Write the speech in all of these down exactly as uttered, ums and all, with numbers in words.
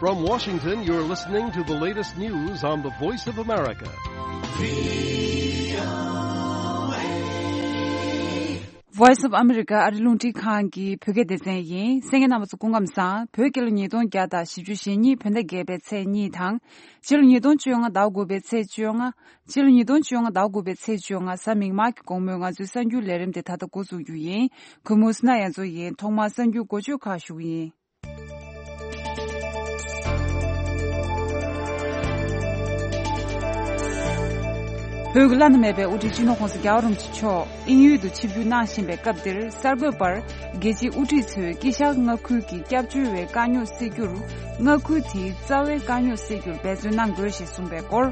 From Washington, you're listening to the latest news on the Voice of America. Voice of America ཨ་རི་རླུང་འཕྲིན་ཁང་གི་བོད་སྐད་སྡེ་ཚན་ཡིན། གསན་མཁན་རྣམ་པ་ཚོ་སྐུ་ཁམས་བཟང་། བོད་རྒྱལ་ལོ་ཉིས་སྟོང་བརྒྱ་དང་བཞི་བཅུ་ཞེ་གཉིས་བོད་ཟླ་བརྒྱད་པའི་ཚེས་གཉིས་དང་། ཕྱི་ལོ་ཉིས་སྟོང་བཅོ་ལྔ་ཟླ་དགུ་པའི་ཚེས་བཅོ་ལྔ། ཕྱི་ལོ་ཉིས་སྟོང་བཅོ་ལྔ་ཟླ་དགུ་པའི་ཚེས་བཅོ་ལྔ་གཟའ་མིག་དམར་གྱི་དགོང་མོའི་ང་ཚོའི་གསར་འགྱུར་ལས་རིམ་དེ་ད་ལྟ་འགོ་འཛུགས་རྒྱུ་ཡིན། གུས་མོ་སི་ན་ཡ་མཚོ་ཡིན། ཐོག་མར་གསར་འགྱུར་འགོ་བརྗོད་ཁག་ཞུ་གི་ཡིན། བོད་ཀྱི་བླ་ན་མེད་པའི་དབུ་ཁྲིད་སྤྱི་ནོར་༸གོང་ས་༸རྒྱལ་བ་རིན་པོ་ཆེ་མཆོག་དབྱིན་ཡུལ་དུ་ཆིབས་བསྒྱུར་གནང་བཞིན་པའི་སྐབས་འདིར། གསར་འགོད་པར་རྒྱལ་སྤྱིའི་དབུ་ཁྲིད་ཚོས་དཀྱིལ་ཤར་མངའ་ཁུལ་གྱི་སྐྱབས་བཅོལ་བའི་དཀའ་རྙོག་སེལ་རྒྱུར། མངའ་ཁུལ་དེའི་རྩ་བའི་དཀའ་རྙོག་སེལ་རྒྱུར་འབད་བརྩོན་གནང་དགོས་ཞེས་གསུངས་པའི་སྐོར།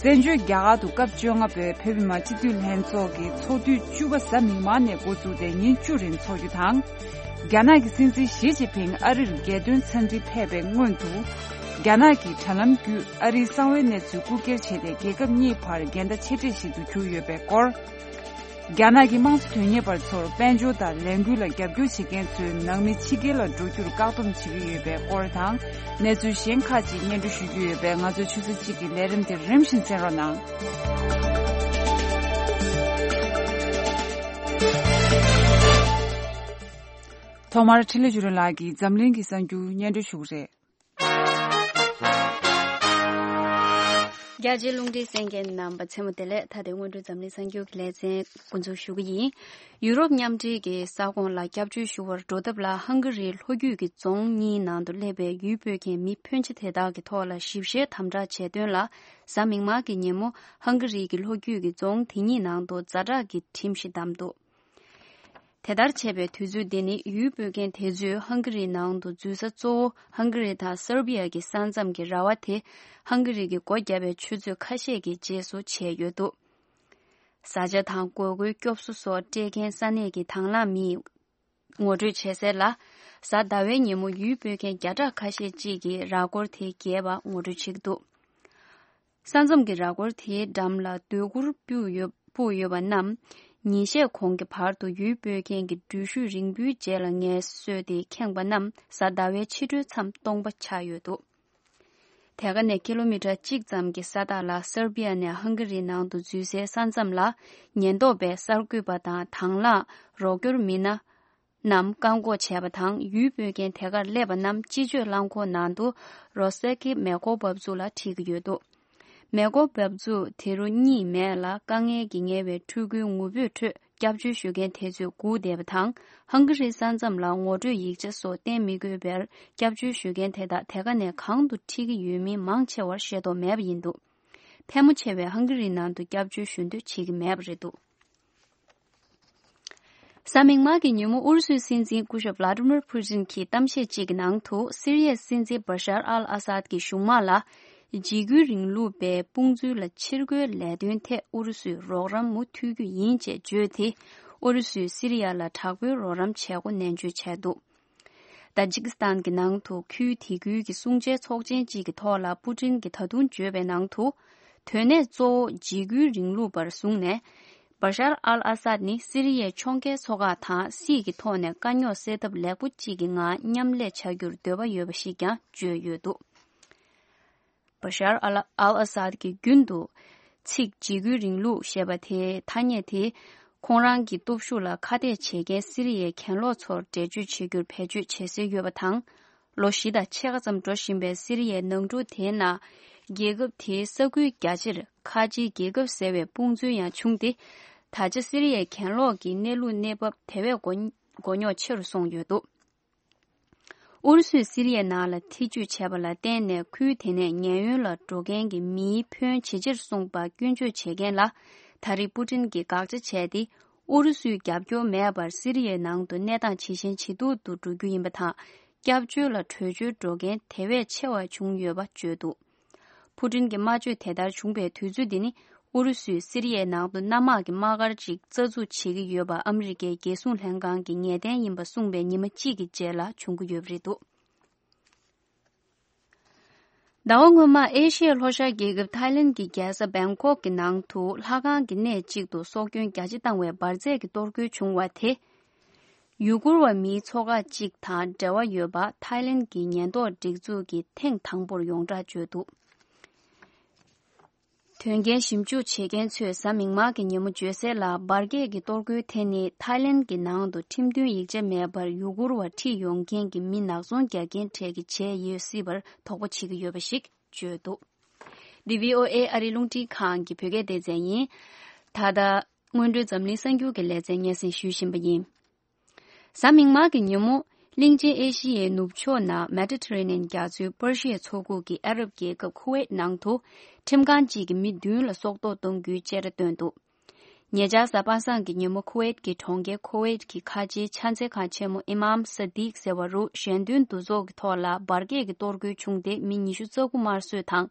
བཙན་བྱོལ་རྒྱ་གར་དུ་སྐབས་བཅོ་ལྔ་པའི་བོད་མི་མང་སྤྱི་འཐུས་ལྷན་ཚོགས་ཀྱི་ཚོགས་དུས་བཅུ་པ་གཟའ་མིག་དམར་ནས་འགོ་བཙུགས་ཏེ་ཉིན་བཅུ་རིང་འཚོགས་རྒྱུ་དང་། རྒྱ་ནག་གི་སྲིད་འཛིན་ཞི་ཅིན་ཕིང་ཨ་རིར་རྒྱལ་དོན་འཚམས་འདྲིར་ཕེབས་པའི་སྔོན་དུ། རྒྱ་ནག་གི་དྲ་ལམ་བརྒྱུད་ཨ་རིའི་གསང་བའི་གནས་ཚུལ་རྐུ་འཁྱེར་བྱས་ཏེ། རྒྱལ་ཁབ་གཉིས་བར་འགལ་ཟླ་ཆེ་གྲས་ཤིག་ཏུ་གྱུར་ཡོད་པའི་སྐོར། རྒྱ་ནག་གི་དམངས་གཙོ་དོན་གཉེར་བ་ཚོར་དཔལ་འབྱོར་དང་ལས་འགུལ་ལ་རྒྱབ་སྐྱོར་བྱེད་མཁན་ཚོའི་ནང་མི་ཕྱི་རྒྱལ་ལ་འགྲོ་རྒྱུར་བཀག་སྡོམ་བྱེད་ཀྱི་ཡོད་པའི་སྐོར་དང་། གནས་ཚུལ་གཞན་ཁག་ཅིག་སྙན་སྒྲོན་ཞུ་རྒྱུ་ཡོད་པས། ང་ཚོའི་ཆུ་ཚོད་གཅིག་གི་ལས་རིམ་དེ་རིམ་བཞིན་གསན་རོགས་གནང་། ཐོག་མར་འཕྲིན་ལས་བརྒྱུད་རིམ་ལགས་ཀྱིས་འཛམ་གླིང་གི་གསར་འགྱུར་སྙན་སྒྲོན་ཞུ་གི་རེད། རྒྱ་ཆེའི་རླུང་འཕྲིན་གསན་མཁན་རྣམ་པ་མཚན་མོ་བདེ་ལེགས། ད་ལྟའི་སྔོན་འགྲོའི་འཛམ་གླིང་གསར་འགྱུར་གྱི་ལེ་ཚན་འགོ་འཛུགས་ཞུ་གི་ཡིན། ཡུ་རོབ་མཉམ་འབྲེལ་གྱི་ས་ཁོངས་ལ་སྐྱབས་བཅོལ་ཞུ་བར་འགྲོ་ཐབས་ལ། ཧང་ག་རིའི་ལྷོ་རྒྱུད་ཀྱི་རྫོང་གཉིས་ནང་དུ་སླེབས་པའི་ཡུལ་སྤོས་མཁན་མི་ཕོན་ཆེ་དེ་དག་གི་ཐོག་ལ་ཞིབ་བཤེར་དམ་དྲག་བྱས་དོན་ལ། གཟའ་མིག་དམར་གྱི་ཉིན་མོ་ཧང་ག་རིའི་ལྷོ་རྒྱུད་ཀྱི་རྫོང་དེ་གཉིས་ནང་དུ་ཛ་དྲག་གི་ཁྲིམས་ཤིག་བསྡམས་འདུག། དེ་ལྟར་བྱས་པའི་དུས་ཚོད་འདི་ནི། ཡུལ་སྤོས་མཁན་དེ་ཚོས་ཧང་ག་རིའི་ནང་དུ་འཛུལ་ས་གཙོ་བོ་ཧང་ག་རི་དང་སར་བི་ཡ་གི་ས་མཚམས་ཀྱི་ར་བ་དེ། ཧང་ག་རི་གིས་སྒོ་བརྒྱབ་པའི་ཆུ་ཚོད་ཁ་ཤས་ཀྱི་རྗེས་སུ་བྱས་ཡོད་འདུག། བཟའ་བཅའ་དང་དགོས་མཁོའི་སྐྱོབ་གསོ་སོགས་སྤྲད་མཁན་ས་གནས་ཀྱི་དང་བླངས་མིས་ངོ་སྤྲོད་བྱས་གསལ་ལ། གཟའ་ཟླ་བའི་ཉིན་མོ་ཡུལ་སྤོས་མཁན་བརྒྱ་ཕྲག་ཁ་ཤས་ཅིག་གིས་ར་སྐོར་དེ་བརྒལ་བར་ངོ་སྤྲོད་བྱེད་ཀྱི་འདུག། ས་མཚམས་ཀྱི་ར་སྐོར་དེའི་འགྲམ་ལ་སྡོད་གུར་སྤུས་ཡོད་སྤུས་ཡོད་པ་རྣམས། ཉིན་ཤས་གོང་གི་བར་དུ་ཡུལ་སྤོས་མཁན་གྱི་འགྲུལ་བཞུད་རིང་པོའི་རྗེས་ལ་ངལ་གསོས་ཏེ་ཁེངས་པ་རྣམས། གཟའ་ཟླ་བའི་ཕྱི་དྲོའི་མཚམས་སྟོང་པ་ཆགས་ཡོད་འདུག། དེ་ག་ནས་ཀི་ལོ་མི་ཊར་གཅིག་ཙམ་གྱི་ས་ཐག་ལ། སར་བི་ཡ་ནས་ཧང་ག་རིའི་ནང་དུ་འཛུལ་སའི་ས་མཚམས་ལ། ཉེན་རྟོག་པས་གསར་འགོད་པ་དང་དང་བླངས་རོགས་སྐྱོར་མི་སྣ་རྣམས་བཀག་འགོག་བྱས་པ་དང་། ཡུལ་སྤོས་མཁན་དེ་གར་སླེབས་པ་རྣམས་སྤྱི་སྤྱོད་རླངས་འཁོར་ནང་དུ་རོ་སེ་ཀི་མེ་འཁོར་འབབ་ཚུགས་ལ་ཁྲིད་ཀྱི་ཡོད་འདུག། མེ་འཁོར་འབབ་ཚུགས་དེ་རུ་གཉིད་མེད་ལ། དཀའ་ངལ་གྱིས་ངལ་བའི་ཕྲུ་གུའི་ངུ་འབོད་ཁྲོད་སྐྱབས་བཅོལ་ཞུ་མཁན་དེ་ཚོས་སྒུག་བསྡད་པ་དང་། ཧང་ག་རིའི་ས་མཚམས་ལ་ངོ་སྤྲོད་ཡིག་ཆ་སོགས་བསྟན་མི་དགོས་པར། སྐྱབས་བཅོལ་ཞུ་མཁན་དེ་དག་དེ་ག་ནས་གང་དུ་ཁྲིད་ཀྱི་ཡོད་མིན་མང་ཆེ་བར་ཤེས་རྟོགས་མེད་པ་ཡིན་འདུག། ཕལ་མོ་ཆེ་བས་ཧང་ག་རིའི་ནང་དུ་སྐྱབས་བཅོལ་ཞུ་འདོད་བྱེད་ཀྱི་མེད་པ་རེད་འདུག། གཟའ་མིག་དམར་གྱི་ཉིན་མོ་ཨུ་རུ་སུའི་སྲིད་འཛིན་སྐུ་ཞབས་ཝླ་ཏི་མིར་ཕུ་ཏིན་གྱིས་གཏམ་བཤད་ཅིག་གི་ནང་དུ། སི་རི་ཡའི་སྲིད་འཛིན་བ་ཤར་ཨལ་ཨ་སཱད་ཀྱི་གཞུང་དམག་ལ་འཇིགས་སྐུལ་རིང་ལུགས་པའི་དཔུང་འཛུལ་ལ་ཕྱིར་རྒོལ་ལས་དོན་ཐད་ཨུ་རུ་སུས་རོགས་རམ་མུ་མཐུད་རྒྱུ་ཡིན་ཅེས་བརྗོད་དེ། ཨུ་རུ་སུས་སི་རི་ཡ་ལ་དྲག་པོའི་རོགས་རམ་བྱེད་སྒོ་ནན་བརྗོད་བྱས་འདུག། ཏཱ་ཇིག་སི་ཐན་གྱི་ནང་དུ་ཁུལ་དེ་ཁུལ་གྱི་སྲུང་བྱའི་ཚོགས་ཆེན་གཅིག་གི་ཐོག་ལ་པུ་ཏིན་གྱིས་ད་དུང་བརྗོད་པའི་ནང་དུ། དོན་གནད་གཙོ་བོ་འཇིགས་སྐུལ་རིང་ལུགས་པར་བཟུང་ནས། བ་ཤར་ཨལ་ཨ་སཱད་ནི་སི་རི་ཡའི་ཕྱོགས་འགལ་ཚོགས་ཁག་དང་སྲིད་ཀྱི་ཐོག་ནས་དཀའ་རྙོག་སེལ་ཐབས་ལེགས་པོ་གཅིག་གི་ངང་མཉམ་ལས་བྱ་རྒྱུར་འདོད་པ་ཡོད་པ་ཞིག་ཀྱང་བརྗོད་ཡོད་འདུག། བ་ཤར་ཨལ་ཨལ་ཨ་སཱད་ཀྱིས་རྒྱུན་དུ་ཚིག་འཇིགས་སྐུལ་རིང་ལུགས་ཞེས་པ་དེའི་ཐ་སྙད་དེ། ཁོང་རང་གི་སྟོབས་ཤུགས་ལ་ཁ་གཏད་བྱེད་མཁན་སི་རི་ཡའི་གྱེན་ལོག་ཚོར་འགྲེལ་བརྗོད་བྱེད་རྒྱུར་བེད་སྤྱོད་བྱེད་སྲོལ་ཡོད་པ་དང་། ལོ་བཞི་དང་ཕྱེད་ཀ་ཙམ་འགྲོ་བཞིན་པའི་སི་རི་ཡའི་ནང་འཁྲུག་དེའི་ནང་། རྒྱལ་ཁབ་དེའི་ས་ཁུལ་རྒྱ་ཆེར་ཁ་ཆེའི་རྒྱལ་ཁབ་ཟེར་བའི་དཔུང་འཛུལ་ཡང་བྱུང་སྟེ། ད་ཆ་སི་རི་ཡའི་གྱེན་ལོག་གི་གནས་ལུགས་གནས་བབ་དེ་བས་མགོ་མགོ་རྙོག་ཆེ་རུ་སོང་ཡོད་འདུག། ཨུ་རུ་སུས་སི་རི་ཡའི་ནང་ལ་ཐེ་ཇུས་བྱས་པ་ལ་བརྟེན་ནས། ཁུལ་དེ་ནས་ཉེན་གཡོལ་ལ་འགྲོ་མཁན་གྱི་མིའི་ཕོན་ཇེ་ཆེར་སོང་པ་སྐྱོན་བརྗོད་བྱེད་མཁན་ལ། ད་རེས་པུ་ཏིན་གྱིས་དགག་བྱ་བྱས་ཏེ། ཨུ་རུ་སུའི་རྒྱབ་སྐྱོར་མེད་པར་སི་རི་ཡའི་ནང་དུ་གནས་སྟངས་ཇེ་ཞན་ཇེ་སྡུག་ཏུ་འགྲོ་རྒྱུ་ཡིན་པ་དང་། སྐྱབས་བཅོལ་ལ་བྲོས་བྱོལ་འགྲོ་མཁན་དེ་བས་ཆེ་བ་བྱུང་ཡོད་པ་བརྗོད་འདུག། ཕུ་ཏིན་གྱི་སྨྲ་བརྗོད་དེ་ལྟར་བྱུང་བའི་དུས་ཚོད་འདི་ནི། ཨུ་རུ་སུས་སི་རི་ཡའི་ནང་དུ་གནམ་དམག་གི་དམག་སྒར་ཅིག་རྩ་འཛུགས་བྱེད་ཀྱི་ཡོད་པ་ཨ་མི་རི་ཀའི་རྒྱལ་སྲུང་ལྷན་ཁང་གིས་ངེས་གཏན་ཡིན་པ་གསུངས་པའི་ཉི་མ་གཅིག་གི་རྗེས་ལ་བྱུང་གི་ཡོད་པ་རེད་འདུག། ཟླ་བ་སྔོན་མ་ཨེ་ཤི་ཡའི་ལྷོ་ཤར་རྒྱལ་ཁབ་ཐའི་ལན་གྱི་རྒྱལ་ས་བེང་ཀོག་གི་ནང་དུ་ལྷ་ཁང་གི་གནས་གཅིག་ཏུ་སྲོག་སྐྱོན་རྒྱ་ཆེ་བཏང་བའི་འབར་རྫས་ཀྱི་གཏོར་རྒོལ་བྱུང་བ་དེ། ཡུ་གུར་བ་མིའི་ཚོགས་ཁག་ཅིག་དང་འབྲེལ་བ་ཡོད་པ་ཐའི་ལེན་གྱི་ཉེན་རྟོག་སྒྲིག་འཛུགས་ཀྱིས་ཐེངས་དང་པོར་ཡོངས་བསྒྲགས་བྱས་འདུག་དོན་རྐྱེན་ཞིབ་འཇུག་བྱེད་མཁན་ཚོས་གཟའ་མིག་དམར་གྱི་ཉིན་མོ་བརྗོད་གསལ་ལ། འབར་གས་ཀྱི་གཏོར་རྒོལ་དེ་ནི་ཐའི་ལེན་གྱི་ནང་དུ་ཁྲིམས་མཐུན་ཡིག་ཆ་མེད་པར་ཡུ་གུར་བ་ཁྲིད་ཡོང་མཁན་གྱི་མི་ནག་ཚོང་རྒྱག་མཁན་གྲས་ཀྱིས་བྱས་ཡོད་སྲིད་པར་དོགས་པ་བྱེད་ཀྱི་ཡོད་པ་ཞིག་བརྗོད་འདུག་འདི་བྷི་ཨོ་ཨེ་ཨ་རིའི་རླུང་འཕྲིན་ཁང་གི་བོད་སྐད་སྡེ་ཚན་ཡིན། ད་ལྟ་སྔོན་འགྲོའི་འཛམ་གླིང་གསར་འགྱུར་གྱི་ལེ་ཚན་སྙན་སེང་ཞུ་བཞིན་པ་ཡིན། གཟའ་མིག་དམར་གྱི་ཉིན་མོ། གླིང་ཆེན་ཨེ་ཤི་ཡའི་ནུབ་ཕྱོགས་ན་མེ་ཏི་ཐེ་རེ་ནན་རྒྱ་མཚོའི་པར་ཤིའི་མཚོ་ཁུག་གི་ཨ་རབ་རྒྱལ་ཁབ་ཁུ་ཝེད་ནང་དུ། ཁྲིམས་ཁང་གཅིག་གིས་མི་བདུན་ལ་སྲོག་ཐོག་གཏོང་རྒྱུའི་བཅད་ཁྲ་བཏོན་འདུག་ཉེ་ཆར་གཟའ་པ་སངས་ཀྱི་ཉིན་མོ་ཁུ་ཝེད་ཀྱི་གྲོང་ཁྱེར་ཁུ་ཝེད་ཀྱི་ཁ་ཆེའི་ཕྱག་འཚལ་ཁང་ཆེན་མོ་ཨི་མམ་སཱ་དིག་ཟེར་བ་རུ་ཞལ་འདོན་འདུ་ཚོགས་ཀྱི་ཐོག་ལ་འབར་གས་ཀྱི་གཏོར་རྒོལ་བྱུང་སྟེ་མི་ཉི་ཤུ་རྩ་དགུ་དམར་གསོད་དང་།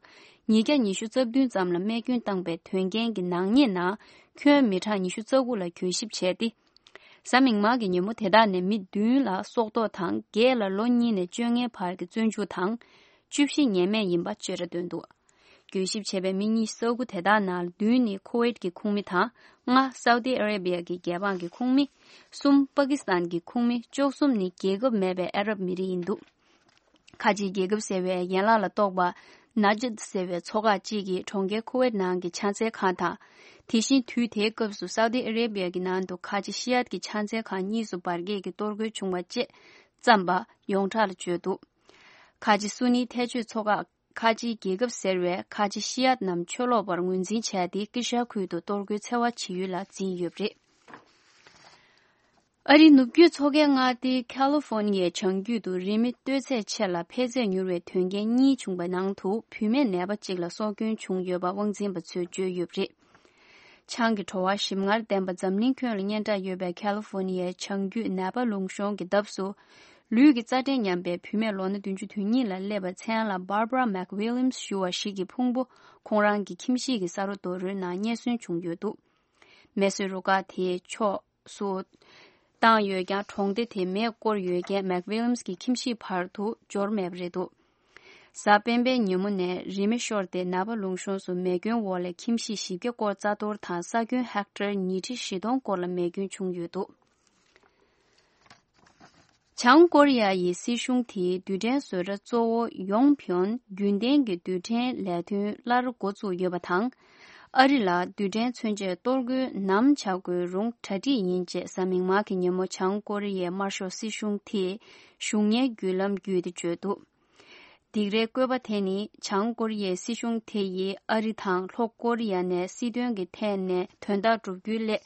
ཉིས་བརྒྱ་ཉི་ཤུ་རྩ་བདུན་ཙམ་ལ་རྨས་སྐྱོན་བཏང་པའི་དོན་རྐྱེན་གྱི་ནག་ཉེས་ནང་ཁྱོན་མི་གྲངས་ཉི་ཤུ་རྩ་དགུ་ལ་གྱོད་ཞིབ་བྱས་ཏེ། གཟའ་མིག་དམར་གྱི་ཉིན་མོ་དེ་དག་ནས་མི་བདུན་ལ་སྲོག་ཐོག་དང་བརྒྱད་ལ་ལོ་གཉིས་ནས་བཅོ་ལྔའི་བར་གྱི་བཙོན་འཇུག་དང་། བཅུ་བཞི་ཉེས་མེད་ཡིན་པ་བཅད་ཁྲ་བཏོན་འདུག་གྱོད་ཞིབ་བྱས་པའི་མི་ཉི་ཤུ་རྩ་དགུ་དེ་དག་ནང་བདུན་ནི་ཁུ་ཝེད་ཀྱི་ཁོངས་མི་དང་། ལྔ་སའུ་ཏི་ཨ་རེ་བྷི་ཡ་གི་རྒྱལ་འབངས་ཀྱི་ཁོངས་མི། གསུམ་པ་ཀི་སི་ཐན་གྱི་ཁོངས་མི། བཅུ་གསུམ་ནི་རྒྱལ་ཁབ་མེད་པའི་ཨ་རབ་མི་རིགས་ཡིན་འདུག་ཁ་ཆེའི་རྒྱལ་ཁབ་ཟེར་བའི་ཡན་ལག་ལ་གཏོགས་པ། ནཱ་ཇད་ཟེར་བའི་ཚོ་ཁག་ཅིག་གིས་གྲོང་ཁྱེར་ཁུ་ཝེད་ནང་གི་ཕྱག་འཚལ་ཁང་དང་། དེ་བཞིན་དུས་དེའི་སྐབས་སུ་སའུ་ཏི་ཨ་རེ་བྷི་ཡ་གི་ནང་དུ་ཁ་ཆེ་ཤི་ཡཱད་ཀྱི་ཕྱག་འཚལ་ཁང་གཉིས་སུ་འབར་གས་ཀྱི་གཏོར་རྒོལ་བྱུང་བ་བཅས་བརྩམས་པ་ཡོངས་གྲགས་ལ་བརྗོད་འདུག་ཁ་ཆེ་སུ་ནི་ཐལ་སྤྱོད་ཚོ་ཁག་ཁ་ཆེའི་རྒྱལ་ཁབ་ཟེར་བས་ཁ་ཆེ་ཤི་ཡཱད་རྣམས་ཆོས་ལོག་པར་ངོས་འཛིན་བྱས་ཏེ་ཀི་ཤ་ཁུལ་དུ་གཏོར་རྒོལ་འཚེ་བ་བྱེད་ཡུལ་ལ་འཛིན་ཡོད་པ་རེད། ཨ་རིའི་ནུབ་རྒྱུད་མཚོ་ཁའི་མངའ་སྡེ་ཁ་ལི་ཧྥོ་ནི་ཡའི་བྱང་རྒྱུད་དུ་རི་མེ་གཏོས་ཚད་ཆེ་ལ་འཕེལ་ཚད་མྱུར་བའི་དོན་རྐྱེན་གཉིས་བྱུང་བའི་ནང་དུ་བུད་མེད་ནད་པ་གཅིག་ལ་སྲོག་སྐྱོན་བྱུང་ཡོད་པ་དབང་འཛིན་པ་ཚོས་བརྗོད་ཡོད་པ་རེད། ཆང་གི་བྲོ་བ་ཞིམ་མངར་ལྡན་པ་འཛམ་གླིང་ཁྱོན་ལ་སྙན་གྲགས་ཡོད་པའི་ཁ་ལི་ཧྥོ་ནི་ཡའི་བྱང་རྒྱུད་ནད་པ་ལུང་གཤོང་གི་འདབས་སུ། ལུས་ཀྱི་རྩ་འགྲན་མཉམ་པའི་བུད་མེད་ལོ་ན་བདུན་ཅུ་དོན་གཉིས་ལ་སླེབས་པའི་མཚན་ལ་Barbara McWilliams་ཞུ་བ་ཞིག་གི་ཕུང་པོ་ཁོང་རང་གི་ཁྱིམ་གཞིས་ཀྱི་ས་རོ་རྡོ་རོལ་ནང་རྙེད་སོན་བྱུང་ཡོད་འདུག་མེ་གསོད་རུ་ཁག་དེའི་ཕྱོགས་སུ་བཏང་ཡོད་ཀྱང་གྲོང་སྡེ་དེ་མེས་བསྐོར་ཡོད་རྐྱེན་མེག་ཝི་ལི་ཡམ་སི་གི་ཁྱིམ་གཞིས་བར་དུ་འབྱོར་མེད་པ་རེད་འདུག་གཟའ་སྤེན་པའི་ཉིན་མོ་ནས་རི་མེ་ཤོར་ཏེ་ནད་པ་ལུང་གཤོང་སུ་མེ་སྐྱོན་འོག་ལས་ཁྱིམ་གཞིས་བཞི་བརྒྱ་སྐོར་རྩ་གཏོར་དང་ས་ཁྱོན་ཧེག་ཊར་ཉིས་ཁྲི་བཞི་སྟོང་སྐོར་ལ་མེ་སྐྱོན་བྱུང་ཡོད་འདུག་བྱང་ཀོ་རི་ཡ་ཡི་སྲིད་གཞུང་དེའི་རྡུལ་ཕྲན་བཟོ་གྲྭ་གཙོ་བོ་ཡོང་ཕིའོན་རྒྱུན་ལྡན་གྱི་རྡུལ་ཕྲན་ལས་དོན་སླར་འགོ་བཙུགས་ཡོད་པ་དང་། ཨ་རི་ལ་རྡུལ་ཕྲན་མཚོན་ཆས་གཏོར་རྒོལ་ནམ་བྱ་དགོས་རུང་གྲ་སྒྲིག་ཡིན་ཅེས་གཟའ་མིག་དམར་གྱི་ཉིན་མོ་བྱང་ཀོ་རི་ཡའི་དམར་ཤོག་སྲིད་གཞུང་དེས་གཞུང་གཉེར་བརྒྱུད་ལམ་བརྒྱུད་དེ་བརྗོད་འདུག་སྡིགས་རའི་བཀོད་པ་དེ་ནི་བྱང་ཀོ་རི་ཡའི་སྲིད་གཞུང་དེ་ཡིས་ཨ་རི་དང་ལྷོ་ཀོ་རི་ཡ་ནས་སྲིད་དོན་གྱི་ཐད་ནས་དོན་དག་བསྒྲུབ་རྒྱུའི་སླད་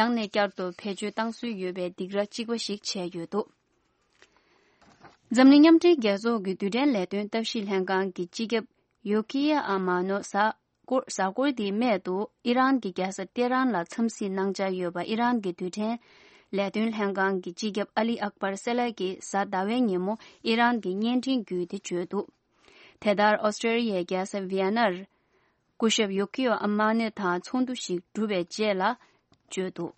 ཡང་ནས་བསྐྱར་དུ་བེད་སྤྱོད་བཏང་སྲོལ་ཡོད་པའི་སྡིགས་ར་གཅིག་པ་ཞིག་བྱས་ཡོད་འདུག་འཛམ་གླིང་མཉམ་འབྲེལ་རྒྱལ་ཚོགས་ཀྱི་རྡུལ་ཕྲན་ལས་དོན་ལྟ་ཞིབ་ལྷན་ཁང་གི་སྤྱི་ཁྱབ་ཡོ་ཀི་ཡ་ཨ་མ་ནོ་གཟའ་འཁོར་གཟའ་འཁོར་འདིའི་སྨད་དུ་ཨི་རན་གྱི་རྒྱལ་ས་ཏེ་རན་ལ་འཚམས་གཟིགས་གནང་འཆར་ཡོད་པ་ཨི་རན་གྱི་རྡུལ་ཕྲན་ལས་དོན་ལྷན་ཁང་གི་སྤྱི་ཁྱབ་ཨ་ལི་ཨག་པར་སེ་ལ་གིས་གཟའ་ཟླ་བའི་ཉིན་མོ་ཨི་རན་གྱི་བརྙན་འཕྲིན་བརྒྱུད་དེ་བརྗོད་འདུག་དེ་ལྟར་ཨོ་སི་ཀྲོ་ལི་ཡའི་རྒྱལ་ས་ཝི་ཡ་ནར་སྐུ་ཞབས་ཡོ་ཀི་ཡོ་ཨ་མ་ནེ་དང་ཚོགས་འདུ་ཞིག་གྲུབ་པའི་རྗེས་ལ་བརྗོད་འདུག་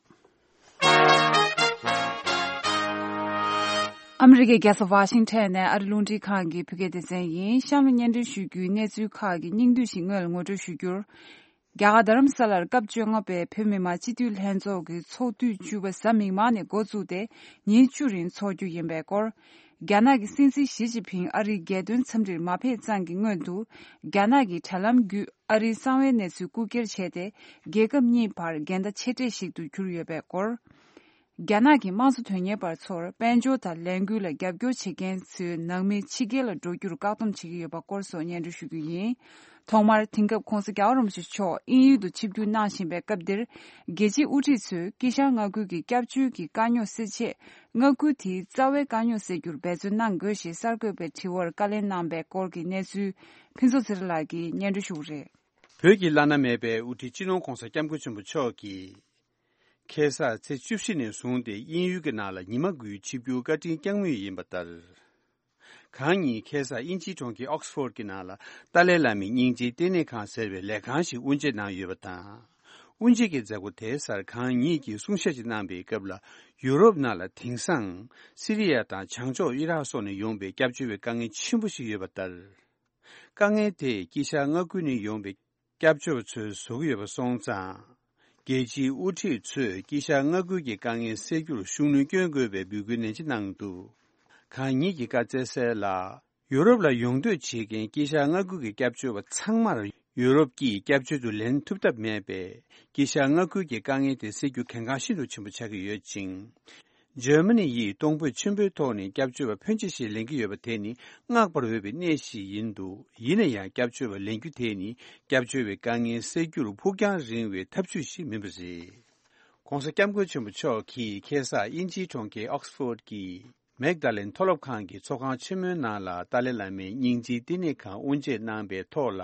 ཨ་མི་རི་ཀའི་རྒྱལ་ས་ཝ་ཤིང་ཊོན་ནས་ཨ་རི་རླུང་འཕྲིན་ཁང་གི་བོད་སྐད་སྡེ་ཚན་ཡིན། གཤམ་ལ་སྙན་སྒྲོན་ཞུ་རྒྱུའི་གནས་ཚུལ་ཁག་གི་སྙིང་བསྡུས་ཤིག་སྔོན་ལ་ངོ་སྤྲོད་ཞུ་རྒྱུར། རྒྱ་གར་རྡ་རམ་ས་ལར་སྐབས་བཅོ་ལྔ་པའི་བོད་མི་མང་སྤྱི་འཐུས་ལྷན་ཚོགས་ཀྱི་ཚོགས་དུས་བཅུ་པ་གཟའ་མིག་དམར་ནས་འགོ་བཙུགས་ཏེ་ཉིན་བཅུ་རིང་འཚོགས་རྒྱུ་ཡིན་པའི་སྐོར། རྒྱ་ནག་གི་སྲིད་འཛིན་ཞི་ཅིན་ཕིང་ཨ་རིའི་རྒྱལ་དོན་འཚམས་འདྲིར་མ་ཕེབས་ཙང་གི་སྔོན་དུ། རྒྱ་ནག་གི་དྲ་ལམ་བརྒྱུད་ཨ་རིའི་གསང་བའི་གནས་ཚུལ་རྐུ་འཁྱེར་བྱས་ཏེ། རྒྱལ་ཁབ་གཉིས་བར་འགལ་ཟླ་ཆེ་གྲས་ཤིག་ཏུ་གྱུར་ཡོད་པའི་སྐོར། རྒྱ་ནག་གི་དམངས་གཙོ་དོན་གཉེར་པ་ཚོར་དཔལ་འབྱོར་དང་ལས་འགུལ་ལ་རྒྱབ་སྐྱོར་བྱེད་མཁན་ཚོའི་ནང་མི་ཕྱི་རྒྱལ་ལ་འགྲོ་རྒྱུར་བཀག་སྡོམ་བྱེད་ཀྱི་ཡོད་པ་སྐོར་སོགས་སྙན་སྒྲོན་ཞུ་རྒྱུ་ཡིན། ཐོག་མར་དེང་སྐབས་༧གོང་ས་༧རྒྱལ་བ་རིན་པོ་ཆེ་མཆོག་དབྱིན་ཡུལ་དུ་ཆིབས་བསྒྱུར་གནང་བཞིན་པའི་སྐབས་འདིར། རྒྱལ་སྤྱིའི་དབུ་ཁྲིད་ཚོས་ཀི་ཤང་མངའ་ཁུལ་གྱི་སྐྱབས་བཅོལ་གྱི་དཀའ་རྙོག་སེལ་ཆེད། མངའ་ཁུལ་དེའི་རྩ་བའི་དཀའ་རྙོག་སེལ་རྒྱུར་འབད་བརྩོན་གནང་དགོས་ཞེས་གསར་འགོད་པའི་དྲི་བར་བཀའ་ལན་གནང་པའི་སྐོར་གྱི་གནས་ཚུལ་ཕུན་ཚོགས་ཚེ་རིང་ལགས་ཀྱིས་སྙན་སྒྲོན་ཞུ་གི་རེད། བོད་ཀྱི་བླ་ན་མེད་པའི་དབུ་ཁྲིད་སྤྱི་ནོར་༧གོང་ས་༧སྐྱབས་མགོན་ཆེན་པོ་མཆོག་གིས། ཁ་སང་ཚེས་བཅུ་བཞི་ནས་བཟུང་སྟེ་དབྱིན་ཡུལ་གྱི་ནང་ལ་ཉི་མ་དགུའི་ཆིབས་བསྒྱུར་བཀའ་དྲིན་བསྐྱངས་མུས་ཡིན་པ་ལྟར། གང་ཉིད་ཁ་སང་དབྱིན་ཇིའི་གྲོང་ཁྱེར་ཨོག་སི་ཕོར་གྱི་ནང་ལ་ཏཱ་ལའི་བླ་མའི་སྙིང་རྗེའི་བསྟི་གནས་ཁང་ཟེར་བའི་ལས་ཁང་ཞིག་དབུ་འབྱེད་གནང་ཡོད་པ་དང་། དབུ་འབྱེད་ཀྱི་མཛད་སྒོ་དེའི་སར་གང་ཉིད་ཀྱིས་གསུང་བཤད་ཅིག་གནང་པའི་སྐབས་ལ། ཡུ་རོབ་ནང་ལ་དེང་སང་སི་རི་ཡ་དང་བྱང་ཕྱོགས་ཨི་རག་སོགས་ནས་ཡོང་པའི་སྐྱབས་བཅོལ་བའི་དཀའ་ངལ་ཆེན་པོ་ཞིག་ཡོད་པ་ལྟར། དཀའ་ངལ་དེས་དཀྱིལ་ཤར་མངའ་ཁུལ་ནས་ཡོང་པའི་སྐྱབས་བཅོལ་བ་ཚོའི་བཟོ་གི་ཡོད་པ་སོང་ཙང་། རྒྱལ་སྤྱིའི་དབུ་ཁྲིད་ཚོས་དཀྱིལ་ཤར་མངའ་ཁུལ་གྱི་དཀའ་ངལ་སེལ་རྒྱུར་ཤུགས་སྣོན་བསྐྱོན་དགོས་པའི་འབོད་སྐུལ་ནན་ཆེ་གནང་འདུག། གང་ཉིད་ཀྱིས་བཀའ་སྩལ་གསལ་ལ། ཡུ་རོབ་ལ་ཡོང་འདོད་བྱེད་མཁན་དཀྱིལ་ཤར་མངའ་ཁུལ་གྱི་སྐྱབས་བཅོལ་བ་ཚང་མར་ཡུ་རོབ་ཀྱིས་སྐྱབས་བཅོལ་དུ་ལེན་ཐུབ་ཐབས་མེད་པས། དཀྱིལ་ཤར་མངའ་ཁུལ་གྱི་དཀའ་ངལ་དེ་སེལ་རྒྱུ་གལ་འགངས་ཤིན་ཏུ་ཆེན་པོ་ཆགས་ཀྱི་ཡོད་ཅིང་། འཇར་མ་ནི་ཡིས་གཏོང་ཕོད་ཆེན་པོའི་ཐོག་ནས་སྐྱབས་བཅོལ་བ་ཕོན་ཆེ་ཞིག་ལེན་གྱི་ཡོད་པ་དེ་ནི་བསྔགས་པར་འོས་པའི་གནས་ཤིག་ཡིན་འདུག། ཡིན་ན་ཡང་སྐྱབས་བཅོལ་བ་ལེན་རྒྱུ་དེ་ནི་སྐྱབས་བཅོལ་བའི་དཀའ་ངལ་སེལ་རྒྱུར་ཕུགས་རྒྱང་རིང་བའི་ཐབས་ཇུས་ཤིག་མིན་པ་རེད། ྋགོང་ས་ྋསྐྱབས་མགོན་ཆེན་པོ་མཆོག་གིས་ཁ་སང་དབྱིན་ཇིའི་གྲོང་ཁྱེར་ཨོག་སི་ཕོར་གྱི་མེག་ད་ལེན་མཐོ་སློབ་ཁང་གི་ཚོགས་ཁང་ཆེན་མོའི་ནང་ལ་ཏཱ་ལའི་བླ་མའི་སྙིང་རྗེའི་བསྟི་གནས་ཁང་དབུ་འབྱེད་གནང་པའི་ཐོག་ལ།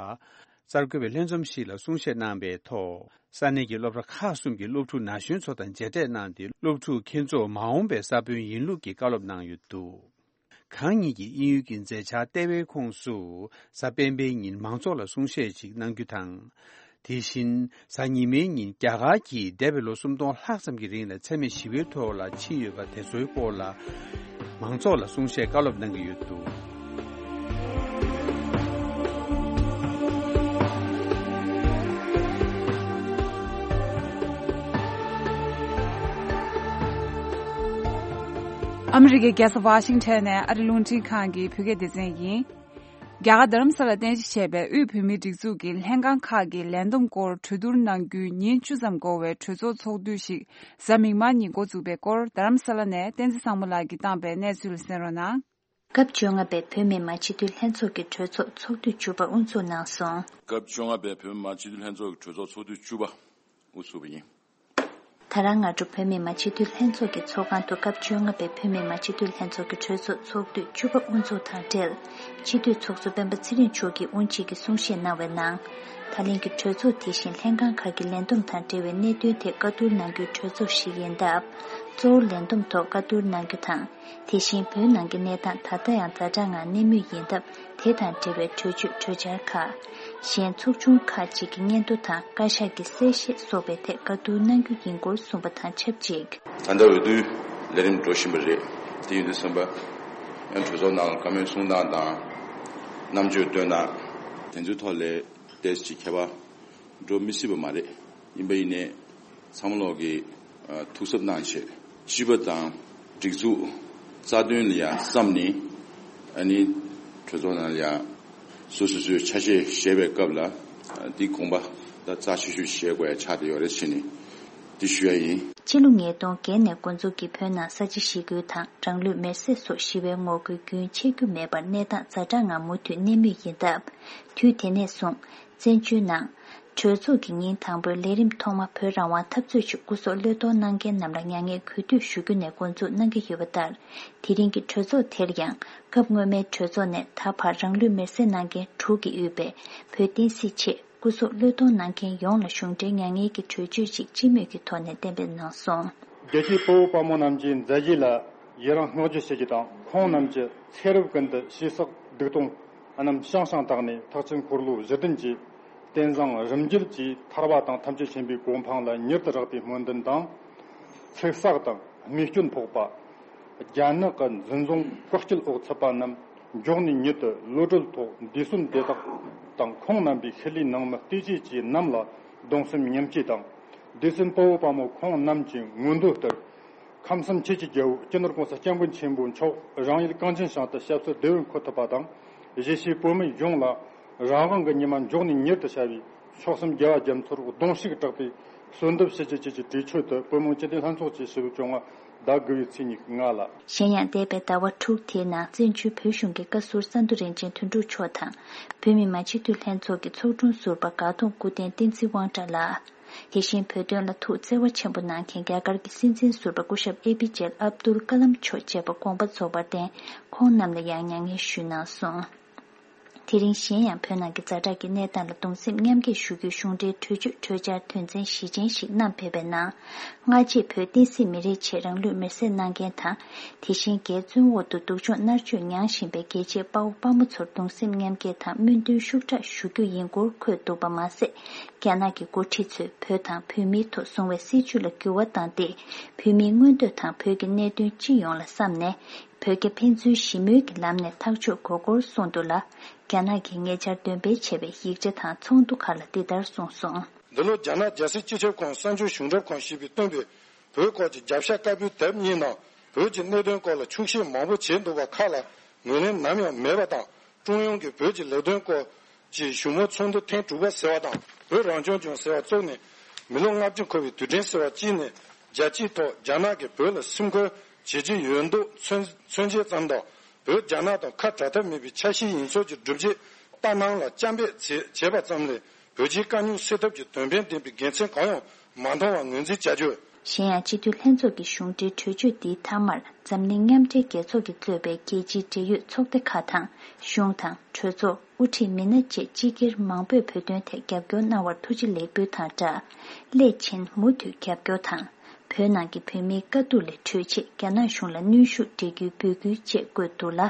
གསར་འགོད་པའི་ལྷན་འཛོམས་ཤིག་ལ་གསུང་བཤད་གནང་པའི་ཐོག། ས་གནས་ཀྱི་སློབ་གྲྭ་ཁག་གསུམ་གྱི་སློབ་ཕྲུག་ན་གཞོན་ཚོ་དང་མཇལ་འཕྲད་གནང་སྟེ། སློབ་ཕྲུག་ཁྱེད་ཚོ་མ་འོངས་པའི་ས་བོན་ཡིན་ལུགས་ཀྱི་བཀའ་སློབ་གནང་ཡོད་འདུག། གང་ཉིད་ཀྱིས་དབྱིན་ཡུལ་གྱི་མཛད་འཆར་ལྟེ་བའི་ཁོངས་སུ་གཟའ་སྤེན་པའི་ཉིན་མང་ཚོགས་ལ་གསུང་བཤད་ཅིག་གནང་རྒྱུ་དང་། དེ་བཞིན་གཟའ་ཉི་མའི་ཉིན་རྒྱ་གར་གྱིས་འདས་པའི་ལོ་སུམ་སྟོང་ལྷག་ཙམ་གྱི་རིང་ལ་འཚེ་མེད་ཞི་བའི་ཐོག་ལ་ཕྱིན་ཡོད་པ་དེ་ཚོའི་སྐོར་ལ་མང་ཚོགས་ལ་གསུང་བཤད་བཀའ་སློབ་གནང་གི་ཡོད་འདུག། ཨ་མི་རི་ཀའི་རྒྱལ་ས་ཝ་ཤིང་ཊོན་ནས་ཨ་རི་རླུང་འཕྲིན་ཁང་གི་བོད་སྐད་སྡེ་ཚན་ཡིན། རྒྱ་གར་རྡ་རམ་ས་ལར་རྟེན་གཞི་བྱས་པའི་དབུས་བོད་མིའི་སྒྲིག་འཛུགས་ཀྱི་ལྷན་ཁང་ཁག་གི་ལས་བསྡོམས་སྐོར་གྲོས་བསྡུར་གནང་རྒྱུའི་ཉིན་བཅུ་ཙམ་འགོར་བའི་གྲོས་ཚོགས་ཚོགས་དུས་ཤིག་གཟའ་མིག་དམར་ཉིན་འགོ་བཙུགས་པའི་སྐོར་རྡ་རམ་ས་ལ་ནས་བསྟན་འཛིན་བཟང་མོ་ལགས་ཀྱིས་བཏང་པའི་གནས་ཚུལ་གསན་རོགས་གནང་། སྐབས་བཅོ་ལྔ་པའི་བོད་མི་མང་སྤྱི་འཐུས་ལྷན་ཚོགས་ཀྱི་གྲོས་ཚོགས་ཚོགས་དུས་བཅུ་པ་དབུ་འཛུགས་གནང་སོང་། སྐབས་བཅོ་ལྔ་པའི་བོད་མི་མང་སྤྱི་འཐུས་ལྷན་ཚོགས་ཀྱི་གྲོས་ཚོགས་ཚོགས་དུས་བཅུ་པ་དབུ་ཚུགས་པ་ཡིན། ད་རང་སྔ་དྲོ་བོད་མི་མང་སྤྱི་འཐུས་ལྷན་ཚོགས་ཀྱི་ཚོགས་ཁང་དུ་སྐབས་བཅོ་ལྔ་པའི་བོད་མི་མང་སྤྱི་འཐུས་ལྷན་ཚོགས་ཀྱི་གྲོས་ཚོགས་ཚོགས་དུས་བཅུ་པ་དབུ་འཛུགས་དང་འབྲེལ། སྤྱི་འཐུས་ཚོགས་གཙོ་སྤེན་པ་ཚེ་རིང་མཆོག་གིས་དབུ་འབྱེད་ཀྱི་གསུང་བཤད་གནང་བའི་ནང་། ད་ལན་གྱི་གྲོས་ཚོགས་དེ་བཞིན་ལྷན་ཁང་ཁག་གི་ལས་བསྡོམས་དང་འབྲེལ་བའི་གནད་དོན་ཐད་བཀའ་བསྡུར་གནང་རྒྱུའི་གྲོས་ཚོགས་ཤིག་ཡིན་སྟབས། གཙོ་བོ་ལས་བསྡོམས་ཐོག་བཀའ་བསྡུར་གནང་རྒྱུ་དང་། དེ་བཞིན་བོད་ནང་གི་གནས་སྟངས་ད་ལྟ་ཡང་ཛ་དྲག་ངང་གནས་མུས་ཡིན་སྟབས། དེ་དང་འབྲེལ་བའི་གྲོས་ཆོད་གྲོས་འཆར་ཁག་གཞན་ཚོགས་ཆུང་ཁག་ཅིག་གི་སྙན་ཐོ་དང་བཀའ་ཤག་གི་གསལ་བཤད་སོགས་པའི་ཐད་བཀའ་བསྡུར་གནང་རྒྱུ་ཡིན་སྐོར་གསུངས་པ་དང་ཆབས་ཅིག། ད་ལྟ་འོས་བསྡུའི་ལས་རིམ་འགྲོ་བཞིན་པ་རེད། དེ་ཡིན་དུས་ཙམ་པ། ཡང་གྲོས་ཚོགས་ནང་བཀའ་མོལ་གསུང་སྟངས་དང་། རྣམ་དཔྱོད་སྟོན་སྟངས། དེ་ཚོའི་ཐོག་ལ་ཏོག་ཙམ་ཁྱད་པར་འགྲོ་མི་སྲིད་པ་མ་རེད། ཡིན་པ་ཡིན་ནའི། ཚང་མ་ལོག་གིས་ཨ་ཐུགས་གཟབ་གནང་བྱས། སྤྱི་པ་དང་སྒྲིག་འཛུགས་རྩ་དོན་ལ་ཡང་བསམ་ནས། ཨ་ནི་གྲོས་ཚོགས་ནང་ལ་ཡང་སོ་སོ་སོའི་ཆ་ཤས་བཞེས་པའི་སྐབས་ལ། ཨ་འདི་དགོངས་པ་ད་རྩ་ཆེ་ཤོས་བཞེས་དགོས་ཡ་ཆགས་བསྡད་ཡོད་རེད་ཟེར་ནས་འདི་ཞུ་ཡ་ཡིན། ཕྱི་ལོ་ཉིས་སྟོང་བརྒྱད་ནས་འགོ་འཛུགས་ཀྱིས་བོད་ནང་ས་བྱི་ཞི་རྒོལ་དང་རང་ལུས་མེར་སྲེག་སོགས་ཞི་བའི་ངོ་རྒོལ་རྒྱུན་ཆད་རྒྱུ་མེད་པར་གནས་སྟངས་ཛ་དྲག་ངང་མུ་མཐུད་གནས་མུས་ཡིན་སྟབས། དུས་དེ་ནས་བཟུང་། བཙན་བྱོལ་ནང་། གྲོས་ཚོགས་ཀྱི་ཉིན་དང་པོའི་ལས་རིམ་ཐོག་མ་བོད་རང་དབང་འཐབ་རྩོད་ཆེད་སྐུ་སྲོག་བློས་གཏོང་གནང་མཁན་རྣམས་ལ་མྱ་ངན་གུས་འདུད་ཞུ་རྒྱུ་ནས་འགོ་འཛུགས་གནང་གི་ཡོད་པ་ལྟར། དེ་རིང་གི་གྲོས་ཚོགས་དེར་ཡང་སྐབས་སྔོན་མའི་གྲོས་ཚོགས་ནས་ད་བར་རང་ལུས་མེར་སྲེག་གནང་མཁན་དྲུག་གིས་དབུས་པའི་བོད་བསྟན་སྲིད་ཆེད་སྐུ་སྲོག་བློས་གཏོང་གནང་མཁན་ཡོངས་ལ་གཞུང་འབྲེལ་མྱ་ངན་གྱི་གྲོས་ཆོད་ཅིག་སྤྱི་མོས་ཀྱི་ཐོག་ནས་གཏན་འབེབས་གནང་སོང་། རྒྱལ་གཅེས་དཔའ་བོ་དཔའ་མོ་རྣམས་ཀྱི་མཛད་རྗེས་ལ་ཡི་རང་བསྔགས་བརྗོད་བྱེད་རྒྱུ་དང་། ཁོང་རྣམས་ཀྱི་ཚེ་རབས་ཀུན་ཏུ་ཞེ་སག་སྡིག་ལྟུང་རྣམས་ཤང་ཤང་དག་ནས་ཐེག་ཆེན་འཁོར་ལོ་བཞི་ལྡན་གྱི་རྟེན་བཟང་རིམ་བརྒྱུད་ཀྱི་ཐར་པ་དང་ཐམས་ཅད་མཁྱེན་པའི་གོ་འཕང་ལ་མྱུར་དུ་རེག་པའི་སྨོན་འདུན་དང་། ཚེ་སྲོག་དང་རྨས་སྐྱོན་ཕོག་པ། རྒྱ་ནག་གི་འཛིན་བཟུང་བཀག་སྐྱིལ་འོག་ཚུད་པ་རྣམས་མགྱོགས་ནས་མྱུར་དུ་གློད་གྲོལ་ཐོག་འདས་གསོན་དེ་དག་དང་ཁོང་རྣམ་པའི་ཤུལ་ལུས་ནང་མི་བལྟོས་བཅས་ཀྱི་རྣམས་ལ་གདུང་སེམས་མཉམ་སྐྱེད་དང་། སྡེ་སྲིད་དཔའ་བོ་དཔའ་མོ་ཁོང་རྣམས་ཀྱི་མངོན་འདོད་ལྟར། ཁམས་གསུམ་ཆོས་ཀྱི་རྒྱལ་པོ་སྤྱི་ནོར་༸གོང་ས་༸སྐྱབས་མགོན་ཆེན་པོ་མཆོག་རང་ཡུལ་གངས་ཅན་ཞིང་དུ་ཞབས་སོར་བདེ་བར་འཁོད་ཐུབ་པ་དང་། གཞིས་བྱེས་བོད་མི་ཡོངས་ལ་རང་དབང་གི་ཉི་མ་མགྱོགས་ནས་མྱུར་དུ་ཤར་བའི་མཆོག་གསུམ་རྒྱལ་བ་རྒྱ་མཚོར་གདུང་ཤུགས་དྲག་པོས་གསོལ་འདེབས་ཞུ་རྒྱུ་བཅས་ཀྱི་གྲོས་ཆོད་དུ་བོད་མི་སྤྱི་འཐུས་ལྷན་ཚོགས་ཀྱིས་ཞེ་པོ་བྱུང་བ་ཟླ་དགུ་པའི་ཚེས་ཉི་ཤུ་ལྔ་ལ། གཞན་ཡང་། འདས་པའི་ཟླ་བ་དྲུག་དེའི་ནང་བཙན་བྱོལ་བོད་གཞུང་གི་བཀའ་ཟུར་ས་འདུ་རིན་ཆེན་དོན་གྲུབ་མཆོག་དང་། བོད་མི་མང་སྤྱི་འཐུས་ལྷན་ཚོགས་ཀྱི་ཚོགས་དྲུང་ཟུར་པ་དགའ་གདོང་སྐུ་བསྟན་བསྟན་འཛིན་དབང་གྲགས་ལགས། དེ་བཞིན་བོད་དོན་ལ་ཐུགས་བརྩེ་བ་ཆེན་པོ་གནང་མཁན་རྒྱ་གར་གྱི་སྲིད་འཛིན་ཟུར་པ་སྐུ་ཞབས་ཨེ་པི་ཇེ་ཨབ་དུལ་ཀ་ལམ་མཆོག་བཅས་པ་དགོངས་པ་རྫོགས་པར་བརྟེན། ཁོང་རྣམས་ལ་ཡང་མྱ་ངན་ཞུས་གནང་སོང་། དེ་རིང་གཞན་ཡང་བོད་ནང་གི་ཛ་དྲག་གི་གནས་སྟངས་ལ་གདུང་སེམས་མཉམ་སྐྱེད་ཞུ་རྒྱུའི་གཞུང་འབྲེལ་གྲོས་ཆོད་གྲོས་འཆར་དོན་ཚན་བཞི་ཅན་ཞིག་བསྣམས་ཕེབས་པའི་ནང་། སྔ་རྗེས་བོད་བསྟན་སྲིད་མི་རིགས་ཆེད་རང་ལུས་མེར་སྲེག་གནང་མཁན་དང་། དེ་བཞིན་རྒྱའི་བཙོན་འོག་ཏུ་སྡུག་སྦྱོང་མནར་གཅོད་མྱངས་བཞིན་པའི་རྒྱལ་གཅེས་དཔའ་བོ་དཔའ་མོ་ཚོར་གདུང་སེམས་མཉམ་སྐྱེད་དང་སྨོན་འདུན་ཤུགས་དྲག་ཞུ་རྒྱུ་ཡིན་སྐོར་འཁོད་འདུག་པ་མ་ཟད། རྒྱ་ནག་གི་འགོ་ཁྲིད་ཚོས་བོད་དང་བོད་མིའི་ཐོག་བཟུང་བའི་སྲིད་བྱུས་ལ་འགྱུར་བ་བཏང་སྟེ། བོད་མིའི་མངོན་འདོད་དང་བོད་ཀྱི་གནད་དོན་སྤྱི་ཡོངས་ལ་བསམ་ནས། བོད་རྒྱ་ཕན་ཚུན་ཞི་མོལ་གྱི་ལམ་ནས་ཐག་གཅོད་དགོས་སྐོར་གསུངས་འདུག་ལ། རྒྱ་ནག་གིས་ཉེ་ཆར་འདོན་སྤེལ་བྱས་པའི་ཡིག་ཆ་དང་ཚོགས་འདུ་ཁག་ལ་འདི་ལྟར་གསུངས་སོང་། འདི་ལོ་རྒྱ་ནག་རྒྱལ་སྲིད་སྤྱི་ཁྱབ་ཁང་གསར་འགྱུར་གཞུང་སྒྲུབ་ཁང་ཞེས་པས་བཏོན་པའི་བོད་སྐོར་གྱི་རྒྱབ་ཤ་དཀར་པོའི་དེབ་གཉིས་ནང་བོད་ཀྱི་གནད་དོན་སྐོར་ལ་འཁྱོག་བཤད་མང་པོ་བྱས་འདུག་པ་ཁག་ལ་ངོས་ལེན་ནམ་ཡང་མེད་པ་དང་། ཀྲུང་དབྱང་གིས་བོད་ཀྱི་ལས་དོན་སྐོར་གྱི་བཞུགས་མོལ་ཚོགས་འདུ་ཐེངས་དྲུག་པ་ཟེར་བ་དང་། བོད་རང་སྐྱོང་ལྗོངས་ཟེར་བ་བཙུགས་ནས་མི་ལོ་ལྔ་བཅུ་འཁོར་བའི་དུས་དྲན་ཟེར་བ་གཅིག་ནས་རྒྱལ་སྤྱིའི་ཐོག་རྒྱ་ནག་གིས་བོད་ལ་སེམས་ཁུར་བྱེད་ཀྱི་ཡོད་མདོག་མཚོན་མཚོན་བྱེད་ཙམ་དང་། བོད་རྒྱ་ནག་དང་ཁ་བྲལ་ཐབས་མེད་པའི་ཆ་ཤས་ཡིན་ཚུལ་གྱི་སྒྲུབ་བྱེད་ལྟ་སྣང་ལ་སྐྱབས་འབད་བྱས་བྱས་པ་ཙམ་ལས། བོད་རྒྱའི་དཀའ་རྙོག་སེལ་ཐབས་ཀྱི་དོན་ཕན་ལྡན་པའི་དགེ་མཚན་གང་ཡང་མ་མཐོང་བར་ངོས་འཛིན་བྱ་རྒྱུ། གཞན་ཡང་། སྤྱི་འཐུས་ལྷན་ཚོགས་ཀྱི་གཞུང་འབྲེལ་གྲོས་ཆོད་འདིའི་མཐའ་མར་འཛམ་གླིང་མཉམ་འབྲེལ་རྒྱལ་ཚོགས་ཀྱིས་གཙོས་པའི་རྒྱལ་སྤྱིའི་འབྲེལ་ཡོད་ཚོགས་སྡེ་ཁག་དང་གཞུང་དང་གྲོས་ཚོགས། དབུ་ཁྲིད་མི་སྣ་བཅས་སྤྱི་སྒེར་མང་པོས་བོད་དོན་ཐད་རྒྱབ་སྐྱོར་གནང་བར་ཐུགས་རྗེ་ལེགས་འབུལ་དང་སྦྲགས། སླད་ཕྱིན་མུ་མཐུད་རྒྱབ་སྐྱོར་དང་། བོད་ནང་གི་བོད་མིའི་དཀའ་སྡུག་ལས་གྲོལ་ཆེད་རྒྱ་ནག་གཞུང་ལ་གནོན་ཤུགས་སྤྲད་རྒྱུའི་འབོད་སྐུལ་བཅས་བཀོད་འདུག་ལ།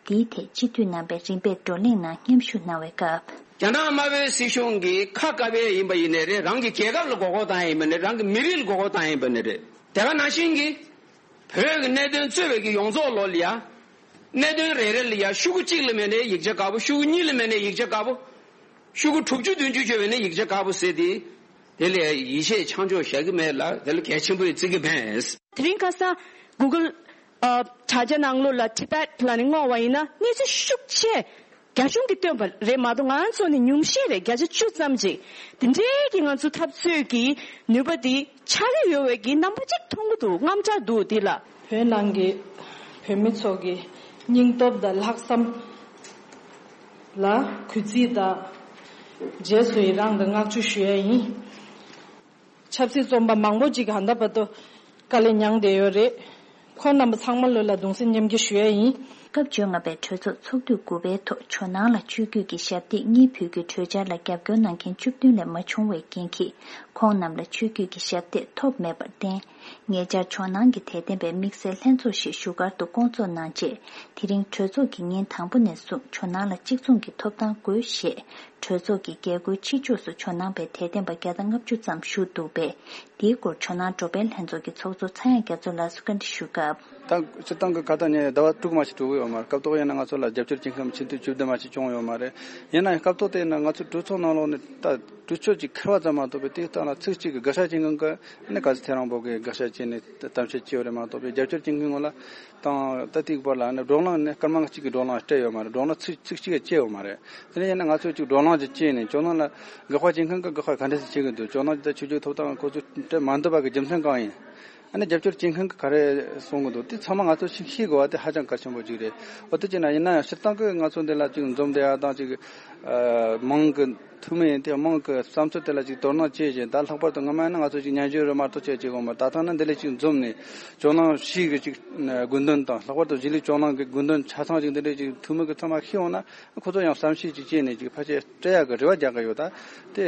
འདིའི་ཐད་སྤྱི་འཐུས་རྣམ་པས་རིམ་པས་བགྲོ་གླེང་ནང་མཉམ་ཞུགས་གནང་བའི་སྐབས། རྒྱ་ནག་དམར་པོའི་སྲིད་གཞུང་གིས་ཁ་བཀབ་པའི་ཡིན་པ་ཡིན་ནའི་རེད། རང་གི་རྒྱལ་ཁབ་ལ་མགོ་སྐོར་བཏང་ཡིན་པ་ནི་རེད། རང་གི་མི་རིགས་ལ་མགོ་སྐོར་བཏང་ཡིན་པ་ནི་རེད། དེ་ག་ནང་བཞིན་གྱི་བོད་ཀྱི་གནད་དོན་རྩོད་པའི་གི་ཡོངས་རྫོགས་ལོ་ལ་ཡ། གནད་དོན་རེ་རེ་ལ་ཡ་ཤོག་གུ་གཅིག་ལ་མེད་ནའི་ཡིག་ཆ་དཀར་པོ། ཤོག་གུ་གཉིས་ལ་མེད་ནའི་ཡིག་ཆ་དཀར་པོ། ཤོག་གུ་དྲུག་ཅུ་བདུན་ཅུ་བྱས་པ་ནི་ཡིག་ཆ་དཀར་པོ་ཟེར་ཏེ། དེ་ལས་ཡིད་ཆེས་ཆང་འཇོག་བཞག་གི་མེད་ལ། དེ་ལ་གལ་ཆེན་པོ་ཡིན་བརྩི་གི་མེད། དེ་རིང་ཁ་སང་Google་ཨ་དྲ་རྒྱ་ནང་ལོགས་ལ་Tibet་ལ་ནི་བསྔོགས་པ་ཡིན་ན་གནས་ཚུལ་ཤུགས་ཆེ་རྒྱ་གཞུང་གིས་བཏོན་པ་རེད་མ་གཏོགས་ང་ཚོ་ནི་ཉུང་ཤས་རེད།་བརྒྱ་ཆ་བཅུ་ཙམ་ཅིག་དེ་འདྲའི་གི་ང་ཚོ་འཐབ་རྩོད་ཀྱི་ནུས་པ་དེ་ཆགས་ཀྱི་ཡོད་པའི་གི་རྣམ་པ་ཅིག་མཐོང་གི་འདུག་རྔམ་དྲག་འདུག་འདི་ལ། བོད་ནང་གི་བོད་མི་ཚོ་གི་སྙིང་སྟོབས་དང་ལྷག་བསམ་ལ་གུས་བརྩི་དང་རྗེས་སུ་ཡི་རང་དང་བསྔགས་བརྗོད་ཞུ་ཡ་ཡིན། ཆབ་སྲིད་བཙོན་པ་མང་པོ་ཅིག་ཧ་ད་བར་དུ་དཀའ་ལས་མྱངས་བསྡད་ཡོད་རེད། ཁོང་རྣམ་པ་ཚང་མ་ལོ་ལ་གདུང་སེམས་མཉམ་སྐྱེད་ཞུ་ཡ་ཡིན། སྐབས་བཅོ་ལྔ་པའི་གྲོས་ཚོགས་ཚོགས་དུས་དགུ་པའི་ཐོག་ཇོ་ནང་ལ་ཆོས་བརྒྱུད་ཀྱི་ཞབས་སྟེགས་གཉིས་ཕུལ་རྒྱུའི་གྲོས་འཆར་ལ་རྒྱབ་སྐྱོར་གནང་མཁན་བཅུ་བདུན་ལས་མ་བྱུང་བའི་རྐྱེན་གྱིས། ཁོང་རྣམས་ལ་ཆོས་བརྒྱུད་ཀྱི་ཞབས་སྟེགས་ཐོབ་མེད་པར་བརྟེན། ཉེ་ཆར་ཇོ་ནང་གི་དད་ལྡན་པའི་དམིགས་བསལ་ལྷན་ཚོགས་ཤིག་བཞུགས་སྒར་དུ་བསྐོང་ཚོགས་གནང་རྗེས། དེ་རིང་གྲོས་ཚོགས་ཀྱིས་ཉིན་དང་པོ་ནས་བཟུང་ཇོ་ནང་ལ་གཅིག་མཚུངས་ཀྱི་ཐོབ་ཐང་དགོས་ཞེས། གྲོས་ཚོགས་ཀྱི་རྒྱལ་སྒོའི་ཕྱི་ཕྱོགས་སུ་ཇོ་ནང་པའི་དད་ལྡན་པ་བརྒྱ་དང་ལྔ་བཅུ་ཙམ་བཞུགས་འདུག་པས། འདིའི་སྐོར་ཇོ་ནང་འགྲོ་ཕན་ལྷན་ཚོགས་ཀྱི་ཚོགས་གཙོ་ཚངས་དབྱངས་རྒྱ་མཚོ་ལགས་སུ་བཀའ་འདྲི་ཞུ་སྐབས། ད་སྤྱིར་བཏང་གི་ཁ་ཏ་ཉིན་ཟླ་བ་དྲུག་མ་ཞིག་འགྲོ་གི་ཡོད་མ་རེད། སྐབས་ཐོག་ཡིན་ན་ང་ཚོ་ལ་རྒྱབ་སྐྱོར་བྱེད་མཁན་ཆེན་ཐོས་བཅུ་བདུན་མ་ཞིག་བྱུང་ཡོད་མ་རེད། ཡིན་ན་ཡང་སྐབས་ཐོག་དེ་ཡིན་ན་ང་ཚོ་གྲོས་ཚོགས་ནང་ལོགས་ནས་ད་གྲོས་ཆོད་ཅིག་འཁེལ་བ་ཙམ་མ་གཏོགས་པའི་དེའི་སྟེང་ལ་ཚིག་གཅིག་གི་དགག་བྱ་བྱེད་མཁན་གྱི་ནི་ག་ཚོད་ཐེངས་རིང་པོ་གི་དགག་བྱ་བྱས་ནས་གཏམ་བཤད་བྱས་ཡོད་རེད་མ་གཏོགས་པའི་རྒྱབ་སྐྱོར་བྱེད་མཁན་ངོ་ལ། དང་ད་ལྟའི་བར་ལ་ནི་བགྲོ་གླེང་ནི་སྐར་མ་གཅིག་གི་བགྲོ་གླེང་སྤྲད་ཡོད་མ་རེད། བགྲོ་གླེང་ཚིག་ཚིག་གཅིག་ཡང་བྱས་ཡོད་མ་རེད། དེ་ནས་ཡིན་ན་ང་ཚོས་ཅིག་བགྲོ་གླེང་ཅིག་བྱས་ནས་ཇོ་ནང་ལ་དགག་པ་བྱེད་མཁན་གྱིས་དགག་པ་ག་འདྲ་ཞིག་བྱེད་ཀྱི་འདུག་ཇོ་ནང་ད་ཆོས་བརྒྱུད་ཐོབ་ཐང་ཁོ་ཚོས་སྤྲད་མ་འདོད་པ་གི་རྒྱུ་མཚན་གང་ཡིན། ཨ་ནི་རྒྱབ་སྐྱོར་བྱེད་མཁན་གྱིས་ག་རེ་གསུང་གི་འདུག་དེ་ཚང་མ་ང་ཚོས་ཤེས་ཤེས་དགོས་པ་དེ་ཧ་ཅང་གལ་ཆེན་པོ་ཅིག་རེད། འོ་དེ་བྱས་ན་ཡིན་ན་ཡང་སྤྱིར་བཏང་གི་ང་ཚོ་འདི་ལ་ཅིག་འཛོམས་བསྡད་ཡ་དང་ཅིག་ཨ་མང་གི་ཐུགས་མི་ཡིན་ཏེ་དམངས་ཀྱི་བསམ་ཚུལ་དེ་ལ་ཅིག་དོ་སྣང་བྱེད་བཞིན། ད་ལྷག་པར་དུ་སྔ་མ་ཡིན་ན་ང་ཚོ་ཅིག་ཉན་རྒྱུ་རེད་མ་གཏོགས་བྱེད་ཅིག་འོང་མ། ད་ཐེངས་ནི་འདི་ལས་ཅིག་འཛོམས་ནས་ཇོ་ནང་ཕྱིའི་གི་ཅིག་དགོས་འདུན་དང་། ལྷག་པར་དུ་གཞིས་ལུས་ཇོ་ནང་གི་དགོས་འདུན་ཆ་ཚང་ཅིག་འདི་འདྲའི་ཅིག་ཐུགས་མི་གི་ཚང་མ་ཤེས་འོང་ན། ཁོ་ཚོ་ཡང་བསམ་ཤེས་ཅིག་བྱས་ནས་ཅིག་ཕལ་ཆེར་སྤྲད་ཡག་གི་རེ་བ་རྒྱག་གི་ཡོད། ད་དེ་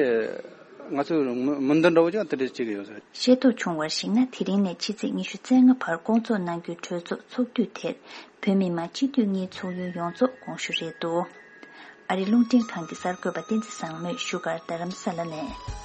ང་ཚོས་མོས་མོས་འདུན་འདྲ་བོ་ཅིག་དེ་འདྲ་བྱེད་ཀྱི་ཡོད་ཟེར། ཤེས་རྟོགས་བྱུང་བར་གཞིགས་ན། དེ་རིང་ནས་ཕྱི་ཚེས་ཉི་ཤུ་རྩ་ལྔ་བར་བསྐོང་ཚོགས་གནང་རྒྱུའི་གྲོས་ཚོགས་ཚོགས་དུས་དེར། བོད་མི་མང་སྤྱི་འཐུས་གཉིས་ཚོགས་ཡུན་ཡོངས་རྫོགས་དགོངས་ཞུ་རེད་འདུག་ཨ་རིའི་རླུང་འཕྲིན་ཁང་གི་གསར་འགོད་པ་བསྟན་འཛིན་བཟང་མོས་བཞུགས་སྒར་རྡ་རམ་ས་ལ་ནས།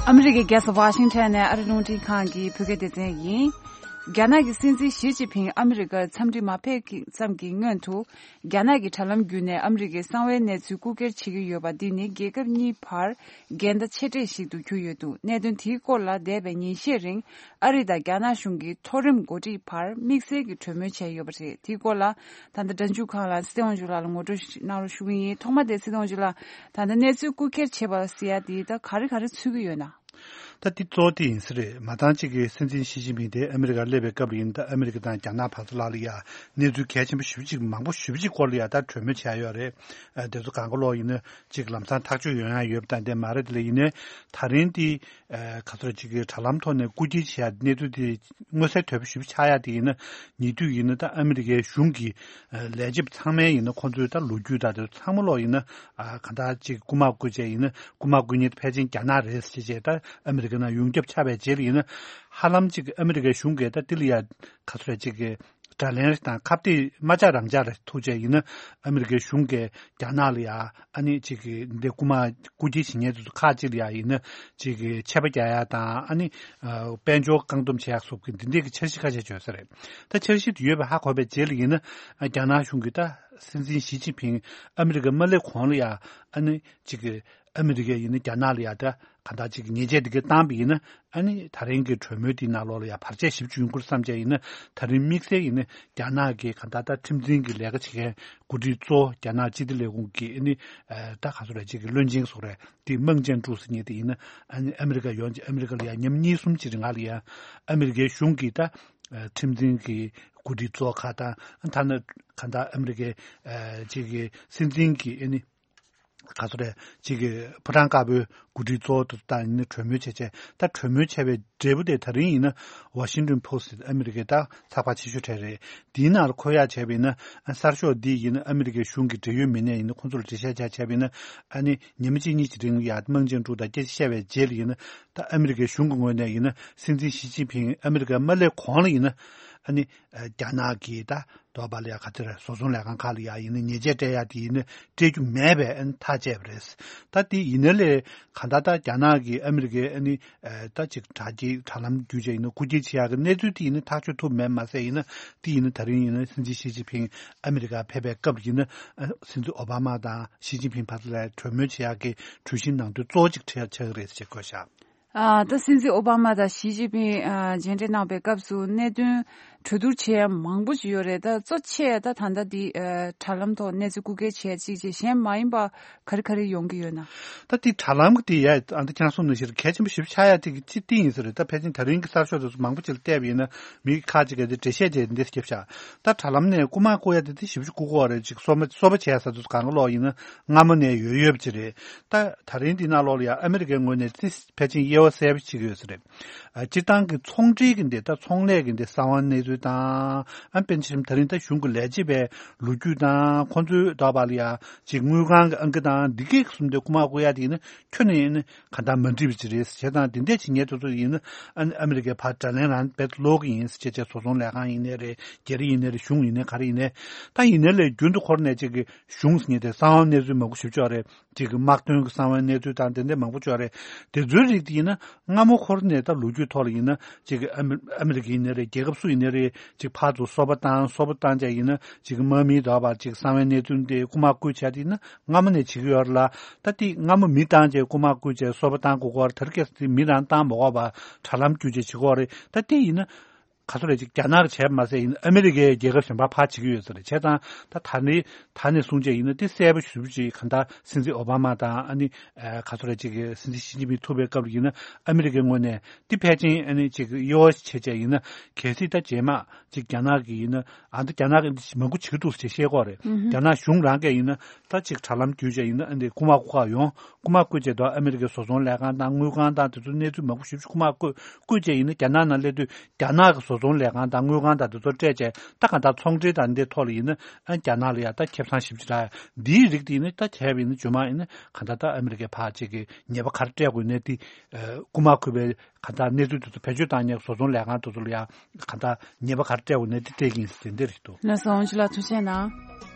ཨ་མི་རི་ཀའི་རྒྱལ་ས་ཝ་ཤིང་ཊོན་ནས་ཨ་རིའི་རླུང་འཕྲིན་ཁང་གི་བོད་སྐད་སྡེ་ཚན་ཡིན། རྒྱ་ནག་གི་སྲིད་འཛིན་ཞི་ཅིན་ཕིང་ཨ་མི་རི་ཀར་འཚམས་འདྲི་མ་ཕེབས་ཀྱི་ཙམ་གྱི་སྔོན་དུ། རྒྱ་ནག་གི་དྲ་ལམ་བརྒྱུད་ནས་ཨ་མི་རི་ཀའི་གསང་བའི་གནས་ཚུལ་རྐུ་འཁྱེར་བྱེད་ཀྱི་ཡོད་པ་འདི་ནི་རྒྱལ་ཁབ་གཉིས་བར་འགལ་ཟླ་ཆེ་གྲས་ཤིག་ཏུ་གྱུར་ཡོད་འདུག་གནད་དོན་དེའི་སྐོར་ལ་འདས་པའི་ཉིན་ཤས་རིང་ཨ་རི་དང་རྒྱ་ནག་གཞུང་གི་མཐོ་རིམ་འགོ་ཁྲིད་བར་དམིགས་བསལ་གྱི་གྲོས་མོལ་བྱས་ཡོད་པ་རེད། དེའི་སྐོར་ལ་ད་ལྟ་སྒྲ་འཇུག་ཁང་ལ་སྲིད་དབང་ཇུ་ལགས་ལ་ངོ་སྤྲོད་གནང་རོགས་ཞུ་གི་ཡིན། ཐོག་མ་དེ་སྲིད་དབང་ཇུ་ལགས། ད་ལྟ་གནས་ཚུལ་རྐུ་འཁྱེར་བྱེད་པ་ཟེར་ཡ་དེ་ད་ག་རེ་ག་རེ་ཚུད་ཀྱི་ཡོད་ན། ད་འདི་གཙོ་བོ་དེ་ཡིན་ས་རེད། མ་འདང་ཅིག་གི་སྲིད་འཛིན་ཞི་ཅིན་ཕིང་དེ་ཨ་མི་རི་ཀར་སླེབས་པའི་སྐབས་ལ་ཡིན་ད་ཨ་མི་རི་ཀ་དང་རྒྱ་ནག་བར་དུ་ལ་ལ་ཡ་གནས་ཚུལ་གལ་ཆེན་པོ་ཞེ་པོ་ཅིག་མང་པོ་ཞེ་པོ་ཅིག་སྐོར་ལ་ཡ་ད་གྲོས་མོལ་བྱས་ཡོད་རེད། ཨ་དེ་ཚོ་གང་ག་ལོག་ཡིན་ན་ཅིག་ལམ་སང་ཐག་གཅོད་ཡོང་ཡ་ཡོད་པ་དང་དེ་མ་རེད། དེ་ལ་ཡིན་ན་ད་རིང་དེ་ཨ་ག་ཚོད་ཅིག་གི་དྲ་ལམ་ཐོག་ནས་རྐུ་འཁྱེར་བྱས་ཡ་གནས་ཚུལ་དེ་མངོན་གསལ་དོད་པོ་ཞེ་པོ་ཆགས་ཡ་དེ་ཡིན་ན་ཉེ་དུས་ཡིན་ན་ད་ཨ་མི་རི་ཀའི་གཞུང་གི་ལས་བྱེད་པ་ཚང་མའི་ཡིན་ན་ཁོང་ཚོའི་ད་ལོ་རྒྱུས་ད་དེ་ཚང་མ་ལོག་ཡིན་ན་ཨ་གང་ལྟར་ཅིག་རྐུ་མ་རྐུ་བྱས་ཡིན་ན་རྐུ་མ་རྐུ་མཁན་ཕལ་ཆེར་རྒྱ་ནག་རེད་ཟེར་བྱས་ད་ཨ་མི་རི་ཀ་ནང་ཡོངས་ཁྱབ་ཆགས་པའི་རྗེས་ལ་ཡིན་ན་ཧ་ལམ་ཅིག་ཨ་མི་རི་ཀའི་གཞུང་གིས་ད་དེ་ལ་ཡ་ག་ཚོད་རེད་ཅིག་གི་ དགྲ་ལན་དང་ཁ་གཏད་མ་བཅག་རང་བཅག་རེ་ཐུག་བྱས་ཡིན་ན་ཨ་མི་རི་ཀའི་གཞུང་གིས་རྒྱ་ནག་ལ་ཡ་ཨ་ནི་ཅིག་གི་འདི་རྐུ་མ་རྐུ་འཁྱེར་བྱེད་མཁན་དེ་ཚོ་ཁག་ཅིག་ལ་ཡ་ཡིན་ན་ཅིག་གི་ཆད་པ་རྒྱག་ཡ་དང་ཨ་ནི་དཔལ་འབྱོར་བཀག་སྡོམ་བྱེད་ཡ་སོགས་ཀྱི་འདི་འདྲའི་གི་འཆར་གཞི་ཁ་ཤས་བྱོས་ས་རེད། ད་འཆར་གཞི་དེ་ཡོད་པ་ཧ་གོ་བའི་རྗེས་ལ་ཡིན་ན་རྒྱ་ནག་གཞུང་གིས་ད་སྲིད་འཛིན་ཞི་ཅིན་ཕིང་ཨ་མི་རི་ཀ་མ་སླེབས་གོང་ལ་ཡ་ཨ་ནི་ཅིག་གི་ཨ་མི་རི་ཀས་ཡིན་ན་རྒྱ་ནག་ལ་ཡ་ད་ག་འདྲ་ཅིག་ཉེས་ཆད་འདི་ག་བཏང་པ་ཡིན་ན་ཨ་ནི་ད་རིང་གི་གྲོས་མོལ་འདིའི་ནང་ལོགས་ལ་ཡ་བར་ཆད་ཞེ་པོ་ཅིག་ཡོང་གི་རེད་བསམ་བྱས་ཡིན་ན་ད་རིང་དམིགས་བསལ་ཡིན་ན་རྒྱ་ནག་གི་ག་འདྲ་ད་ཁྲིམས་འཛིན་གྱི་ལས་ཀ་བྱེད་མཁན་འགོ་ཁྲིད་གཙོ་བོ་རྒྱ་ནག་སྤྱི་བདེ་ལས་ཁུངས་ཀྱི་ཨ་ནི་ད་ག་ཚོད་རེད་ཅིག་གི་བློན་ཆེན་སོགས་རེད་དེ་མང་ཅན་ཀྲུའུ་ཟེར་མཁན་དེ་ཡིན་ན་ཨ་ནི་ཨ་མི་རི་ཀ་ཡོང་ཅིག་ཨ་མི་རི་ཀ་ལ་ཡ་ཉིན་མ་གཉིས་གསུམ་ཅིག་རིང་ལ་ཡ་ཨ་མི་རི་ཀའི་གཞུང་གིས་ད་ཁྲིམས་འཛིན་གྱི་འགོ་ཁྲིད་གཙོ་བོ་ཁག་དང་ཐ་ན་ག་འདྲ་ཨ་མི་རི་ཀའི་ཅིག་གི་སྲིད་འཛིན་གྱི་ཨ་ནི། ག་ཚོད་རེད་ཅིག་གི་ཕོ་བྲང་དཀར་པོའི་འགོ་ཁྲིད་གཙོ་བོ་དེ་ཚོ་དང་ཡིན་ན་གྲོས་མོལ་བྱས་བྱས་ད་གྲོས་མོལ་བྱས་པའི་འབྲས་བུ་དེ་ད་རིང་ཡིན་ན་Washington Post་ཨ་མི་རི་ཀའི་ད་ཚགས་པར་ཆེ་ཤོས་གྲས་རེད། དེའི་ནང་ལ་འཁོད་ཡག་བྱས་པ་ཡིན་ན་གསར་ཤོག་འདི་ཡིན་ན་ཨ་མི་རི་ཀའི་གཞུང་གི་འབྲེལ་ཡོད་མི་སྣས་ཡིན་ན་ཁོང་ཚོ་ལ་འགྲེལ་བཤད་རྒྱག་བྱས་པ་ཡིན་ན་ཨ་ནི་ཉི་མ་གཅིག་གཉིས་ཀྱི་རིང་ལ་ཡ་མང་ཅན་ཀྲུའུ་དང་སྐད་ཆ་བཤད་པའི་རྗེས་ལ་ཡིན་ན་ད་ཨ་མི་རི་ཀའི་གཞུང་གི་ངོས་ནས་ཡིན་ན་སྲིད་འཛིན་ཞི་ཅིན་ཕིང་ཨ་མི་རི་ཀ་མ་སླེབས་གོང་ལ་ཡིན་ན་ཨ་ནི་རྒྱ་ནག་གི་ད། དོགས་པ་ལ་ཡ་ག་ཚོད་རེད་བཟོ་ཚོང་ལས་ཁང་ཁག་ལ་ཡ་ཡིན་ན་ཉེས་ཆད་སྤྲད་ཡ་དེ་ཡིན་ན་སྤྲད་རྒྱུ་མེད་པའི་ཨ་ནི་ཐག་བཅད་པ་རེད། ད་དེ་ཡིན་ན་ལས་གང་ལྟར་ད་རྒྱ་ནག་གིས་ཨ་མི་རི་ཀའི་ཨ་ནི་ད་ཅིག་དྲག་སྐྱེད་དྲ་ལམ་བརྒྱུད་བྱས་ཡིན་ན་རྐུ་འཁྱེར་བྱེད་ཡ་གི་གནས་ཚུལ་དེ་ཡིན་ན་ཐག་གཅོད་ཐུབ་མེད་མ་ཟད་ཡིན་ན་དེ་ཡིན་ན་ད་རིང་ཡིན་ན་སྲིད་འཛིན་ཞི་ཅིན་ཕིང་ཨ་མི་རི་ཀར་ཕེབས་པའི་སྐབས་ཡིན་ན་སྲིད་འཛིན་ཨོ་བྷ་མ་དང་ཞི་ཅིན་ཕིང་བར་ལ་གྲོས་མོལ་བྱེད་ཡ་གི་གྲོས་གཞིའི་ནང་དོན་གཙོ་བོ་ཅིག་ཆགས་ཆགས་ཀྱི་རེད་ཅེས་བཀོད་བཞག་ཨ། ད་སྲིད་འཛིན་ཨོ་བྷ་མ་དང་ཞི་ཅིན་ཕིང་ཨ། མཇལ་འཕྲད་གནང་བའི་སྐབས་སུ་གནད་དོན་གྲོས་བསྡུར་བྱས་མང་པོ་ཞིག་ཡོད་རེད། ད་གཙོ་ཆེ་ད་ད་ལྟ་འདི་ཨ། དྲ་ལམ་ཐོག་གནས་ཚུལ་རྐུ་འཁྱེར་བྱས་གཅིག་བྱས་གཞན་མ་ཡིན་པ་ག་རེ་ག་རེ་ཡོང་གི་ཡོད་ན། ད་འདི་དྲ་ལམ་གྱི་དེ་ཡ་ཨ་ད་ཁྱེད་རང་གསུངས་ནང་བཞིན་གལ་ཆེན་པོ་ཞེ་པོ་ཆགས་ཡ་དེ་གི་གཅིག་དེ་ཡིན་ས་རེད། ད་ཕལ་ཆེར་ད་རིང་གི་གསར་ཤོག་དེ་ཚོ་མང་པོ་ཅིག་ལ་བལྟས་པ་ཡིན་ན་མི་ཁག་ཅིག་གིས་འགྲེལ་བཤད་བྱས་འདི་སྐྱབས་བཞག་ད་དྲ་ལམ་ནས་རྐུ་མ་རྐུ་ཡ་དེ་དེ་ཞེ་པོ་ཅིག་རྐུ་གི་ཡོད་རེད། ཅིག་སོ་མ་སོ་པ་བྱས་ས་དེ་ཚོ་གང་ག་ལོག་ཡིན་ན་སྔ་མོ་ནས་ཡོད་ཡོད་པ་ཅིག་རེད། ད་ད་རིང་འདི་ནང་ལོགས་ལ་ཡང་ཨ་མི་རི་ཀའི་ངོས་ནས་ཙི་ཕལ་ཆེར་དབྱེ་བ་གསལ་པོ་ཅིག་ཡོད་ས་རེད། ཨ། སྤྱིར་བཏང་གི་ཚོང་འབྲེལ་གྱི་འདི་ད་ཚོང་ལས་ཀྱི་འདི་གསང་བ་གནས་ཚུལ་དང་ཨ་དཔེར་ན་ཆེ་ད་རིང་ད་གཞུང་གི་ལས་བྱེད་པའི་ལོ་རྒྱུས་དང་ཁོང་ཚོའི་ད་བར་ལ་ཡ་ཅིག་དངུལ་ཁང་གི་ཨང་ཀི་དང་འདི་གས་གསུམ་དེ་རྐུ་མ་རྐུ་ཡ་དེ་ཡིན་ན་ཁྱོན་ནས་ཡིན་ན་ག་འདྲ་མ་འགྲིག་པ་ཅིག་རེད་ཟེར་དང་དེ་འདྲས་བྱེད་མཁན་དེ་ཚོ་ཡིན་ན་ཨ་ཨ་མི་རི་ཀའི་ཕར་དགྲ་ལན་རང་རྦད་དེ་སློག་གི་ཡིན་ཟེར་བྱས་བྱས་བཟོ་ཚོང་ལས་ཁང་ཡིན་ནའི་རེད། རྒྱ་རིགས་ཡིན་ནའི་རེད། གཞུང་ཡིན་ནའི་ག་རེ་ཡིན་ནའི་ད་ཡིན་ནའི་ལས་རྒྱུན་དུ་འཁོར་ནས་ཅིག་གི་གཞུང་ཟེར་མཁན་དེ་གསང་བ་གནས་ཚུལ་མང་པོ་ཞིག་ཅིག་ཡོད་རེད། ཅིག་གི་དམག་དོན་གྱི་གསང་བའི་གནས་ཚུལ་དང་དེ་འདྲ་མང་པོ་ཅིག་ཡོད་རེད། དེ་ཚོའི་རིགས་དེ་ཡིན་ན་སྔ་མོ་འཁོར་ནས་ད་ལོ་རྒྱུས་ཐོག་ལ་ཡིན་ན་ཅིག་གི་ཨ་མི་ཨ་མི་རི་ཀ་ཡིན་ནའི་རེད། རྒྱལ་ཁབ་སུ་ཡིན་ནའི་རེད། ཅིག་ཕར་ཚུར་སོ་པ་བཏང་སོ་པ་བཏང་བྱས་ཡིན་ན་ཅིག་གི་དམག་མིའི་ད་བར་ཅིག་གསང་བའི་གནས་ཚུལ་འདི་རྐུ་མ་རྐུ་བྱས་དེ་ཡིན་ན་སྔ་མོ་ནས་བྱེད་ཀྱི་ཡོད་རེད་ལ། ད་དེ་སྔ་མོ་མི་བཏང་བྱས་རྐུ་མ་རྐུ་བྱས་སོ་པ་བཏང་དགོས་ཀྱི་ཡོད་རེད། དེ་རིང་ཁ་སང་དེ་མི་རང་བཏང་མ་དགོས་པར་དྲ་ལམ་བརྒྱུད་བྱས་བྱེད་ཀྱི་ཡོད་རེད། ད་དེ་ཡིན་ན། ག་ཚོད་རེད། ཅིག་རྒྱ་ནག་གིས་བྱས་པ་མ་ཟད་ཡིན་ཨ་མི་རི་ཀའི་རྒྱལ་ཁབ་གཞན་པ་ཕར་བྱེད་ཀྱི་ཡོད་ས་རེད། བྱས་ཙང་ད་ད་ནི་ད་ནས་བཟུང་བྱས་ཡིན་ན་དེ་གསལ་པོ་ཞེ་པོ་ཅིག་གང་ལྟར་སྲིད་འཛིན་ཨོ་བྷ་མ་དང་ཨ་ནི་ག་ཚོད་རེད། ཅིག་སྲིད་འཛིན་ཞི་ཅིན་ཕིང་ཐུག་པའི་སྐབས་ལ་ཡིན་ན་ཨ་མི་རི་ཀའི་ངོས་ནས་དེ་ཕལ་ཆེར་ཨ་ནི་ཅིག་གཡོ་བྱས་བྱས་ཡིན་ན་གལ་སྲིད་ད་རྗེས་མ་ཅིག་རྒྱ་ནག་གིས་ཡིན་ན་ཨ་ད་རྒྱ་ནག་གིས་འདི་མང་པོ་བྱེད་ཀྱི་འདུག་ཟེར་བཤད་ཀྱི་ཡོད་རེད། རྒྱ་ནག་གཞུང་རང་གིས་ཡིན་ན་ད་ཅིག་དྲ་ལམ་བརྒྱུད་བྱས་ཡིན་ན་ཨ་འདི་རྐུ་མ་རྐུ་ག་ཡོང་། རྐུ་མ་རྐུས་བྱས་དུས་ཨ་མི་རི་ཀའི་བཟོ་ཚོང་ལས་ཁང་དང་དངུལ་ཁང་དང་དེ་ཚོའི་གནས་ཚུལ་མང་པོ་ཞེ་པོ་ཅིག་རྐུ་མ་རྐུས་རྐུས་བྱས་ཡིན་ན་རྒྱ་ནག་ནང་སླེབས་དུས་རྒྱ་ནག་གི་བཟོ་ཚོང་ལས་ཁང་དང་དངུལ་ཁང་དང་དེ་ཚོ་སྤྲད་བྱས་ད་གང་ལྟར་ཚོང་འབྲེལ་དང་འདི་ཐོག་ལ་ཡིན་ན་ཨ་རྒྱ་ནག་ལ་ཡ་ད་ཁེ་བཟང་ཞེ་པོ་ཅིག་རག་འདིའི་རིགས་དེ་ཡིན་ན་ད་བྱས་པ་ཡིན་ན་རྗེས་མ་ཡིན་ན་གང་ལྟར་ད་ཨ་མི་རི་ཀའི་ཕར་ཅིག་གི་ཉེས་པ་ག་རེ་སྤྲད་དགོས་ནས་དེ་རྐུ་མ་རྐུས་པའི་གང་ལྟར་གནས་ཚུལ་དེ་ཚོ་བེད་སྤྱོད་བཏང་མཁན་བཟོ་ཚོང་ལས་ཁང་དེ་ཚོ་ལ་ཡ་གང་ལྟར་ཉེས་པ་ག་རེ་སྤྲད་དགོས་ནས་དེ་སྤྲད་ཀྱི་ཡིན་ཟེར་དེ་འདྲ་རེད་འདུག་ལགས་སོ། ཨོང་ཅི་ལགས་ཐུགས་རྗེ་གནང་།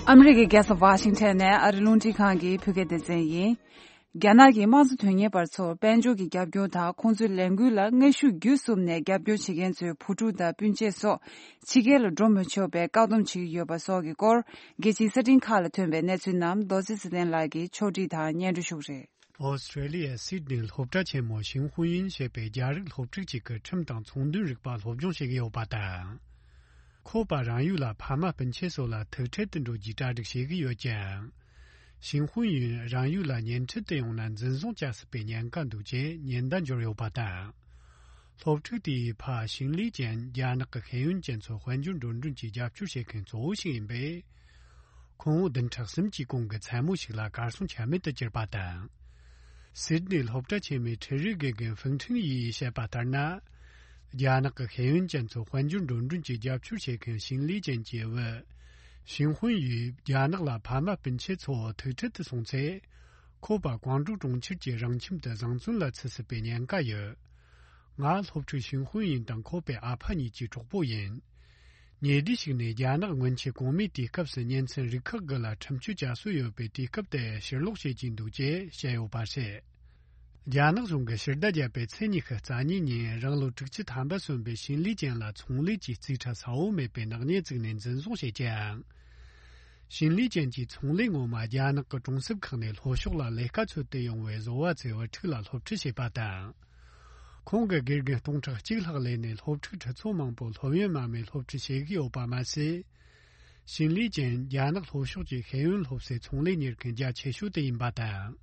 ཨ་མི་རི་ཀའི་རྒྱལ་ས་ཝ་ཤིང་ཊོན་ནས་ཨ་རི་རླུང་འཕྲིན་ཁང་གི་བོད་སྐད་སྡེ་ཚན་ཡིན། རྒྱ་ནག་གི་དམངས་གཙོ་དོན་གཉེར་པ་ཚོར་དཔལ་འབྱོར་གྱི་རྒྱབ་སྐྱོར་དང་ཁོང་ཚོའི་ལས་འགུལ་ལ་དངོས་ཤུགས་བརྒྱུད་གསུམ་ནས་རྒྱབ་སྐྱོར་བྱེད་མཁན་ཚོའི་བུ་ཕྲུག་དང་སྤུན་མཆེད་སོགས་ཕྱི་རྒྱལ་ལ་འགྲོ་མི་ཆོག་པའི་བཀག་སྡོམ་བྱེད་ཀྱི་ཡོད་པ་སོགས་ཀྱི་སྐོར་རྒྱལ་སྤྱིའི་གསར་འཕྲིན་ཁག་ལ་ཐོན་པའི་གནས་ཚུལ་རྣམས་རྡོ་རྗེ་ཚེ་བརྟན་ལགས་ཀྱིས་ཕྱོགས་སྒྲིག་དང་སྙན་སྒྲོན་ཞུ་གི་རེད། ཨོ་སི་ཀྲེ་ལི་ཡའི་སིད་ནི་སློབ་གྲྭ་ཆེན་མོ་ཞིང་ཧུའུ་ཡིན་ཞེས་པའི་རྒྱ་རིགས་སློབ་ཕྲུག་ཅིག་གིས་ཁྲིམས་དང་ཚོང་དོན་རིག་པ་སློབ་སྦྱོང་བྱེད་ཀྱི་ཡོད་པ་དང་། ཁོ་པ་རང་ཡུལ་ལ་ཕ་མ་སྤུན་མཆེད་སོགས་ལ་ཐུག་འཕྲད་དུ་འགྲོ་རྒྱུའི་གྲ་སྒྲིག་བྱེད་ཀྱི་ཡོད་ཀྱང་། ཞིང་ཧུའུ་ཡིན་རང་ཡུལ་ལ་ཉིན་འཕྲད་དུ་ཡོང་ན་འཛིན་བཟུང་བྱ་སྲིད་པའི་ཉེན་ཁ་འདུག་ཅེས་ཉེན་བརྡ་འབྱོར་ཡོད་པ་དང་། སློབ་ཕྲུག་དེའི་ཕ་ཞིང་ལི་ཅན་རྒྱ་ནག་གི་ཤེས་ཡོན་ཅན་ཚོ་དཔལ་འབྱོར་འགྲོ་གྲོན་གྱི་རྒྱབ་སྐྱོར་བྱེད་མཁན་གཙོ་བོ་ཞིག་ཡིན་པས། ཁོང་བདུན་ཕྲག་གསུམ་གྱི་གོང་གི་མཚན་མོ་ཞིག་ལ་གར་སོང་ཆ་མེད་དུ་གྱུར་པ་དང་། སིད་ནི་སློབ་གྲྭ་ཆེན་མོའི་ཁྲིད་རིགས་དགེ་རྒན་ཧྥུང་ཁྲིན་ཡིས་བཤད་པ་ལྟར་ན། རྒྱ་ནག་གི་ཤེས་ཡོན་ཅན་ཚོ་དཔལ་འབྱོར་འགྲོ་གྲོན་གྱི་རྒྱབ་སྐྱོར་བྱེད་མཁན་ཞིན་ལི་ཅན་གྱི་བུ། ཞིན་ཧུན་ཡིས་རྒྱ་ནག་ལ་ཕ་མ་སྤུན་མཆེད་ཚོ་ཐུག་འཕྲད་དུ་སོང་ཚེ། ཁོ་པ་ཀོང་ཀྲོའུ་གྲོང་ཁྱེར་གྱི་རང་ཁྱིམ་དུ་བཟང་བཙོན་ལ་ཚུད་སྲིད་པའི་ཉེན་ཁ་ཡོད། ང་སློབ་ཕྲུག་ཞིན་ཧུན་ཡིན་དང་ཁོ་པའི་ཨ་ཕ་གཉིས་ཀྱི་གྲོགས་པོ་ཡིན། ཉེ་དུས་ཤིག་ནས་རྒྱ་ནག་སྔོན་ཆད་གོང་མའི་དུས་སྐབས་སུ་ཉིན་མཚན་རིགས་ཁག་དགུ་ལ་ཁྲིམས་གཅོད་བྱ་སྲོལ་ཡོད་པའི་དུས་སྐབས་དེ་ཕྱིར་ལོག་བྱེད་ཀྱིན་འདུག་ཅེས་བཤད་ཡོད་པ་རེད། རྒྱ་ནག་གཞུང་གིས་ཕྱི་ཟླ་བརྒྱད་པའི་ཚེས་ཉི་ཤུ་རྩ་གཉིས་ཉིན་རང་ལོ་དྲུག་ཅུ་ཐམ་པ་སོན་པའི་ཞིན་ལི་ཅན་ལ་ཚོང་ལས་ཀྱི་རྩིས་ཁྲ་གསལ་བོ་མེད་པའི་ནག་ཉེས་བཙུགས་ནས་འཛིན་བཟུང་བྱས་ཀྱང་། ཞིན་ལི་ཅན་གྱི་ཚོང་ལས་ངོ་མ་རྒྱ་ནག་གི་གྲོང་གསེབ་ཁག་ནས་ལྷོ་ཕྱོགས་ལ་ལས་ཀ་འཚོལ་དུ་ཡོང་བའི་བཟོ་བ་ཚོའི་བུ་ཕྲུག་ལ་སློབ་ཁྲིད་བྱས་པ་དང་། ཁོང་གི་དགེ་རྒན་སྟོང་ཕྲག་གཅིག་ལྷག་ལས་ནས་སློབ་ཕྲུག་ཁྲི་ཚོ་མང་པོ་སློབ་ཡོན་མ་མེད་སློབ་ཁྲིད་བྱེད་ཀྱི་ཡོད་པ་མ་ཟད། ཞིན་ལི་ཅན་རྒྱ་ནག་ལྷོ་ཕྱོགས་ཀྱི་ཤེས་ཡོན་སློབ་གསོའི་ཚོང་ལས་གཉེར་མཁན་རྒྱ་ཆེ་ཤོས་དེ་ཡིན་པ་དང་།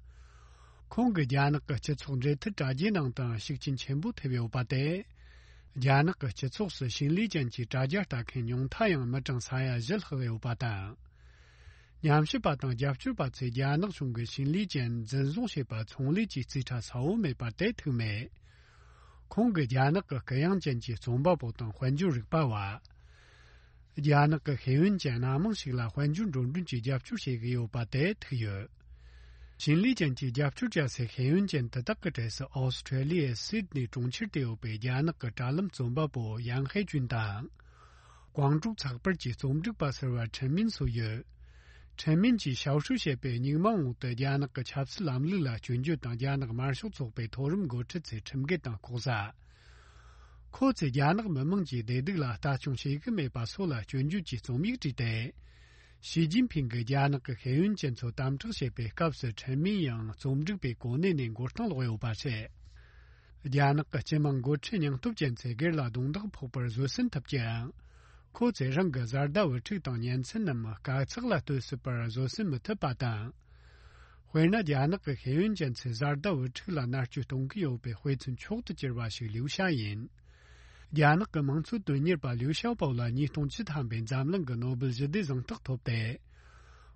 ཁོང་གིས་རྒྱ་ནག་གི་སྤྱི་ཚོགས་འབྲེལ་མཐུད་དྲ་རྒྱའི་ནང་དུའང་ཤུགས་རྐྱེན་ཆེན་པོ་ཐེབས་ཡོད་པ་དེ། རྒྱ་ནག་གི་སྤྱི་ཚོགས་སུ་ཞིན་ལི་ཅན་གྱི་དྲ་རྒྱ་ལྟ་མཁན་ཉུང་མཐའ་ཡང་མི་གྲངས་ས་ཡ་བཞི་ལྷག་ཡོད་པ་དང་། ཉམས་ཞིབ་པ་དང་རྒྱབ་སྐྱོར་པ་ཚོས་རྒྱ་ནག་གཞུང་གིས་ཞིན་ལི་ཅན་འཛིན་བཟུང་བྱས་པ་ཚོང་ལས་ཀྱི་རྩིས་ཁྲ་གསལ་བོ་མེད་པ་དེ་ཐུག་མེད། ཁོང་གིས་རྒྱ་ནག་གི་གུ་ཡངས་ཅན་གྱི་རྩོམ་པ་པོ་དང་དཔལ་འབྱོར་རིག་པ་བ། རྒྱ་ནག་གི་ཤེས་ཡོན་ཅན་སྣ་མང་ཞིག་ལ་དཔལ་འབྱོར་འགྲོ་གྲོན་གྱི་རྒྱབ་སྐྱོར་བྱེད་ཀྱི་ཡོད་པ་དེ་ཐུག་ཡོད། ཞིན་ལི་ཅན་གྱིས་རྒྱབ་སྐྱོར་བྱ་སའི་ཤེས་ཡོན་ཅན་དེ་དག་གི་གྲས་སུ་ཨོ་སི་ཁྲེ་ལི་ཡའི་སིད་ནི་གྲོང་ཁྱེར་དུ་ཡོད་པའི་རྒྱ་ནག་གི་དྲ་ལམ་རྩོམ་པ་པོ་ཡང་ཧེ་ཅུན་དང་། ཀོང་ཀྲོའུ་ཚགས་པར་གྱི་རྩོམ་སྒྲིག་པ་ཟུར་པ་ཁྲེན་མིན་སོགས་ཡོད། ཁྲེན་མིན་གྱིས་ཞའོ་ཧྲུའུ་ཞེས་པའི་སྙིང་མ་འོག་ཏུ་རྒྱ་ནག་གི་ཆབ་སྲིད་ལམ་ལུགས་ལ་སྐྱོན་བརྗོད་དང་རྒྱ་ནག་དམར་ཤོག་ཚོགས་པའི་མཐོ་རིམ་འགོ་ཁྲིད་ཚོའི་ཁྲིམས་འགལ་དང་ལྐོག་ཟ། ཁོ་ཚོས་རྒྱ་ནག་མི་དམངས་ཀྱི་བདེ་སྡུག་ལ་ལྟ་སྐྱོང་བྱེད་ཀྱི་མེད་པ་སོགས་ལ་སྐྱོན་བརྗོད་ཀྱི་རྩོམ་ཡིག་བྲིས་ཏེ། ཞི་ཅིན་ཕིང་གིས་རྒྱ་ནག་གི་ཤེས་ཡོན་ཅན་ཚོ་དམ་དྲག་བྱེད་པའི་སྐབས་སུ་ཁྲེན་མིན་ཡང་རྩོམ་སྒྲིག་པའི་གོ་གནས་ནས་མགོ་རྟིང་སློག་ཡོད་པ་རེད། རྒྱ་ནག་གི་སྤྱི་དམངས་འགོ་ཁྲིད་སྙིང་སྟོབས་ཅན་ཚོས་སྒེར་ལ་རྡུང་རྡེག་ཕོག་པར་བཟོད་བསྲན་ཐུབ་ཀྱང་། ཁོ་ཚོས་རང་གི་བཟའ་ཟླ་བུ་ཕྲུག་དང་ཉིན་མཚན་ནམ་དཀའ་ཚེགས་ལ་ལྟོས་སྲིད་པར་བཟོད་བསྲན་མི་ཐུབ་པ་དང་། དཔེར་ན། རྒྱ་ནག་གི་ཤེས་ཡོན་ཅན་ཚོས་བཟའ་ཟླ་བུ་ཕྲུག་ལ་མནར་གཅོད་གཏོང་གི་ཡོད་པའི་དཔེ་མཚོན་མཆོག་ཏུ་གྱུར་པ་ཞིག་ལིའུ་ཞའོ་ཡིན། རྒྱ་ནག་གི་དམངས་གཙོ་དོན་གཉེར་པ་ལིའུ་ཞའོ་པོ་ལ་ཉིས་སྟོང་བཅུ་ཐམ་པའི་འཛམ་གླིང་གི་ནོ་སྦེལ་ཞི་བདེའི་གཟེངས་རྟགས་ཐོབ་སྟེ།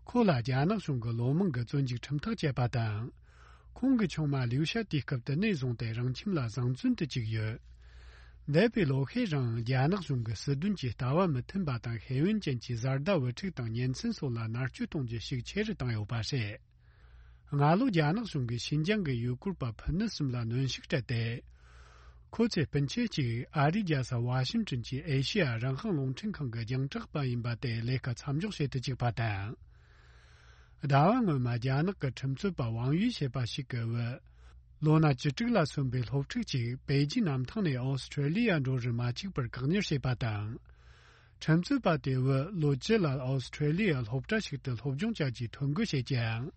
ཁོ་ལ་རྒྱ་ནག་གཞུང་གིས་ལོ་མང་གི་བཙོན་འཇུག་ཁྲིམས་ཐག་བཅད་པ་དང་། ཁོང་གི་ཆུང་མ་ལིའུ་ཞའོ་དུས་སྐབས་དེ་ནས་བཟུང་སྟེ་རང་ཁྱིམ་ལ་བཟང་བཙོན་དུ་བཅུག་ཡོད། འདས་པའི་ལོ་ཤས་རིང་རྒྱ་ནག་གཞུང་གིས་སྲིད་དོན་གྱི་ལྟ་བ་མི་མཐུན་པ་དང་ཤེས་ཡོན་ཅན་གྱི་བཟའ་ཟླ་བུ་ཕྲུག་དང་ཉིན་མཚན་སོགས་ལ་མནར་གཅོད་གཏོང་རྒྱུ་ཤུགས་ཆེ་རུ་བཏང་ཡོད་པ་རེད། སྔ་ལོ་རྒྱ་ནག་གཞུང་གིས་ཤིན་ཅང་གི་ཡུལ་སྐོར་པ་ཕུ་ནུ་གསུམ་ལ་གནོན་ཤུགས་སྤྲད་དེ། ཁོ་ཚོའི་སྤུན་མཆེད་ཅིག་ཨ་རིའི་རྒྱལ་ས་ཝ་ཤིང་ཏོན་གྱི་ཨེ་ཤི་ཡ་རང་དབང་རླུང་འཕྲིན་ཁང་གི་རྒྱང་བསྒྲགས་པ་ཡིན་པ་དེ་ལས་ཀ་མཚམས་འཇོག་བྱེད་དུ་བཅུག་པ་དང་། ཟླ་བ་སྔོན་མ་རྒྱ་ནག་གི་ཁྲིམས་རྩོད་པ་ཝང་ཡུས་ཞེས་པ་ཞིག་གི་བུ། ལོ་ན་བཅུ་དྲུག་ལ་སོན་པའི་སློབ་ཕྲུག་ཅིག་པེ་ཅིན་གནམ་ཐང་ནས་ཨོ་སི་ཁྲེ་ལི་ཡ་འགྲོ་རུ་མ་བཅུག་པར་བཀག་ཉར་བྱས་པ་དང་། ཁྲིམས་རྩོད་པ་དེ་བུ་ལོ་བཅུ་ལ་ཨོ་སི་ཁྲེ་ལི་ཡ་སློབ་གྲྭ་ཞིག་ཏུ་སློབ་སྦྱོང་བྱ་རྒྱུའི་ཐོ་འགོད་བྱེད་ཀྱང་།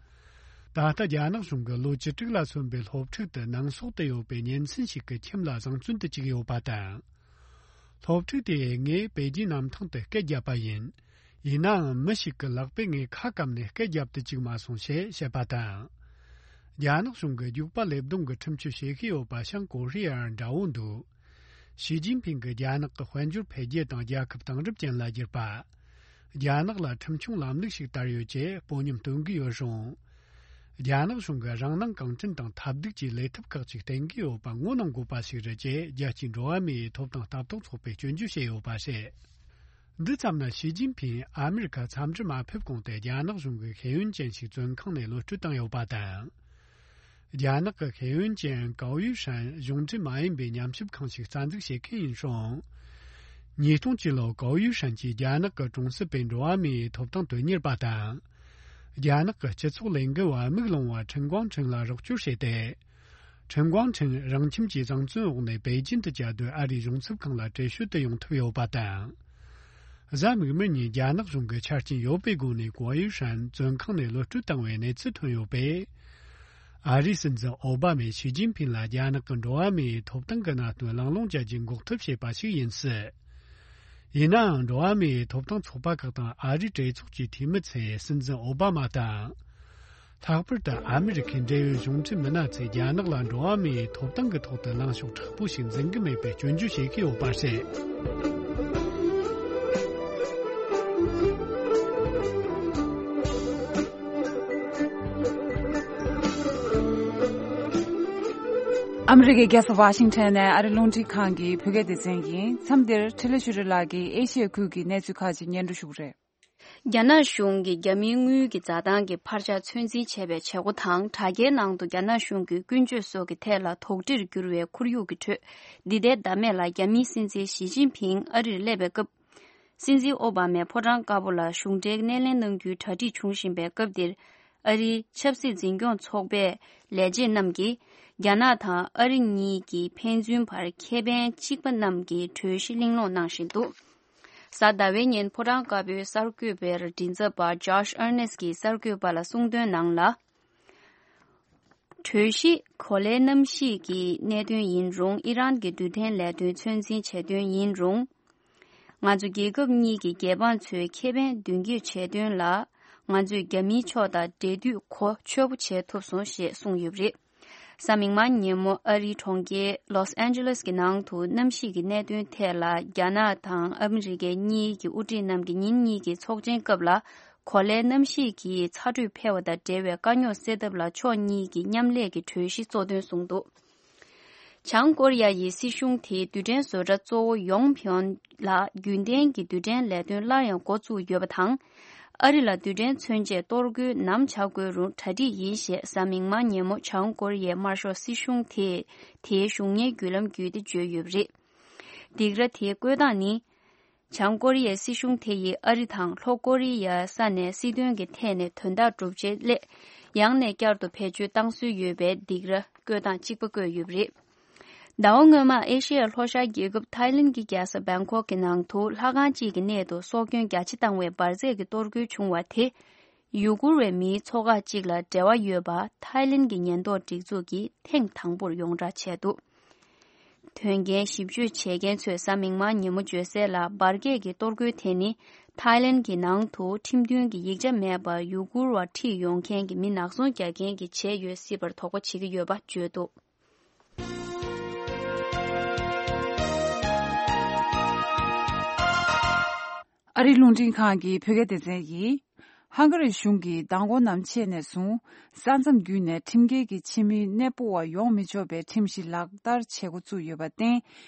ད་ལྟ་རྒྱ་ནག་གཞུང་གིས་ལོ་བཅུ་དྲུག་ལ་སོན་པའི་སློབ་ཕྲུག་དེ་ནང་སོག་ཏུ་ཡོད་པའི་ཉིན་མཚན་ཞིག་གི་ཁྱིམ་ལ་བཟང་བཙོན་དུ་བཅུག་ཡོད་པ་དང་། སློབ་ཕྲུག་དེས་ངས་པེ་ཅིན་གནམ་ཐང་དུ་སྐད་བརྒྱབ་པ་ཡིན། ཡིན་ནའང་མི་ཞིག་གིས་ལག་པས་ངའི་ཁ་བཀབ་ནས་སྐད་བརྒྱབ་ཏུ་བཅུག་མ་སོང་ཞེས་བཤད་པ་དང་། རྒྱ་ནག་གཞུང་གིས་རྒྱུག་པ་ལེབ་རྡུང་གི་ཁྲིམས་གཅོད་བྱེད་ཀྱི་ཡོད་པ་བྱང་ཀོ་རི་ཡར་འདྲ་བོ་འདུག་ཞི་ཅིན་ཕིང་གིས་རྒྱ་ནག་གི་དཔལ་འབྱོར་འཕེལ་རྒྱས་དང་རྒྱལ་ཁབ་དེང་རབས་ཅན་ལ་བསྒྱུར་པ། རྒྱ་ནག་ལ་ཁྲིམས་སྐྱོང་ལམ་ལུགས་ཤིག་དར་ཡོད་ཅེས་དཔོན་ཉམས་སྟོན་གྱི་ཡོད་རུང་། རྒྱ་ནག་གཞུང་གིས་རང་སྣང་གང་དྲན་དང་ཐབས་སྡུག་གིས་ལས་ཐབས་ཁག་ཅིག་བསྟེན་གྱི་ཡོད་པ་ངོ་གནོང་དགོས་པ་ཞིག་རེད་ཅེས་རྒྱལ་སྤྱིའི་འགྲོ་བ་མིའི་ཐོབ་ཐང་ལྟ་རྟོག་ཚོགས་པས་སྐྱོན་བརྗོད་བྱས་ཡོད་པ་རེད། འདི་ཙམ་ན་ཞི་ཅིན་ཕིང་ཨ་མེ་རི་ཁ་འཚམས་འདྲི་མ་ཕེབས་གོང་དུ་རྒྱ་ནག་གཞུང་གིས་ཤེས་ཡོན་ཅན་ཞིག་བཙོན་ཁང་ནས་གློད་བཀྲོལ་བཏང་ཡོད་པ་དང་། རྒྱ་ནག་གི་ཤེས་ཡོན་ཅན་ཀའོ་ཡུས་ཧྲན་གཞུང་འབྲེལ་མ་ཡིན་པའི་ཉམས་ཞིབ་ཁང་ཞིག་རྩ་འཛུགས་བྱེད་མཁན་ཡིན་ཞིང་། ཉིས་སྟོང་བཅུ་ལོར་ཀའོ་ཡུས་ཧྲན་གྱིས་རྒྱ་ནག་གི་གྲོང་གསེབ་པའི་འགྲོ་བ་མིའི་ཐོབ་ཐང་དོན་གཉེར་པ་དང་། རྒྱ་ནག་གི་སྤྱི་ཚོགས་ལས་འགུལ་བ་དམུས་ལོང་བ་ཁྲིན་ཀོང་ཁྲིན་ལ་རོགས་སྐྱོར་བྱས་ཏེ། ཁྲིན་ཀོང་ཁྲིན་རང་ཁྱིམ་གྱི་བཟང་བཙོན་འོག་ནས་པེ་ཅིན་དུ་བཅའ་སྡོད་ཨ་རིའི་གཞུང་ཚབ་ཁང་ལ་བྲོས་བྱོལ་དུ་ཡོང་ཐུབ་ཡོད་པ་དང་། གཟའ་མིག་དམར་ཉིན་རྒྱ་ནག་གཞུང་གིས་ཆ་རྐྱེན་ཡོད་པའི་སྒོ་ནས་ཀའོ་ཡུས་ཧྲན་བཙོན་ཁང་ནས་གློད་བཀྲོལ་བཏང་བའི་གནས་ཚུལ་ཐོན་ཡོད་པས། ཨ་རིའི་སྲིད་འཛིན་ཨོ་བྷ་མས་ཞི་ཅིན་ཕིང་ལ་རྒྱ་ནག་གི་འགྲོ་བ་མིའི་ཐོབ་ཐང་གི་གནད་དོན་གླེང་སློང་བྱ་རྒྱུའི་འགོག་ཐབས་བྱས་པ་ཞིག་ཡིན་སྲིད། ཡིན་ནའང་འགྲོ་བ་མིའི་ཐོབ་ཐང་ཚོགས་པ་ཁག་དང་ཨ་རིའི་གྲོས་ཚོགས་ཀྱི་འཐུས་མི་ཚོས་སྲིད་འཛིན་ཨོ་བྷ་མ་དང་། ལྷག་པར་དུ་ཨ་མི་རི་ཁའི་འབྲེལ་ཡོད་གཞུང་འབྲེལ་མི་སྣ་ཚོས་རྒྱ་ནག་ལ་འགྲོ་བ་མིའི་ཐོབ་ཐང་གི་ཐོག་ཏུ་ལངས་ཕྱོགས་མཁྲེགས་པོ་ཞིག་འཛིན་གྱི་མེད་པའི་སྐྱོན་བརྗོད་བྱེད་ཀྱི་ཡོད་པ་རེད། ཨ་མི་རི་ཀའི་རྒྱལ་ས་ཝ་ཤིང་ཊོན་ནས་ཨ་རི་རླུང་འཕྲིན་ཁང་གི་བོད་སྐད་སྡེ་ཚན་ཡིན། མཚམས་འདིར་འཕྲིན་ལས་ཆོས་སྒྲོན་ལགས་ཀྱིས་ཨེ་ཤི་ཡའི་ཁུལ་གྱི་གནས་ཚུལ་ཁག་ཅིག་སྙན་སྒྲོན་ཞུ་གི་རེད། རྒྱ་ནག་གཞུང་གིས་རྒྱ་མིའི་དངུལ་གྱི་འཛའ་ཐང་གི་འཕར་ཆ་ཚོད་འཛིན་བྱས་པའི་བྱེད་སྒོ་དང་། དྲ་རྒྱའི་ནང་དུ་རྒྱ་ནག་གཞུང་གི་ཀུན་སྤྱོད་སོགས་ཀྱི་ཐད་ལ་དོགས་འདྲིར་གྱུར་བའི་ཁོར་ཡུག་གི་ཁྲོད། འདི་ཟླའི་ཟླ་སྨད་ལ་རྒྱ་མིའི་སྲིད་འཛིན་ཞི་ཅིན་ཕིང་ཨ་རིར་སླེབས་པའི་སྐབས། སྲིད་འཛིན་ཨོ་བྷ་མས་ཕོ་བྲང་དཀར་པོ་ལ་གཞུང་འབྲེལ་སྣེ་ལེན་གནང་རྒྱུའི་གྲ་སྒྲིག་བྱུང་བཞིན་པའི་སྐབས་འདིར། ཨ་རིའི་ཆབ་སྲིད་འཛིན་སྐྱོང་ཚོགས་པའི་ལས་བྱེད་རྣམས་ཀྱིས། རྒྱ་ནག་དང་ཨ་རི་གཉིས་ཀྱི་ཕན་ཚུན་བར་ཁེ་ཕན་གཅིག་པ་རྣམས་ཀྱི་གྲོས་གཞི་གླེང་སློང་གནང་བཞིན་འདུག། གཟའ་ཟླ་བའི་ཉིན་ཕོ་བྲང་དཀར་པོའི་གསར་འགོད་པའི་མགྲིན་ཚབ་པ་Josh Earnest་གྱིས་གསར་འགོད་པ་ལ་གསུངས་དོན་ནང་ལ། གྲོས་གཞི་གོ་ལའི་གནམ་གཤིས་ཀྱི་གནད་དོན་ཡིན་རུང་། ཨི་རན་གྱི་རྡུལ་ཕྲན་ལས་དོན་ཚོད་འཛིན་བྱེད་དོན་ཡིན་རུང་། ང་ཚོ་རྒྱལ་ཁབ་གཉིས་ཀྱི་རྒྱལ་འབངས་ཚོའི་ཁེ་ཕན་མདུན་སྐྱོད་བྱེད་དོན་ལ། ང་ཚོས་རྒྱ་མིའི་ཕྱོགས་དང་འབྲེལ་མཐུད་གོ་ཆོད་པོ་བྱེད་ཐུབ་སོང་ཞེས་གསུངས་ཡོད་པ་རེད། གཟའ་མིག་དམར་ཉིན་མོ་ཨ་རིའི་གྲོང་ཁྱེར་Los Angeles་གྱི་ནང་དུ་གནམ་གཤིས་ཀྱི་གནད་དོན་ཐད་ལ། རྒྱ་ནག་དང་ཨ་མི་རི་ཀའི་གཉིས་ཀྱི་དབུ་ཁྲིད་རྣམས་ཀྱིས་ཉིན་གཉིས་ཀྱི་ཚོགས་ཆེན་སྐབས་ལ། གོ་ལའི་གནམ་གཤིས་ཀྱི་ཚ་དྲོད་འཕེལ་བ་དང་འབྲེལ་བའི་དཀའ་རྙོག་སེལ་ཐབས་ལ་ཕྱོགས་གཉིས་ཀྱིས་མཉམ་ལས་ཀྱི་གྲོས་གཞི་གཙོ་འདོན་གསུངས་འདུག། བྱང་ཀོ་རི་ཡ་ཡི་སྲིད་གཞུང་དེའི་རྡུལ་ཕྲན་བཟོ་གྲྭ་གཙོ་བོ་ཡོང་ཕིའོན་ལ་རྒྱུན་ལྡན་གྱི་རྡུལ་ཕྲན་ལས་དོན་སླར་ཡང་འགོ་བཙུགས་ཡོད་པ་དང་། ཨ་རི་ལ་རྡུལ་ཕྲན་མཚོན་ཆས་གཏོར་རྒོལ་ནམ་བྱ་དགོས་རུང་གྲ་སྒྲིག་ཡིན་ཞེས་གཟའ་མིག་དམར་ཉིན་མོ་བྱང་ཀོ་རི་ཡའི་དམར་ཤོག་སྲིད་གཞུང་དེས་དེའི་གཞུང་གཉེར་བརྒྱུད་ལམ་བརྒྱུད་དེ་བརྗོད་ཡོད་པ་རེད། སྡིགས་ར་དེའི་བཀོད་སྟངས་ནི། བྱང་ཀོ་རི་ཡའི་སྲིད་གཞུང་དེ་ཡིས་ཨ་རི་དང་ལྷོ་ཀོ་རི་ཡའི་ས་ནས་སྲིད་དོན་གྱི་ཐད་ནས་དོན་དག་སྒྲུབ་བྱེད་སླད། ཡང་ནས་བསྐྱར་དུ་བེད་སྤྱོད་བཏང་སྲོལ་ཡོད་པའི་སྡིགས་ར་བཀོད་སྟངས་གཅིག་པ་བཀོད་ཡོད་པ་རེད། ཟླ་བ་སྔོན་མ་ཨེ་ཤེ་ཡ་ལྷོ་ཤར་རྒྱལ་ཁབ་ཐའི་ལེན་གྱི་རྒྱལ་ས་བེང་ཀོག་གི་ནང་དུ་ལྷ་ཁང་གཅིག་གི་གནས་སུ་སྲོག་སྐྱོན་རྒྱ་ཆེ་བཏང་བའི་འབར་རྫས་ཀྱི་གཏོར་རྒོལ་བྱུང་བ་དེ། ཡུ་གུར་བའི་མིའི་ཚོགས་ཁག་ཅིག་ལ་འབྲེལ་བ་ཡོད་པ་ཐའི་ལེན་གྱི་ཉེན་རྟོག་སྒྲིག་འཛུགས་ཀྱིས་ཐེངས་དང་པོར་ཡོངས་བསྒྲགས་བྱས་འདུག། དོན་རྐྱེན་ཞིབ་དཔྱོད་བྱེད་མཁན་ཚོས་གཟའ་མིག་དམར་ཉིན་མོ་བརྗོད་གསལ་ལ། འབར་གས་ཀྱི་གཏོར་རྒོལ་དེ་ནི་ཐའི་ལེན་གྱི་ནང་དུ་ཁྲིམས་མཐུན་གྱི་ཡིག་ཆ་མེད་པར་ཡུ་གུར་བ་ཁྲིད་ཡོང་མཁན་གྱི་མི་ནག་ཚོང་རྒྱག་མཁན་གྱིས་བྱས་ཡོད་སྲིད་པར་དོགས་པ་བྱེད་ཀྱི་ཡོད་པ་བརྗོད་འདུག། ཨ་རིའི་རླུང་འཕྲིན་ཁང་གི་བོད་སྐད་སྡེ་ཚན་གྱིས། ཧང་ག་རི་གཞུང་གིས་མདང་དགོང་ནམ་ཕྱེད་ནས་བཟུང་ས་མཚམས་བརྒྱུད་ནས་ཁྲིམས་འགལ་གྱི་ཕྱི་མི་གནས་སྤོ་བ་ཡོང་མི་ཆོག་པའི་ཁྲིམས་གཞི་ལག་བསྟར་བྱེད་འགོ་བཙུགས་ཡོད་པར་བརྟེན།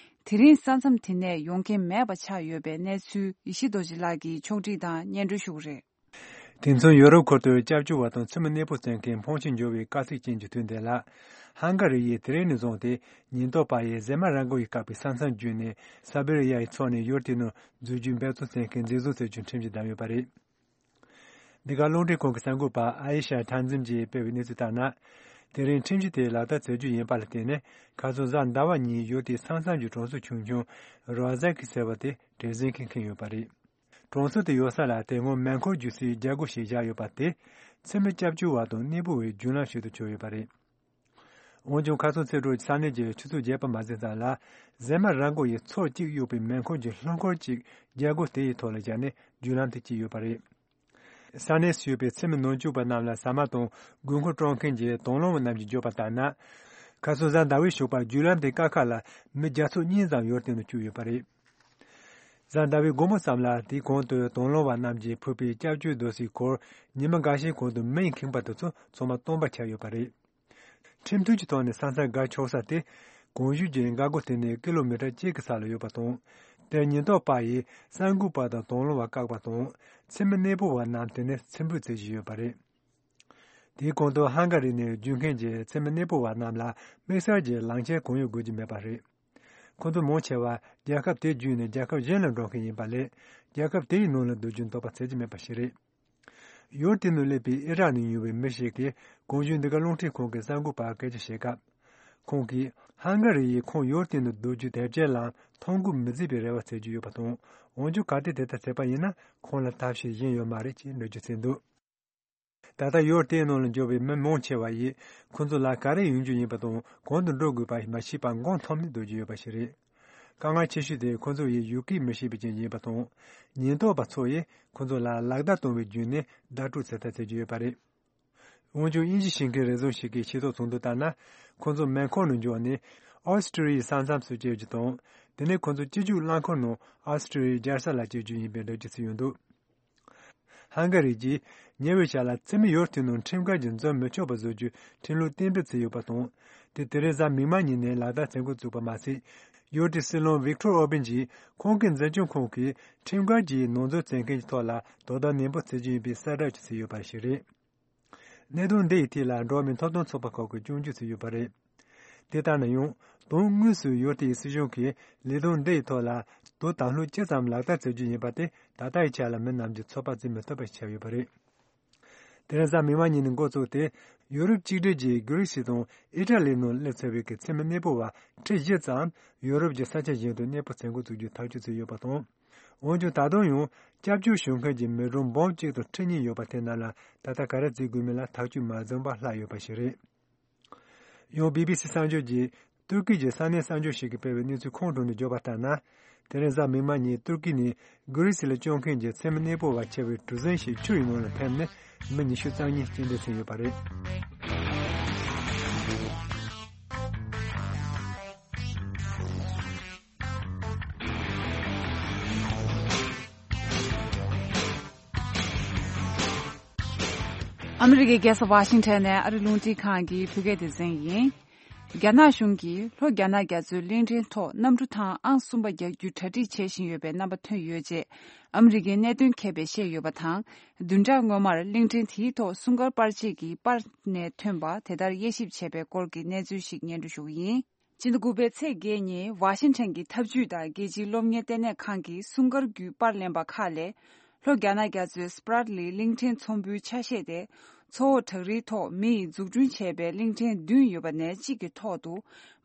དེ་རིང་ས་མཚམས་དེ་ནས་ཡོང་མཁན་མེད་པ་ཆགས་ཡོད་པའི་གནས་ཚུལ་ཡེ་ཤེས་རྡོ་རྗེ་ལགས་ཀྱིས་ཕྱོགས་སྒྲིག་དང་སྙན་སྒྲོན་ཞུ་གི་རེད། དེ་མཚུངས་ཡོ་རོབ་ཁུལ་དུ་སྐྱབས་བཅོལ་བ་དང་འཚེ་མེད་གནས་སྤོ་བྱེད་མཁན་ཕོན་ཆེན་འབྱོར་བའི་དཀའ་ཚེགས་ཅན་གྱི་དུས་འདི་ལ། ཧང་ག་རི་ཡིས་དེ་རིང་ནས་བཟུང་སྟེ་ཉེན་རྟོག་པ་ཡིས་ཟེ་མ་ར་མགོ་ཡི་བཀག་པའི་ས་མཚམས་བརྒྱུད་ནས་ས་བེ་རི་ཡ་ཡི་ཕྱོགས་ནས་ཡུལ་དེའི་ནང་འཛུལ་རྒྱུའི་འབད་བརྩོན་བྱེད་མཁན་འཛིན་བཟུང་བྱེད་རྒྱུའི་ཁྲིམས་གཞི་བསྡམས་ཡོད་པ་རེད། འདི་ག་རླུང་འཕྲིན་ཁང་གི་གསར་འགོད་པ་ཨ་ཡེ་ཤ་ཐན་ཛིམ་གྱིས་སྤེལ་བའི་གནས་ཚུལ་ལྟར་ན། དེ་རིང་ཁྲིམས་གཞི་དེ་ལག་བསྟར་བྱེད་རྒྱུ་ཡིན་པ་ལ་བརྟེན་ནས་ཁ་སང་གཟའ་ཟླ་བ་ཉིན་ཡུལ་དེའི་ས་མཚམས་ཀྱི་གྲོང་ཚོ་ཆུང་ཆུང་རོ་ཟ་ཁི་ཟེར་བ་དེ་བྲེལ་ཟིང་གིས་ཁེངས་ཡོད་པ་རེད། གྲོང་ཚོ་དེ་ཡོད་ས་ལ་དེ་སྔོན་མེ་འཁོར་རྒྱུག་སའི་རྒྱལ་སྒོ་ཞིག་བཞག་ཡོད་པ་དེ་འཚེ་མེད་སྐྱབས་བཅོལ་བ་དང་གནས་སྤོ་བའི་རྒྱུན་ལམ་ཞིག་ཏུ་གྱུར་ཡོད་པ་རེད། འོན་ཀྱང་ཁ་སང་ཚེས་དྲུག་ས་གནས་ཀྱི་ཆུ་ཚོད་བརྒྱད་པ་མ་ཟིན་ཙམ་ལ་ཟེ་མ་ར་མགོ་ཡི་མཚོ་གཅིག་གཡུག་པའི་མེ་འཁོར་གྱི་རླངས་འཁོར་གཅིག་རྒྱལ་སྒོ་དེ་ཡི་ཐོག་ལ་བཞག་ནས་རྒྱུན་ལམ་དུ་བསྐྱིལ་ཡོད་པ་རེད། ས་གནས་སུ་ཡོད་པའི་འཚེ་མེད་ནང་ཆོས་པ་རྣམས་ལ་ཟ་མ་དང་དགོས་མཁོ་སྤྲོད་མཁན་གྱི་དང་བླངས་པ་རྣམས་ཀྱིས་བརྗོད་པ་ལྟར་ན། ཁ་སང་གཟའ་ཟླ་བའི་ཞོགས་པ་རྒྱུན་ལམ་དེ་ཀ་ཁ་ལ་མི་བརྒྱ་ཚོ་གཉིས་ཙམ་ཡུལ་དེ་ནང་བཅུག་ཡོད་པ་རེད། གཟའ་ཟླ་བའི་དགོང་མོ་ཙམ་ལ་དེའི་གོང་དུ་དང་བླངས་པ་རྣམས་ཀྱིས་ཕུལ་བའི་སྐྱབས་བཅོལ་རྡོ་སའི་སྐོར་ཉི་མ་འགའ་ཤས་གོང་དུ་མེ་ཡིས་ཁེངས་པ་དེ་ཚོ་ཚང་མ་སྟོང་པ་ཆགས་ཡོད་པ་རེད། ཁྲིམས་མཐུན་གྱི་ཐོག་ནས་ས་མཚམས་བརྒལ་ཆོག་ས་དེ། གོང་ཞུས་ཀྱི་འགག་སྒོ་དེ་ནས་ཀི་ལོ་མི་ཊར་གཅིག་གི་ས་ལ་ཡོད་པ་དང་། དེར་ཉེན་རྟོག་པ་ཡིས་གསར་འགོད་པ་དང་དང་བླངས་པ་བཀག་པ་དང་། འཚེ་མེད་གནས་སྤོ་བ་རྣམས་དེ་ནས་འཚེམ་དྲུད་བྱེད་བཞིན་ཡོད་པ་རེད། དེའི་གོང་དུ་ཧང་ག་རི་ནས་བརྒྱུད་མཁན་གྱི་འཚེ་མེད་གནས་སྤོ་བ་རྣམས་ལ་དམིགས་བསལ་གྱི་ལག་ཁྱེར་གང་ཡང་དགོས་ཀྱི་མེད་པ་རེད། ཁོང་ཚོ་མང་ཆེ་བ་རྒྱལ་ཁབ་དེ་བརྒྱུད་ནས་རྒྱལ་ཁབ་གཞན་ལ་འགྲོ་མཁན་ཡིན་པ་ལས། རྒྱལ་ཁབ་དེའི་ནང་ལ་སྡོད་རྒྱུའི་འདོད་པ་བྱེད་ཀྱི་མེད་པ་ཞིག་རེད། ཡུལ་དེ་ནང་སླེབས་པའི་ཨི་རག་ནས་ཡོང་བའི་མི་ཞིག་གིས་གོང་ཞུས་འདི་ག་རླུང་འཕྲིན་ཁང་གི་གསར་འགོད་པར་སྐད་ཆ་བཤད་སྐབས། ཁོང་གིས་ཧང་ག་རི་ཡིས་ཁོང་ཡུལ་དེ་ནང་སྡོད་རྒྱུའི་དེབ་སྐྱེལ་ལམ་ཐོ་འགོད་མི་བྱེད་པའི་རེ་བ་བྱེད་ཀྱི་ཡོད་པ་དང་། འོན་ཀྱང་གལ་ཏེ་དེ་ལྟར་བྱས་པ་ཡིན་ན་ཁོང་ལ་ཐབས་ཤེས་གཞན་ཡོད་མ་རེད་ཅེས་འགྲེལ་བརྗོད་བྱས་འདུག། ད་ལྟ་ཡུལ་དེའི་ནང་ལ་འབྱོར་བའི་མི་མང་ཆེ་བ་ཡིས་ཁོང་ཚོ་ལ་ག་རེ་ཡོང་རྒྱུ་ཡིན་པ་དང་གང་དུ་འགྲོ་དགོས་པ་མ་ཤེས་པར་མགོ་འཐོམས་ནས་སྡོད་ཀྱི་ཡོད་པ་ཞིག་རེད། དཀའ་ངལ་ཆེ་ཤོས་དེ་ཁོང་ཚོ་ཡིས་ཡུལ་སྐད་མི་ཤེས་པའི་རྐྱེན་ཡིན་པ་དང་། ཉེན་རྟོག་པ་ཚོ་ཡིས་ཁོང་ཚོ་ལ་ལག་བརྡ་གཏོང་བའི་བརྒྱུད་ནས་བརྡ་སྤྲོད་བྱེད་ཐབས་བྱེད་ཀྱི་ཡོད་པ་རེད། འོན་ཀྱང་དབྱིན་ཇི་ཤེས་མཁན་རེ་ཟུང་ཞིག་གིས་ཤེས་རྟོགས་བྱུང་དོན་ལྟར་ན། ཁོང་ཚོ་མེ་འཁོར་ནང་འབྱོར་ནས་ཨོ་སི་ཀྲི་ཡའི་ས་མཚམས་སུ་བསྐྱལ་རྒྱུ་དང་། དེ་ནས་ཁོང་ཚོ་སྤྱི་སྤྱོད་རླངས་འཁོར་ནང་ཨོ་སི་ཀྲི་ཡའི་རྒྱལ་ས་ལ་བསྐྱལ་རྒྱུ་ཡིན་པའི་འགྲེལ་བརྗོད་བྱས་ཡོད་འདུག། ཧང་ག་རི་གྱིས་ཉེ་བའི་ཆར་ལ་འཚེ་མེད་ཡུལ་དེའི་ནང་ཁྲིམས་འགལ་གྱིས་འཛུལ་མི་ཆོག་པ་བཟོ་རྒྱུའི་ཁྲིམས་ལུགས་གཏན་འབེབས་བྱས་ཡོད་པ་དང་། དེ་དེ་རིང་གཟའ་མིག་དམར་ཉིན་ནས་ལག་བསྟར་བྱེད་འགོ་བཙུགས་པ་མ་ཟད། ཡུལ་དེའི་སྲིད་བློན་ཝིག་ཊོར་ཨོར་བན་གྱིས་ཁོང་གི་འཛིན་སྐྱོང་ཁང་གིས་ཁྲིམས་འགལ་གྱིས་ནང་འཛུལ་བྱེད་མཁན་གྱི་ཐོག་ལ་དོ་དམ་ནན་པོ་བྱེད་རྒྱུ་ཡིན་པའི་གསལ་བསྒྲགས་ཀྱིས་བྱས་ཡོད་པ་ཞིག་རེད། གནད་དོན་འདི་ཡི་ཐད་ལ་འགྲོ་བ་མིའི་ཐོབ་ཐང་ཚོགས་པ་ཁག་གིས་སྐྱོན་བརྗོད་བྱས་ཡོད་པ་རེད། དེ་ལྟར་ན་ཡང་དོན་དངོས་སུ་ཡུལ་དེའི་སྲིད་གཞུང་གིས་ལས་དོན་འདི་ཡི་ཐོག་ལ་དོ་དམ་ལྷུག་ཇི་ཙམ་ལག་བསྟར་བྱེད་རྒྱུ་ཡིན་པ་དེ་ད་ལྟ་ཡི་ཆ་ལ་མི་རྣམས་ཀྱིས་ཚོད་དཔག་བྱེད་མི་ཐུབ་པ་ཞིག་ཆགས་ཡོད་པ་རེད། དེ་རིང་གཟའ་མིག་དམར་ཉིན་ནས་འགོ་བཙུགས་ཏེ། ཡུ་རོབ་གཅིག་སྒྲིལ་གྱིས་གྷི་རིག་སི་དང་ཨི་ཊ་ལི་ནང་སླེབས་ཚར་བའི་གི་འཚེ་མེད་གནས་སྤོ་བ་ཁྲི་བཞི་ཙམ་ཡུ་རོབ་ཀྱི་ས་ཆ་གཞན་དུ་གནས་སྤོ་བྱེད་འགོ་བཙུགས་རྒྱུའི་ཐག་གཅོད་བྱས་ཡོད་པ་དང་། འོན་ཀྱང་ད་དུང་ཡང་སྐྱབས་བཅོལ་ཞུ་མཁན་གྱི་མི་གྲངས་འབུམ་གཅིག་དང་ཁྲི་གཉིས་ཡོད་པ་དེ་རྣམས་ལ་ད་ལྟ་ག་རེ་བྱེད་དགོས་མིན་ལ་ཐག་གཅོད་མ་བྱུང་བར་ལྷག་ཡོད་པ་ཞིག་རེད། ཡང་བི་བི་སི་གསར་འགྱུར་གྱིས་ཏུར་ཀི་གི་ས་གནས་གསར་འགྱུར་ཞིག་གིས་སྤེལ་བའི་གནས་ཚུལ་ཁོང་དྲངས་ནས་བརྗོད་པ་ལྟར་ན། དེ་རིང་གཟའ་མིག་དམར་ཉིན་ཏུར་ཀི་ནས་གྷི་རིག་སི་ལ་བཅར་མཁན་གྱི་འཚེ་མེད་གནས་སྤོ་བ་ཆེ་བའི་གྲུ་གཟིངས་ཤིག་ཆུ་ཡི་ནང་ལ་ཕེབས་ནས་མི་ཉི་ཤུ་རྩ་གཉིས་རྐྱེན་འདས་ཕྱིན་ཡོད་པ་རེད། ཨ་མི་རི་ཀའི་རྒྱལ་ས་ཝ་ཤིང་ཊོན་ནས་ཨ་རི་རླུང་འཕྲིན་ཁང་གི་བོད་སྐད་སྡེ་ཚན་ཡིན། རྒྱ་ནག་གཞུང་གིས་ལྷོ་རྒྱ་ནག་རྒྱ་མཚོའི་གླིང་ཕྲན་ཐོག་གནམ་གྲུ་ཐེངས་ཨང་གསུམ་པ་རྒྱག་རྒྱུའི་གྲ་སྒྲིག་བྱེད་བཞིན་ཡོད་པའི་རྣམ་པ་ཐོན་ཡོད་ཅེས་ཨ་མི་རི་ཀའི་གནད་དོན་མཁས་པས་བཤད་ཡོད་པ་དང་། བདུན་ཕྲག་སྔོན་མར་གླིང་ཕྲན་དེའི་ཐོག་སྲུང་སྐར་པར་ཆས་ཀྱི་པར་ནས་ཐོན་པ་དེ་ལྟར་དབྱེ་ཞིབ་བྱས་པའི་སྐོར་གྱི་གནས་ཚུལ་ཞིག་སྙན་སྒྲོན་ཞུ་གི་ཡིན། སྤྱི་ཟླ་དགུ་པའི་ཚེས་བརྒྱད་ཉིན་ཝ་ཤིང་ཊོན་གྱི་འཐབ་ཇུས་དང་རྒྱལ་སྤྱིའི་སློབ་གཉེར་ལྟེ་གནས་ཁང་གིས་སྲུང་སྐར་བརྒྱུད་པར་ལེན་པ་ཁག་ལས། ལྷོ་རྒྱ་ནག་རྒྱ་མཚོའི་སྤྲད་ལི་གླིང་ཕྲན་ཚོམ་བུའི་ཆ་ཤས་དེ། མཚོ་འོག་བྲག་རིའི་ཐོག་མི་ཡིས་འཛུགས་སྐྲུན་བྱས་པའི་གླིང་ཕྲན་བདུན་ཡོད་པ་ནས་གཅིག་གི་ཐོག་ཏུ་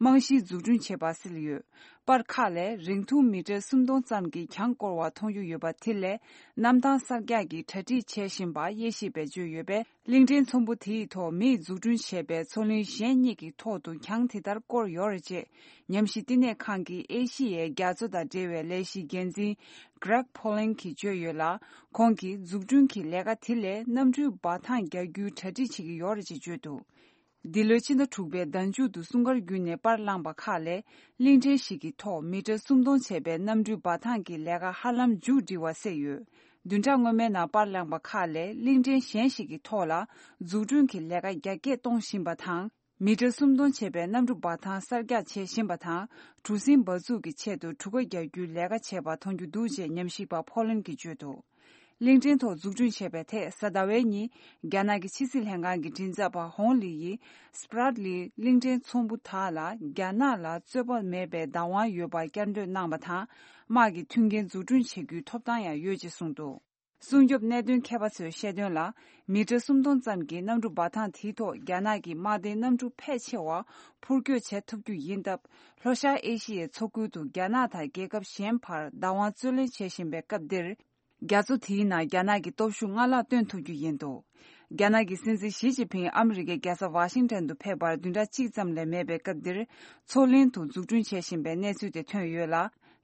རྨང་གཞིའི་འཛུགས་སྐྲུན་བྱས་པ་གསལ་ཡོད། པར་ཁག་ལས་རིང་ཐུང་མི་ཊར་སུམ་སྟོང་ཙམ་གྱི་གྱང་བསྐོར་བ་མཐོང་རྒྱུ་ཡོད་པ་དེ་ལས་གནམ་ཐང་གསར་རྒྱག་གི་གྲ་སྒྲིག་བྱེད་བཞིན་པ་དབྱེ་ཞིབ་པས་བརྗོད་ཡོད་པས། གླིང་ཕྲན་ཚོམ་བུ་དེའི་ཐོག་མིས་འཛུགས་སྐྲུན་བྱས་པའི་མཚོ་གླིང་གཞན་གཉིས་ཀྱི་ཐོག་ཏུ་གྱང་དེ་ལྟར་བསྐོར་ཡོད་རེད་ཅེས། ཉམས་ཞིབ་བསྟི་གནས་ཁང་གི་ཨེ་ཤི་ཡའི་རྒྱ་མཚོ་དང་འབྲེལ་བའི་ལས་གཞིའི་འགན་འཛིན་Greg Polling གྱིས་བརྗོད་ཡོད་ལ། ཁོང་གིས་འཛུགས་སྐྲུན་གྱི་ལས་ཀ་དེ་ལས་གནམ་གྲུའི་འབབ་ཐང་རྒྱག་རྒྱུའི་གྲ་སྒྲིག་བྱེད་ཀྱི་ཡོད་རེད་ཅེས་བརྗོད་འདུག་འདི་ལོའི་ཕྱི་ཟླ་དྲུག་པའི་ཟླ་མཇུག་ཏུ་སྲུང་སྐར་བརྒྱུད་ནས་པར་བླངས་པ་ཁག་ལས། གླིང་ཕྲན་ཞིག་གི་ཐོག་མི་ཊར་སུམ་སྟོང་བྱས་པའི་གནམ་གྲུའི་འབབ་ཐང་གི་ལས་ཀ་ཧ་ལམ་མཇུག་སྒྲིལ་བ་གསལ་ཡོད། བདུན་ཕྲག་སྔོན་མའི་ནང་པར་བླངས་པ་ཁག་ལས་གླིང་ཕྲན་གཞན་ཞིག་གི་ཐོག་ལ་འཛུགས་སྐྲུན་གྱི་ལས་ཀ་རྒྱ་སྐྱེད་གཏོང་བཞིན་པ་དང་། མི་ཊར་སུམ་སྟོང་བྱས་པའི་གནམ་གྲུ་འབབ་ཐང་གསར་རྒྱག་བྱེད་བཞིན་པ་དང་། གྲུ་གཟིངས་འབག་འཛུགས་ཀྱི་ཆེད་དུ་གྲུ་ཁ་རྒྱག་རྒྱུའི་ལས་ཀ་བྱས་པ་མཐོང་རྒྱུ་འདུག་ཅེས་ཉམས་ཞིབ་པ་ཕོ་ལན་གྱིས་བརྗོད་འདུག་གླིང་ཕྲན་ཐོག་འཛུགས་སྐྲུན་བྱས་པའི་ཐད་གཟའ་ཟླ་བའི་ཉིན། རྒྱ་ནག་གི་ཕྱི་སྲིད་ལྷན་ཁང་གི་མགྲིན་ཚབ་པ་ཧོང་ལི་ཡིས་སྤྲད་ལི་གླིང་ཕྲན་ཚོམ་བུ་དག་ལ་རྒྱ་ནག་ལ་རྩོད་པ་མེད་པའི་བདག་དབང་ཡོད་པར་བསྐྱར་ཟློས་གནང་བ་དང་། དམག་གི་མཐུན་རྐྱེན་འཛུགས་སྐྲུན་བྱེད་རྒྱུའི་ཐོབ་ཐང་ཡང་ཡོད་ཅེས་གསུངས་འདུག་སྲུང་སྐྱོབ་གནད་དོན་མཁས་པ་ཚོས་བཤད་དོན་ལ། མི་ཊར་སུམ་སྟོང་ཙམ་གྱི་གནམ་གྲུ་འབབ་ཐང་དེའི་ཐོག་རྒྱ་ནག་གི་དམག་སྡེའི་གནམ་གྲུ་ཕལ་ཆེ་བ་འཕུར་སྐྱོད་བྱེད་ཐུབ་རྒྱུ་ཡིན་སྟབས། ལྷོ་ཤར་ཨེ་ཤི་ཡའི་མཚོ་ཁུལ་དུ་རྒྱ་ནག་དང་རྒྱལ་ཁབ་གཞན་བར་བདག་དབང་རྩོད་ལེན་བྱེད་བཞིན་པའི་སྐབས་འདིར། རྒྱ་མཚོ་དེའི་ནང་རྒྱ་ནག་གི་སྟོབས་ཤུགས་སྔར་ལྷག་སྟོན་ཐུབ་རྒྱུ་ཡིན་འདུག་རྒྱ་ནག་གི་སྲིད་འཛིན་ཞི་ཅིན་ཕིང་ཨ་མི་རི་ཀའི་རྒྱལ་ས་ཝ་ཤིང་ཊོན་དུ་ཕེབས་པར་བདུན་ཕྲག་གཅིག་ཙམ་ལས་མེད་པའི་སྐབས་འདིར། མཚོ་གླིང་དུ་འཛུགས་སྐྲུན་བྱེད་བཞིན་པའི་གནས་ཚུལ་དེ་ཐོན་ཡོད་ལ།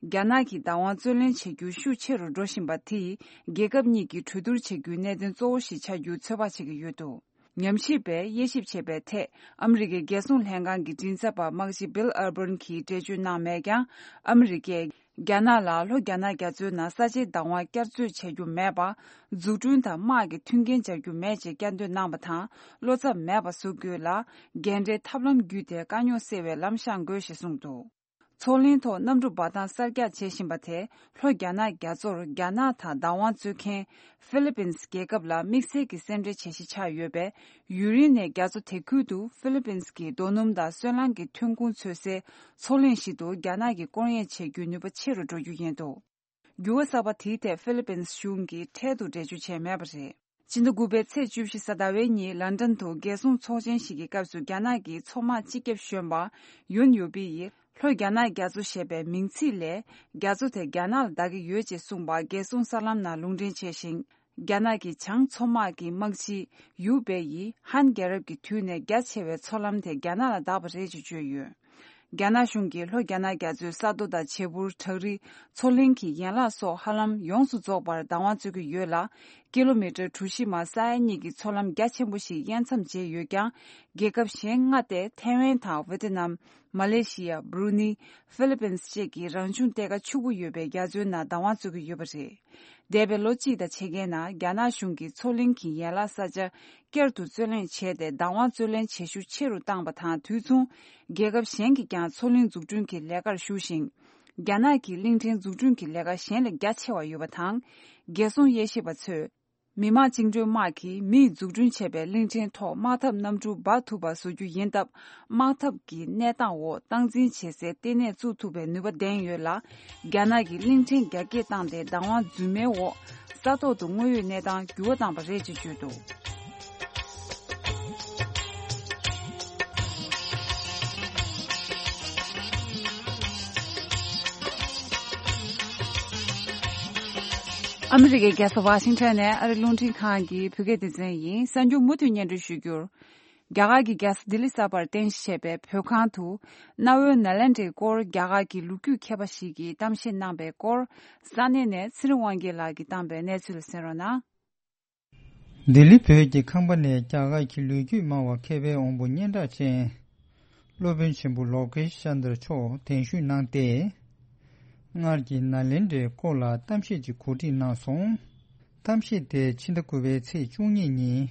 རྒྱ་ནག་གིས་བདག་དབང་རྩོད་ལེན་བྱེད་རྒྱུ་ཤུགས་ཆེ་རུ་འགྲོ་བཞིན་པ་དེས། རྒྱལ་ཁབ་གཉིས་ཀྱི་གྲོས་བསྡུར་བྱེད་རྒྱུའི་གནད་དོན་གཙོ་བོ་ཞིག་ཆགས་རྒྱུའི་ཚོད་དཔག་བྱེད་ཀྱི་ཡོད་འདུག་ཉམས་ཞིབ་པས་དབྱེ་ཞིབ་བྱས་པའི་ཐད། ཨ་མི་རི་ཀའི་རྒྱལ་སྲུང་ལྷན་ཁང་གི་མགྲིན་ཚབ་པ་དམག་སྤྱི་བྷིལ་ཨར་བྷརན་གྱིས་འགྲེལ་བརྗོད་གནང་མེད་ཀྱང་། ཨ་མི་རི་ཀས་རྒྱ་ནག་ལ་ལྷོ་རྒྱ་ནག་རྒྱ་མཚོའི་ནང་ས་ཆའི་བདག་དབང་བསྐྱར་རྩོད་བྱ་རྒྱུ་མེད་པ། འཛུགས་སྐྲུན་དང་དམག་གི་མཐུན་རྐྱེན་སྦྱར་རྒྱུ་མེད་ཅེས་བསྐྱར་ཟློས་གནང་བ་དང་། བློ་འཚབ་མེད་པ་བཟོ་དགོས་ལ། འགལ་འབྲེལ་ཐབས་ལམ་བརྒྱུད་དེ་དཀའ་རྙོག་སེལ་བའི་ལམ་བཤངས་དགོས་ཞེས་གསུངས་འདུག་མཚོ་གླིང་ཐོག་གནམ་གྲུ་འབབ་ཐང་གསར་རྒྱག་བྱེད་བཞིན་པ་དེ། ལྷོ་རྒྱ་ནག་རྒྱ་མཚོར་རྒྱ་ནག་དང་བདག་དབང་རྩོད་མཁན་ཧྥི་ལི་པིན་སི་རྒྱལ་ཁབ་ལ་དམིགས་བསལ་གྱི་སེམས་ཁྲལ་བྱེད་གཞི་ཆགས་ཡོད་པས། ཡུན་རིང་ནས་རྒྱ་མཚོ་དེ་ཁུལ་དུ་ཧྥི་ལི་པིན་སི་གི་རྡོ་སྣུམ་དང་སོལ་རླངས་ཀྱི་ཐོན་ཁུངས་འཚོལ་སའི་མཚོ་གླིང་ཞིག་ཏུ་རྒྱ་ནག་གིས་སྐོར་གཡེང་བྱེད་རྒྱུའི་ནུས་པ་ཆེ་རུ་འགྲོ་རྒྱུ་ཡིན་འདུག་འགྱུར་བ་གསར་པ་དེའི་ཐད་ཧྥི་ལི་པིན་སི་གཞུང་གིས་འཕྲལ་དུ་འགྲེལ་བརྗོད་བྱས་མེད་པ་རེད། ཕྱི་ཟླ་དགུ་པའི་ཚེས་བཅུ་བཞི་གཟའ་ཟླ་བའི་ཉིན་ལན་ཀྲན་དུ་རྒྱལ་སྲུང་ཚོགས་ཆེན་ཞིག་གི་སྐབས་སུ་རྒྱ་ནག་གི་མཚོ་དམག་སྤྱི་ཁྱབ་གཞོན་པ་ཡུན་ཡོ་པི་ཡིས་ལྷོ་རྒྱ་ནག་རྒྱ་མཚོ་ཞེས་པའི་མིང་ཚིག་ལས། རྒྱ་མཚོ་དེ་རྒྱ་ནག་ལ་བདག་གི་ཡོད་ཅེས་གསུངས་པ་རྒྱལ་སྲུང་གསར་ལམ་ནང་ལུང་འདྲེན་བྱས་ཤིང་། རྒྱ་ནག་གི་བྱང་མཚོ་དམག་གི་དམག་སྤྱི་ཡུ་པེ་ཡིས་ཧན་རྒྱལ་རབས་ཀྱི་དུས་ནས་རྒྱ་ཆེ་བའི་མཚོ་ལམ་དེ་རྒྱ་ནག་ལ་བདག་པ་རེད་ཅེས་བརྗོད་ཡོད། རྒྱ་ནག་གཞུང་གིས་ལྷོ་རྒྱ་ནག་རྒྱ་མཚོའི་ས་རྡོ་དང་བྱེ་འཕུར། བྲག་རི། མཚོ་གླིང་གི་ཡན་ལག་སོགས་ཧ་ལམ་ཡོངས་སུ་རྫོགས་པར་བདག་དབང་རྩོད་ཀྱི་ཡོད་ལ། ཀི་ལོ་མི་ཊར་གྲུ་བཞི་མ་ས་ཡ་གཉིས་ཀྱི་མཚོ་ལམ་རྒྱ་ཆེན་པོ་ཞིག་དབྱེ་མཚམས་བཅད་ཡོད་ཀྱང་། རྒྱལ་ཁབ་གཞན་ལྔ་སྟེ་ཐའེ་ཝན་དང་ཝེ་ཏི་ནམ། མ་ལེ་ཤི་ཡ། སྦྲུ་ནི། ཧྥི་ལི་པིན་སི་བཅས་ཀྱི་རང་བྱུང་གཏེར་ཁ་ཕྱུག་པོ་ཡོད་པའི་རྒྱ་མཚོའི་ནང་བདག་དབང་རྩོད་ཀྱི་ཡོད་པ་རེད། འདས་པའི་ལོ་གཅིག་དང་ཕྱེད་ཀའི་ནང་རྒྱ་ནག་གཞུང་གིས་མཚོ་གླིང་གི་ཡན་ལག་ས་ཆ་བསྐྱར་དུ་རྩོད་ལེན་བྱས་ཏེ་བདག་དབང་རྩོད་ལེན་བྱེད་ཤུགས་ཆེ་རུ་བཏང་བ་དང་དུས་མཚུངས། རྒྱལ་ཁབ་གཞན་གྱིས་ཀྱང་མཚོ་གླིང་འཛུགས་སྐྲུན་གྱི་ལས་ཀར་ཞུགས་ཤིང་། རྒྱ་ནག་གིས་གླིང་ཕྲན་འཛུགས་སྐྲུན་གྱི་ལས་ཀ་གཞན་ལས་རྒྱ་ཆེ་བ་ཡོད་པ་དང་། རྒྱལ་སྲུང་དབྱེ་ཞིབ་པ་ཚོས། མི་དམངས་བཅིངས་འགྲོལ་དམག་གིས་མིས་འཛུགས་སྐྲུན་བྱས་པའི་གླིང་ཕྲན་ཐོག་དམག་འཐབ་གནམ་གྲུ་འབག་ཐུབ་པ་བཟོ་རྒྱུ་ཡིན་སྟབས། དམག་འཐབ་ཀྱི་གནས་སྟངས་འོག་སྟངས་འཛིན་བྱེད་སའི་ལྟེ་གནས་བཙུགས་ཐུབ་པའི་ནུས་པ་ལྡན་ཡོད་ལ། རྒྱ་ནག་གིས་གླིང་ཕྲན་རྒྱ་སྐྱེད་བཏང་སྟེ་བདག་དབང་རྫུན་མའི་འོག་ས་ཐོག་ཏུ་དངོས་ཡོད་གནས་སྟངས་འགྱུར་བ་བཏང་པ་རེད་ཅེས་བརྗོད་འདུག་ཨ་མི་རི་ཀའི་རྒྱལ་ས་ཝ་ཤིང་ཊོན་ནས་ཨ་རི་རླུང་འཕྲིན་ཁང་གི་བོད་སྐད་སྡེ་ཚན་ཡིན། གསར་འགྱུར་མུ་མཐུད་སྙན་སྒྲོན་ཞུ་རྒྱུར། རྒྱ་གར་གྱི་རྒྱལ་ས་ལྡི་ལི་གསར་པར་རྟེན་གཞི་བྱས་པའི་བོད་ཁང་དུ། གནའ་བོའི་ནཱ་ལེནྡྲའི་སྐོར་རྒྱ་གར་གྱི་ལོ་རྒྱུས་མཁས་པ་ཞིག་གིས་གཏམ་བཤད་གནང་པའི་སྐོར། ས་གནས་ནས་ཚེ་རིང་དབང་རྒྱལ་ལགས་ཀྱིས་བཏང་པའི་གནས་ཚུལ་གསན་རོགས་གནང་། ལྡི་ལི་བོད་ཀྱི་ཁང་པ་ནས་རྒྱ་གར་གྱི་ལོ་རྒྱུས་སྨྲ་བ་མཁས་པའི་དབང་པོ་སྙན་གྲགས་ཅན། སློབ་དཔོན་ཆེན་པོ་ལོ་ཀེ་ཤན་དར་མཆོག་གདན་ཞུས་གནང་སྟེ། སྔར་གྱི་ནཱ་ལེནྡྲའི་སྐོར་ལ་གཏམ་བཤད་ཅིག་གོ་སྒྲིག་གནང་སོང་། གཏམ་བཤད་དེ་ཕྱི་ཟླ་དགུ་པའི་ཚེས་བཅུ་གཉིས་ཉིན།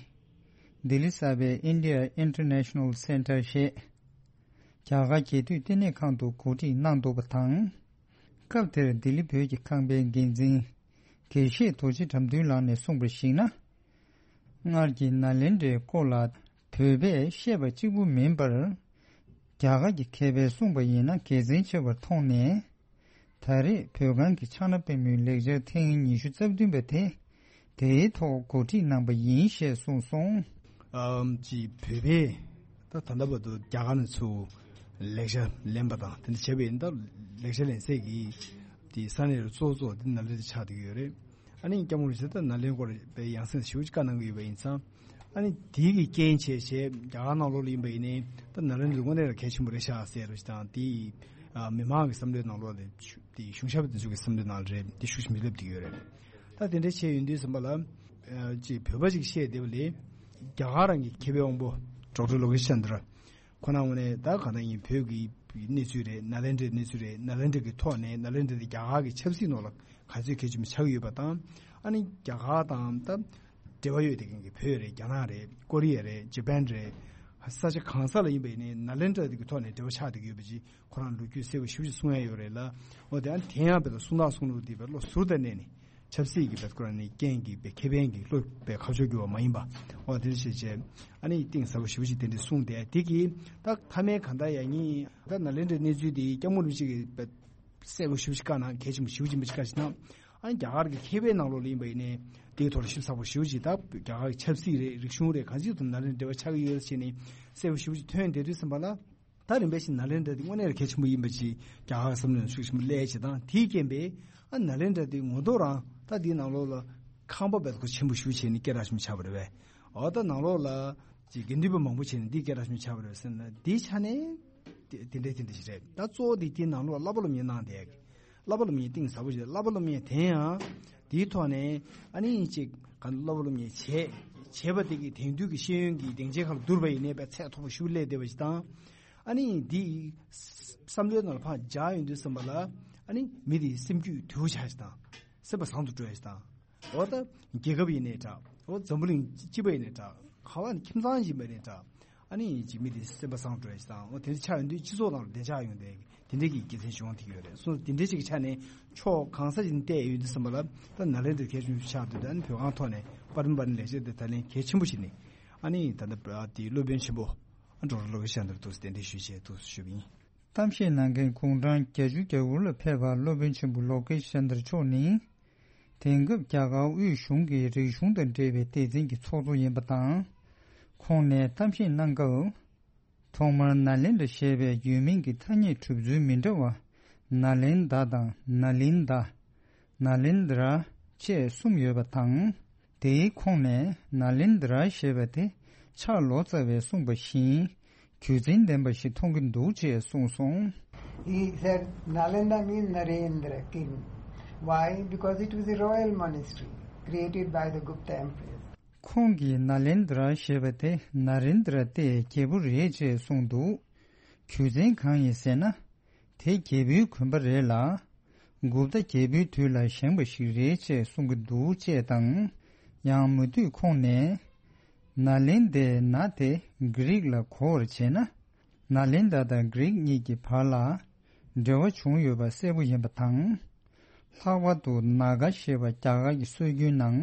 ལྡི་ལི་གསར་པའི་India International Centre ཞེས། རྒྱ་གར་རྒྱལ་དུས་ལྟེ་གནས་ཁང་དུ་གོ་སྒྲིག་གནང་འདུག་པ་དང་། སྐབས་དེར་ལྡི་ལི་བོད་ཀྱི་ཁང་པའི་འགན་འཛིན། དགེ་བཤེས་རྡོ་རྗེ་དགྲ་འདུལ་ལགས་ནས་གསུངས་པར་གཞིགས་ན། སྔར་གྱི་ནཱ་ལེནྡྲའི་སྐོར་ལ་བོད་པས་བཤད་པ་གཅིག་པུ་མིན་པར། རྒྱ་གར་གྱི་མཁས་པས་གསུངས་པ་ཡིན་ན་དགེ་མཚན་ཆེ་བར་མཐོང་ནས། ད་རེས་བོད་ཁང་གི་ཕྱག་ན་པད་མོའི་ལེགས་སྦྱར་ཐེངས་ཉི་ཤུ་རྩ་བདུན་པ་དེ། དེའི་ཐོག་གོ་སྒྲིག་གནང་པ་ཡིན་ཞེས་གསུངས་སོང་། ཨམ་ཅི་བོད་པས་ད་ད་ལྟ་བར་དུ་རྒྱ་གར་ནས་ཚུར་ལེགས་སྦྱར་ལེན་པ་དང་དེ་འདྲ་བྱས་པ་ཡིན་སྟབས། ལེགས་སྦྱར་ལེན་སའི་གི་དེ་ས་གནས་རུ་གཙོ་བོ་གཙོ་བོ་དེ་ནཱ་ལེནྡྲ་ཆགས་བསྡད་ཀྱི་ཡོད་རེད། ཨ་ནི་སྐྱབས་མགོན་རིན་པོ་ཆེ་ད་ནཱ་ལེནྡྲའི་སྐོར་བའི་ཡང་སེམས་ཞེ་པོ་ཅིག་བཀའ་གནང་གི་ཡོད་པ་ཡིན་ཙང་། ཨ་ནི་དེའི་གི་རྐྱེན་བྱས་བྱས་རྒྱ་གར་ནང་ལོགས་ལ་ཡིན་པ་ཡིན་ནའི་ད་ནཱ་ལེནྡྲ་དངོས་གནས་ལ་གལ་ཆེན་པོ་རེད་ཤག་ཟེར་རོ་ཞིག་དང་། དེ་ཨ་མི་མང་གི་བསམ་བློའི་ནང་ལོགས་ལ་དེ་གཞུང་ཞབས་དེ་ཚོ་གི་བསམ་བློའི་ནང་ལ་རེད་དེ་ཤུགས་ཆེན་པོ་སླེབས་བསྡད་ཀྱི་ཡོད་རེད། ད་དེ་འདྲ་བྱས་ཡོང་དུས་ཙམ་པ་ལ། ཨ་ཅིག་བོད་པ་ཅིག་བཤད་བསྡད་པ་ལས། རྒྱ་གར་རང་གི་མཁས་པའི་དབང་པོ་ཌོག་ཊར་ལོ་ཀེ་ཤན་དར་ཁོ་ན་དངོས་གནས་ད་གང་ལྟར་ཡིན་བོད་ཀྱི་གནས་ཚུལ་རེད། ནཱ་ལེནྡྲའི་གནས་ཚུལ་རེད། ནཱ་ལེནྡྲ་གི་ཐོག་ནས་ནཱ་ལེནྡྲ་དེ་རྒྱ་གར་གྱི་ཆབ་སྲིད་ནང་ལ་ག་ཚོད་གལ་ཆེན་པོ་ཆགས་ཀྱི་ཡོད་པ་དང་། ཨ་ནི་རྒྱ་གར་དང་ད་འབྲེལ་བ་ཡོད་བསྡད་མཁན་གྱི་བོད་རེད། རྒྱ་ནག་རེད། ཀོ་རི་ཡ་རེད། ཇ་པན་རེད། ས་ཆ་གང་ས་ལ་ཡིན་པ་ཡིན་ནའི་ནཱ་ལེནྡྲ་དེ་གི་ཐོག་ནས་འབྲེལ་བ་ཆགས་བསྡད་ཀྱི་ཡོད་པ་ཅིག་ཁོ་རང་ལོ་རྒྱུས་གསལ་པོ་ཞེ་པོ་ཅིག་གསུང་ཡ་ཡོད་རེད་ལ། འོ་དེ་ཡང་དེ་ཡང་བས་ལ་གསུང་སྟངས་གསུང་ལུགས་འདི་བས་བློ་ཟུར་དང་གནད་ནས་ཆབ་སྲིད་ཀྱི་བས་ཁོ་རང་ནི་རྐྱེན་གྱིས་བས་ཁེ་ཕན་གྱི་བློ་བས་ཁ་ཕྱོགས་རྒྱུ་བ་མ་ཡིན་པ། འོ་དེ་འདྲ་བྱས་བྱས་ཨ་ནི་གཏིང་ཟབ་པོ་ཞེ་པོ་ཅིག་དེ་འདྲ་གསུངས་ཏེ་དེ་གིས་ད་མཐའ་མའི་གང་ལྟར་ཡང་ཉིན་ད་ནཱ་ལེནྡྲའི་གནས་ཚུལ་དེ་སྐྱབས་མགོན་རིན་པོ་ཆེ་གིས་བས་གསལ་པོ་ཞེ་པོ་ཅིག་བཀའ་གནང་། གལ་ཆེན་པོ་ཞེ་པོ་ཅིག་མི་ཅིག་བཀའ་ཞིག་གནང་། ཨ་ནི་རྒྱ་གར་གྱི་མཁས་པའི་ནང་ལོགས་ལ་ཡིན་པ་ཡིན་ནའི་དེའི་ཐོག་ལ་ཞིབ་ཚགས་པོ་ཞེ་པོ་ཅིག་ད་རྒྱ་གར་གྱི་ཆབ་སྲིད་རེད། རིག་གཞུང་རེད། གང་ཅིའི་ཐོག་ནཱ་ལེནྡྲ་འབྲེལ་བ་ཆགས་ཀྱི་ཡོད་ཟེར་ནས་གསལ་པོ་ཞེ་པོ་ཅིག་ཐོན་བསྡད་དུས་ཙམ་པ་ལ། ད་རིམ་པས་ཤིག་ནཱ་ལེནྡྲ་དེ་དངོས་གནས་ལ་གལ་ཆེན་པོ་ཡིན་པ་ཅིག་རྒྱ་གར་བསམ་བློ་ནང་ཤུགས་ཆེན་པོ་སླེབས་བྱས་དང་། དེའི་རྐྱེན་པས་ཨ་ནཱ་ལེནྡྲ་དེ་ངོ་ཐོག་རང་ད་དེའི་ནང་ལོགས་ལ་ཁང་པ་བས་ཁོ་ཆེན་པོ་ཞེ་པོ་བྱས་ནས་སྐད་གྲགས་ཆེན་པོ་ཆགས་པ་རེད་པས། འོ་ད་ནང་ལོགས་ལ་ཅིག་དགེ་འདུན་པ་མང་པོ་བྱས་ནས་འདི་སྐད་གྲགས་ཆེན་པོ་ཆགས་པ་རེད་པས་ཟེར་ན། དེའི་ཆ་ནས་དེ་དེ་འདྲ་དེ་འདྲ་ཞིག་རེད། ད་གཙོ་བོ་དེ་དེའི་ནང་ལོགས་ལ་བསླབ་པ་སློབ་གཉེར་གནང་བསྡད་ཀྱི། བསླབ་པ་སློབ་གཉེར་གཏིང་ཟབ་པོ་ཞིག་བསླབ་པ་སློབ་གཉེར་དེ་ཡང་དེའི་ཐོག་ནས་ཨ་ནི་ཅིག་ག་བསླབ་པ་སློབ་གཉེར་བྱས་བྱས་པ་དེ་གི་དེང་དུས་ཀྱི་ཤེས་ཡོན་གྱི་སྡིངས་ཆའི་ཁར་བསྡུར་བ་ཡིན་ནའི་བས་ཚད་མཐོ་པོ་ཞེ་པོ་སླེབས་བསྡད་པ་ཞིག་དང་། ཨ་ནི་འདི་བསམ་བློའི་ནང་ལ་ཕར་འཇགས་ཡོང་དུས་ཙམ་པ་ལ་ཨ་ནི་མི་དེའི་སེམས་རྒྱུད་དུལ་བོ་ཆགས་ཤིག་དང་། སེམས་པ་བཟང་དུ་འགྲོ་ཡ་ཞིག་དང་། འོ་ད་རྒྱལ་ཁབ་ཡིན་ནའི་འདྲ། འོ་འཛམ་བུ་གླིང་སྤྱི་པ་ཡིན་ནའི་འདྲ། ག་བ་ནི་ཁྱིམ་ཚང་ཡིན་པ་ནའི་འདྲ། ཨ་ནི་ཅིག་མི་དེའི་སེམས་པ་བཟང་དུ་འགྲོ་ཡ་ཞིག་དང་། འོ་དེ་འདྲ་ཆགས་ཡོང་དུས་སྤྱི་ཚོགས་ནང་ལ་བདེ་འཇགས་ཡོང་དེ་དེ་འདྲའི་གི་དགེ་མཚན་བྱུང་ཐུབ་ཡོད་རེད། སོང་དེ་འདྲའི་ཅིག་གི་ཆ་ནས་ཕྱོགས་གང་ས་ཞིག་ནས་བལྟས་ཡོང་དུས་ཙམ་པ་ལ་ད་ནཱ་ལེནྡྲ་གལ་ཆེན་པོ་ཆགས་འདུག་ད་ནི་བོད་ཁང་ཐོག་ནས་པར་རིམ་པར་ནས་ལེགས་སྦྱར་དེ་ད་ལན་གལ་ཆེན་པོ་ཞིག་ནས་ཨ་ནི་ད་ལྟ་དེའི་སློབ་དཔོན་ཆེན་པོ་ཨ་ཌོག་ཊར་ལོ་ཀེ་ཤན་དར་འདུག་སེ་གདན་འདྲེན་ཞུས་བྱས་འདུག་སེ་ཞུས་པ་ཡིན། གཏམ་བཤད་གནང་མཁན་དགུང་གྲངས་བརྒྱད་ཅུ་གྱ་དགུ་ལ་ཕེབས་པ་སློབ་དཔོན་ཆེན་པོ་ལོ་ཀེ་ཤན་དར་མཆོག་ནི། དེང་སྐབས་རྒྱ་གར་དབུས་གཞུང་གི་རིག་གཞུང་དང་འབྲེལ་བའི་སྡེ་ཚན་གྱི་ཚོགས་གཙོ་ཡིན་པ་དང་། ཁོང་ནས་གཏམ་བཤད་གནང་སྐབས། ཐོག་མར་ནཱ་ལེནྡྲ་ཞེས་པའི་ཡུལ་མིང་གི་ཐ་སྙད་གྲུབ་ཚུལ་མི་འདྲ་བ། ནཱ་ལེནྡྲ་དང་ནཱ་ལིནྡ། ནཱ་ལེནྡྲ་བཅས་གསུམ་ཡོད་པ་དང་། དེའི་ཁོངས་ནས་ནཱ་ལེནྡྲ་ཞེས་པ་དེ་ཕྱག་ལོ་ཙཱ་བས་གསུངས་པ་བཞིན་རྒྱུ་མཚན་ལྡན་པ་ཞིག་མཐོང་གི་འདུག་ཅེས་གསུངས་སོང་། He said Nalanda means Narendra king. Why? Because it was a royal monastery created by the Gupta emperors. ཁོང་གིས་ནཱ་ལེནྡྲ་ཞེས་པ་དེ་ན་རེན་དྲ་ཏའི་རྒྱལ་པོ་རེད་ཅེས་གསུངས་འདུག་རྒྱུ་མཚན་གང་ཡིན་ཟེར་ན། དེ་རྒྱལ་པོའི་གོན་པ་རེད་ལ། གུབ་ཏ་རྒྱལ་པོའི་དུས་ལ་བཞེངས་པ་ཞིག་རེད་ཅེས་གསུང་གི་འདུག་ཅེས་དང་། ཡང་མུ་མཐུད་ཁོང་ནས། ནཱ་ལེནྡྲའི་ན་དེ་གྷི་རིག་ལ་གོ་བར་བྱས་ན། ནཱ་ལེནྡྲ་དང་གྷི་རིག་གཉིས་ཀྱི་བར་ལ་འབྲེལ་བ་བྱུང་ཡོད་པ་གསལ་པོ་ཡིན་པ་དང་། ལྷག་པར་དུ་ནཱ་ག་ཞེས་པ་རྒྱ་གར་གྱི་སྲོལ་རྒྱུན་ནང་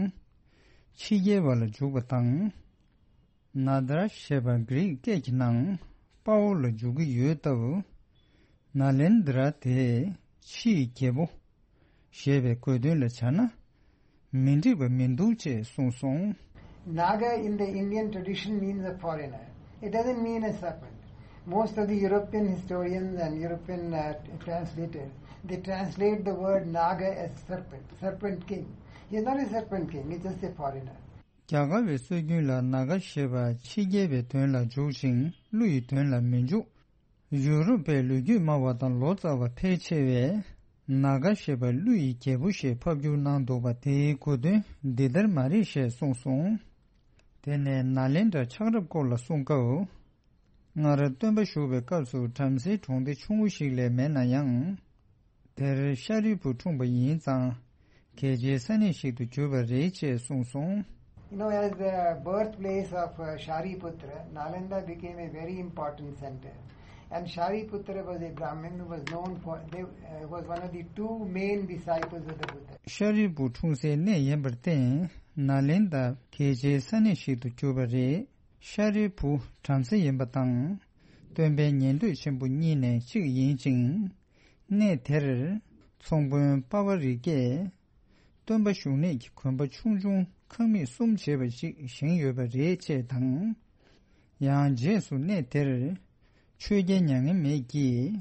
ཕྱི་རྒྱལ་བ་ལ་འཇུག་པ་དང་། ནཱ་དྲ་ཞེས་པ་གྷི་རིག་སྐད་ཀྱི་ནང་དཔའ་བོ་ལ་འཇུག་གི་ཡོད་སྟབས། ནཱ་ལེནྡྲ་དེ་ཕྱིའི་རྒྱལ་པོ་ཞེས་པའི་དགོས་དོན་ལ་བྱ་ན། མི་འགྲིག་པ་མི་འདུག་ཅེས་གསུངས་སོང་། Naga in the Indian tradition means a foreigner. It doesn't mean a serpent. Most of the European historians and European uh, translators, they translate the word Naga as serpent, serpent king. He is not a serpent king, he's just a foreigner. རྒྱ་གར་བའི་སྲོལ་རྒྱུན་ལ་ནཱ་ག་ཞེས་པ་ཕྱི་རྒྱལ་བའི་དོན་ལ་འཇུག་ཅིང་ཀླུ་ཡི་དོན་ལ་མི་འཇུག་ཡུ་རོབ་པའི་ལོ་རྒྱུས་སྨྲ་བ་དང་ལོ་ཙཱ་བ་ཕལ་ཆེ་བས་ནཱ་ག་ཞེས་པ་ཀླུ་ཡི་རྒྱལ་པོ་ཞེས་ཕབ་བསྒྱུར་གནང་འདུག་པ་དེའི་གོ་དོན་འདི་ལྟར་མ་རེད་ཞེས་གསུངས་སོང་། དེ་ནས་ནཱ་ལེནྡྲ་ཆགས་རབས་སྐོར་ལ་གསུང་སྐབས། སྔར་སྟོན་པ་བཞུགས་པའི་སྐབས་སུ་བྲམ་ཟེའི་གྲོང་སྡེ་ཆུང་ངུ་ཞིག་ལས་མེད་ན་ཡང་། དེར་ཤཱ་རིའི་བུ་འཁྲུངས་པ་ཡིན་ཙང་། གལ་ཆེའི་ས་གནས་ཤིག་ཏུ་གྱུར་པ་རེད་ཅེས་གསུངས་སོང་། You know, as the birthplace of uh, Shariputra, Nalanda became a very important center. And Shariputra was a Brahmin who was known for, they, uh, was one of the two main disciples of the Buddha. ཤཱ་རིའི་བུ་འཁྲུངས་སའི་གནས་ཡིན་པར་བརྟེན། ནཱ་ལེནྡྲ་གལ་ཆེའི་ས་གནས་ཤིག་ཏུ་གྱུར་པ་རེད། ཤཱ་རིའི་བུ་བྲམ་ཟེ་ཡིན་པ་དང་། སྟོན་པའི་ཉན་ཐོས་ཆེན་པོ་གཉིས་ནས་གཅིག་ཡིན་ཅིང་། གནས་དེར་ཚོང་དཔོན་པ་བ་རི་ཀས་སྟོན་པ་བཞུགས་གནས་ཀྱི་དགོན་པ་ཆུང་ཆུང་ཁང་མིག་གསུམ་བྱས་པ་ཞིག་བཞེངས་ཡོད་པ་རེད་ཅེས་དང་། ཡང་རྗེས་སུ་གནས་དེར་ཆོས་རྒྱལ་མྱ་ངན་མེད་ཀྱིས་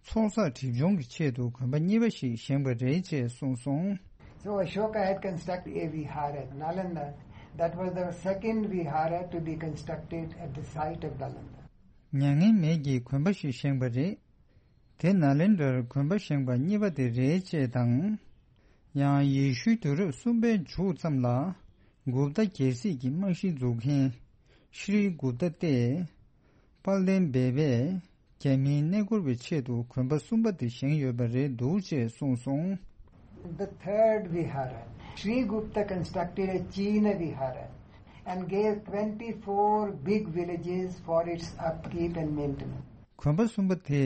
ཚོགས་བསགས་སྒྲིབ་སྦྱོང་གི་ཆེད་དུ་དགོན་པ་གཉིས་པ་ཞིག་བཞེངས་པ་རེད་ཅེས་གསུངས་སོང་། So Ashoka had constructed a vihara at Nalanda. That was the second vihara to be constructed at the site of Nalanda. མྱ་ངན་མེད་ཀྱིས་དགོན་པ་ཞིག་བཞེངས་པ་རེད། དེ་ནཱ་ལེནྡྲར་དགོན་པ་བཞེངས་པ་གཉིས་པ་དེ་རེད་ཅེས་དང་། ཡང་ཡེ་ཤུའི་དུས་རབས་གསུམ་པའི་མཇུག་ཙམ་ལ་གུབ་ཏ་རྒྱལ་སྲིད་ཀྱི་རྨང་གཞི་འཛུགས་མཁན་ཤྲི་གུབ་ཏ་སྟེ། དཔལ་ལྡན་སྦས་པས་རྒྱ་མིའི་གནས་སྐོར་བའི་ཆེད་དུ་དགོན་པ་གསུམ་པ་དེ་བཞེངས་ཡོད་པ་རེད་འདུག་ཅེས་གསུངས་སོང་། The third vihara, Sri Gupta constructed a China vihara and gave twenty-four big villages for its upkeep and maintenance. དགོན་པ་གསུམ་པ་དེ་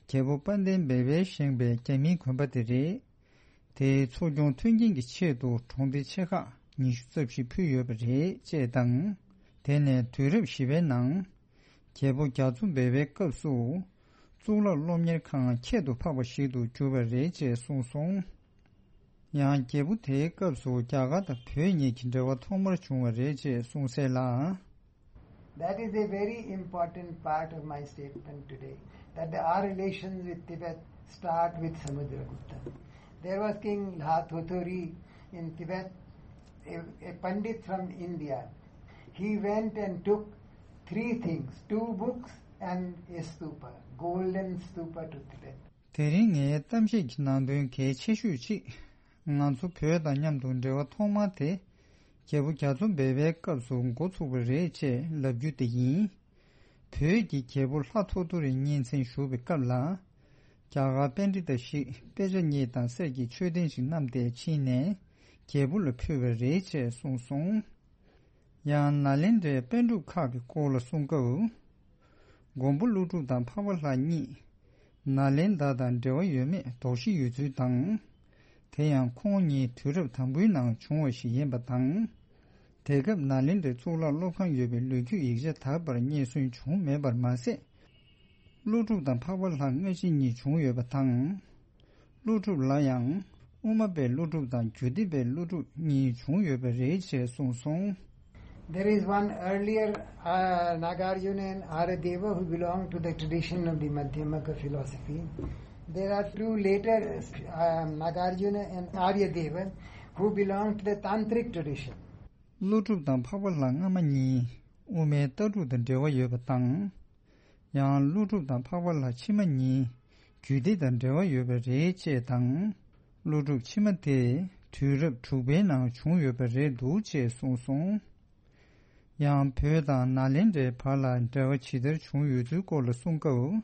རྒྱལ་པོ་དཔལ་ལྡན་སྦས་པས་བཞེངས་པའི་རྒྱ་མིའི་དགོན་པ་དེ་རེད། དེའི་འཚོ་སྐྱོང་མཐུན་རྐྱེན་གྱི་ཆེད་དུ་གྲོང་སྡེ་ཆེ་ཁག་ཉི་ཤུ་རྩ་བཞི་ཕུལ་ཡོད་པ་རེད་ཅེས་དང་། དེ་ནས་དུས་རབས་བཞི་པའི་ནང་། རྒྱལ་པོ་རྒྱ་མཚོ་སྦས་པའི་སྐབས་སུ། གཙུག་ལག་སློབ་གཉེར་ཁང་ཁྱད་དུ་འཕགས་པ་ཞིག་ཏུ་གྱུར་པ་རེད་ཅེས་གསུངས་སོང་། ཡང་རྒྱལ་པོ་དེའི་སྐབས་སུ་རྒྱ་གར་དང་བོད་གཉིས་ཀྱི་འབྲེལ་བ་ཐོག་མར་བྱུང་བ་རེད་ཅེས་གསུངས་གསལ་ལ། That is a very important part of my statement today, that the, our relations with Tibet start with Samudragupta. There was King Lha Thothori in Tibet, a, a Pandit from India. He went and took three things, two books and a stupa, golden stupa to Tibet. དེ་རིང་ངའི་གཏམ་བཤད་ཀྱི་ནང་དོན་གལ་ཆེ་ཤོས་གཅིག་ང་ཚོ་བོད་དང་མཉམ་དུ་འབྲེལ་བ་ཐོག་མ་དེ། རྒྱལ་པོ་རྒྱ་མཚོ་སྦས་པའི་སྐབས་སུ་འགོ་ཚུགས་པ་རེད་ཅེས་ལབ་རྒྱུ་དེ་ཡིན། བོད་ཀྱི་རྒྱལ་པོ་ལྷ་ཐོ་ཐོ་རི་གཉན་བཙན་བཞུགས་པའི་སྐབས་ལ། རྒྱ་གར་པཎྜི་ཏ་ཞིག་དཔེ་ཆ་གཉིས་དང་གསེར་གྱི་མཆོད་རྟེན་ཞིག་བསྣམས་ཏེ་ཕྱིན་ནས་རྒྱལ་པོ་ལ་ཕུལ་བ་རེད་ཅེས་གསུངས་སོང་། ཡང་ནཱ་ལེནྡྲའི་པཎ་གྲུབ་ཁག་གི་སྐོར་ལ་གསུང་སྐབས། མགོན་པོ་ཀླུ་སྒྲུབ་དང་འཕགས་པ་ལྷ་གཉིས་ནཱ་ལེནྡྲ་དང་འབྲེལ་བ་ཡོད་མེད་དོགས་གཞི་ཡོད་ཚུལ་དང་། དེ་ཡང་ཁོང་གཉིས་དུས་རབས་དང་པོའི་ནང་བྱུང་བ་ཞིག་ཡིན་པ་དང་། དེ་སྐབས་ནཱ་ལེནྡྲའི་གཙུག་ལག་སློབ་ཁང་ཡོད་པའི་ལོ་རྒྱུས་ཡིག་ཆ་དག་པར་རྙེད་སོན་བྱུང་མེད་པར་མ་ཟད། ཀླུ་སྒྲུབ་དང་འཕགས་པ་ལྷ་སྔ་ཕྱི་གཉིས་བྱུང་ཡོད་པ་དང་། ཀླུ་སྒྲུབ་ལ་ཡང་དབུ་མ་པའི་ཀླུ་སྒྲུབ་དང་རྒྱུད་སྡེ་པའི་ཀླུ་སྒྲུབ་གཉིས་བྱུང་ཡོད་པ་རེད་ཅེས་གསུངས་སོང་། There is one earlier uh, Nagarjuna and Aryadeva who belong to the tradition of the Madhyamaka philosophy. There are two later uh, Nagarjuna and Aryadeva who belong to the Tantric tradition. ཀླུ་སྒྲུབ་དང་འཕགས་པ་ལྷ་སྔ་མ་གཉིས་དབུ་མའི་ལྟ་གྲུབ་དང་འབྲེལ་བ་ཡོད་པ་དང་། ཡང་ཀླུ་སྒྲུབ་དང་འཕགས་པ་ལྷ་ཕྱི་མ་གཉིས་རྒྱུད་སྡེ་དང་འབྲེལ་བ་ཡོད་པ་རེད་ཅེས་དང་། ཀླུ་སྒྲུབ་ཕྱི་མ་དེ་དུས་རབས་དྲུག་པའི་ནང་བྱུང་ཡོད་པ་རེད་འདུག་ཅེས་གསུངས་སོང་། ཡང་བོད་དང་ནཱ་ལེནྡྲའི་བར་ལ་འབྲེལ་བ་ཇི་ལྟར་བྱུང་ཡོད་ཚུལ་སྐོར་ལ་གསུང་སྐབས།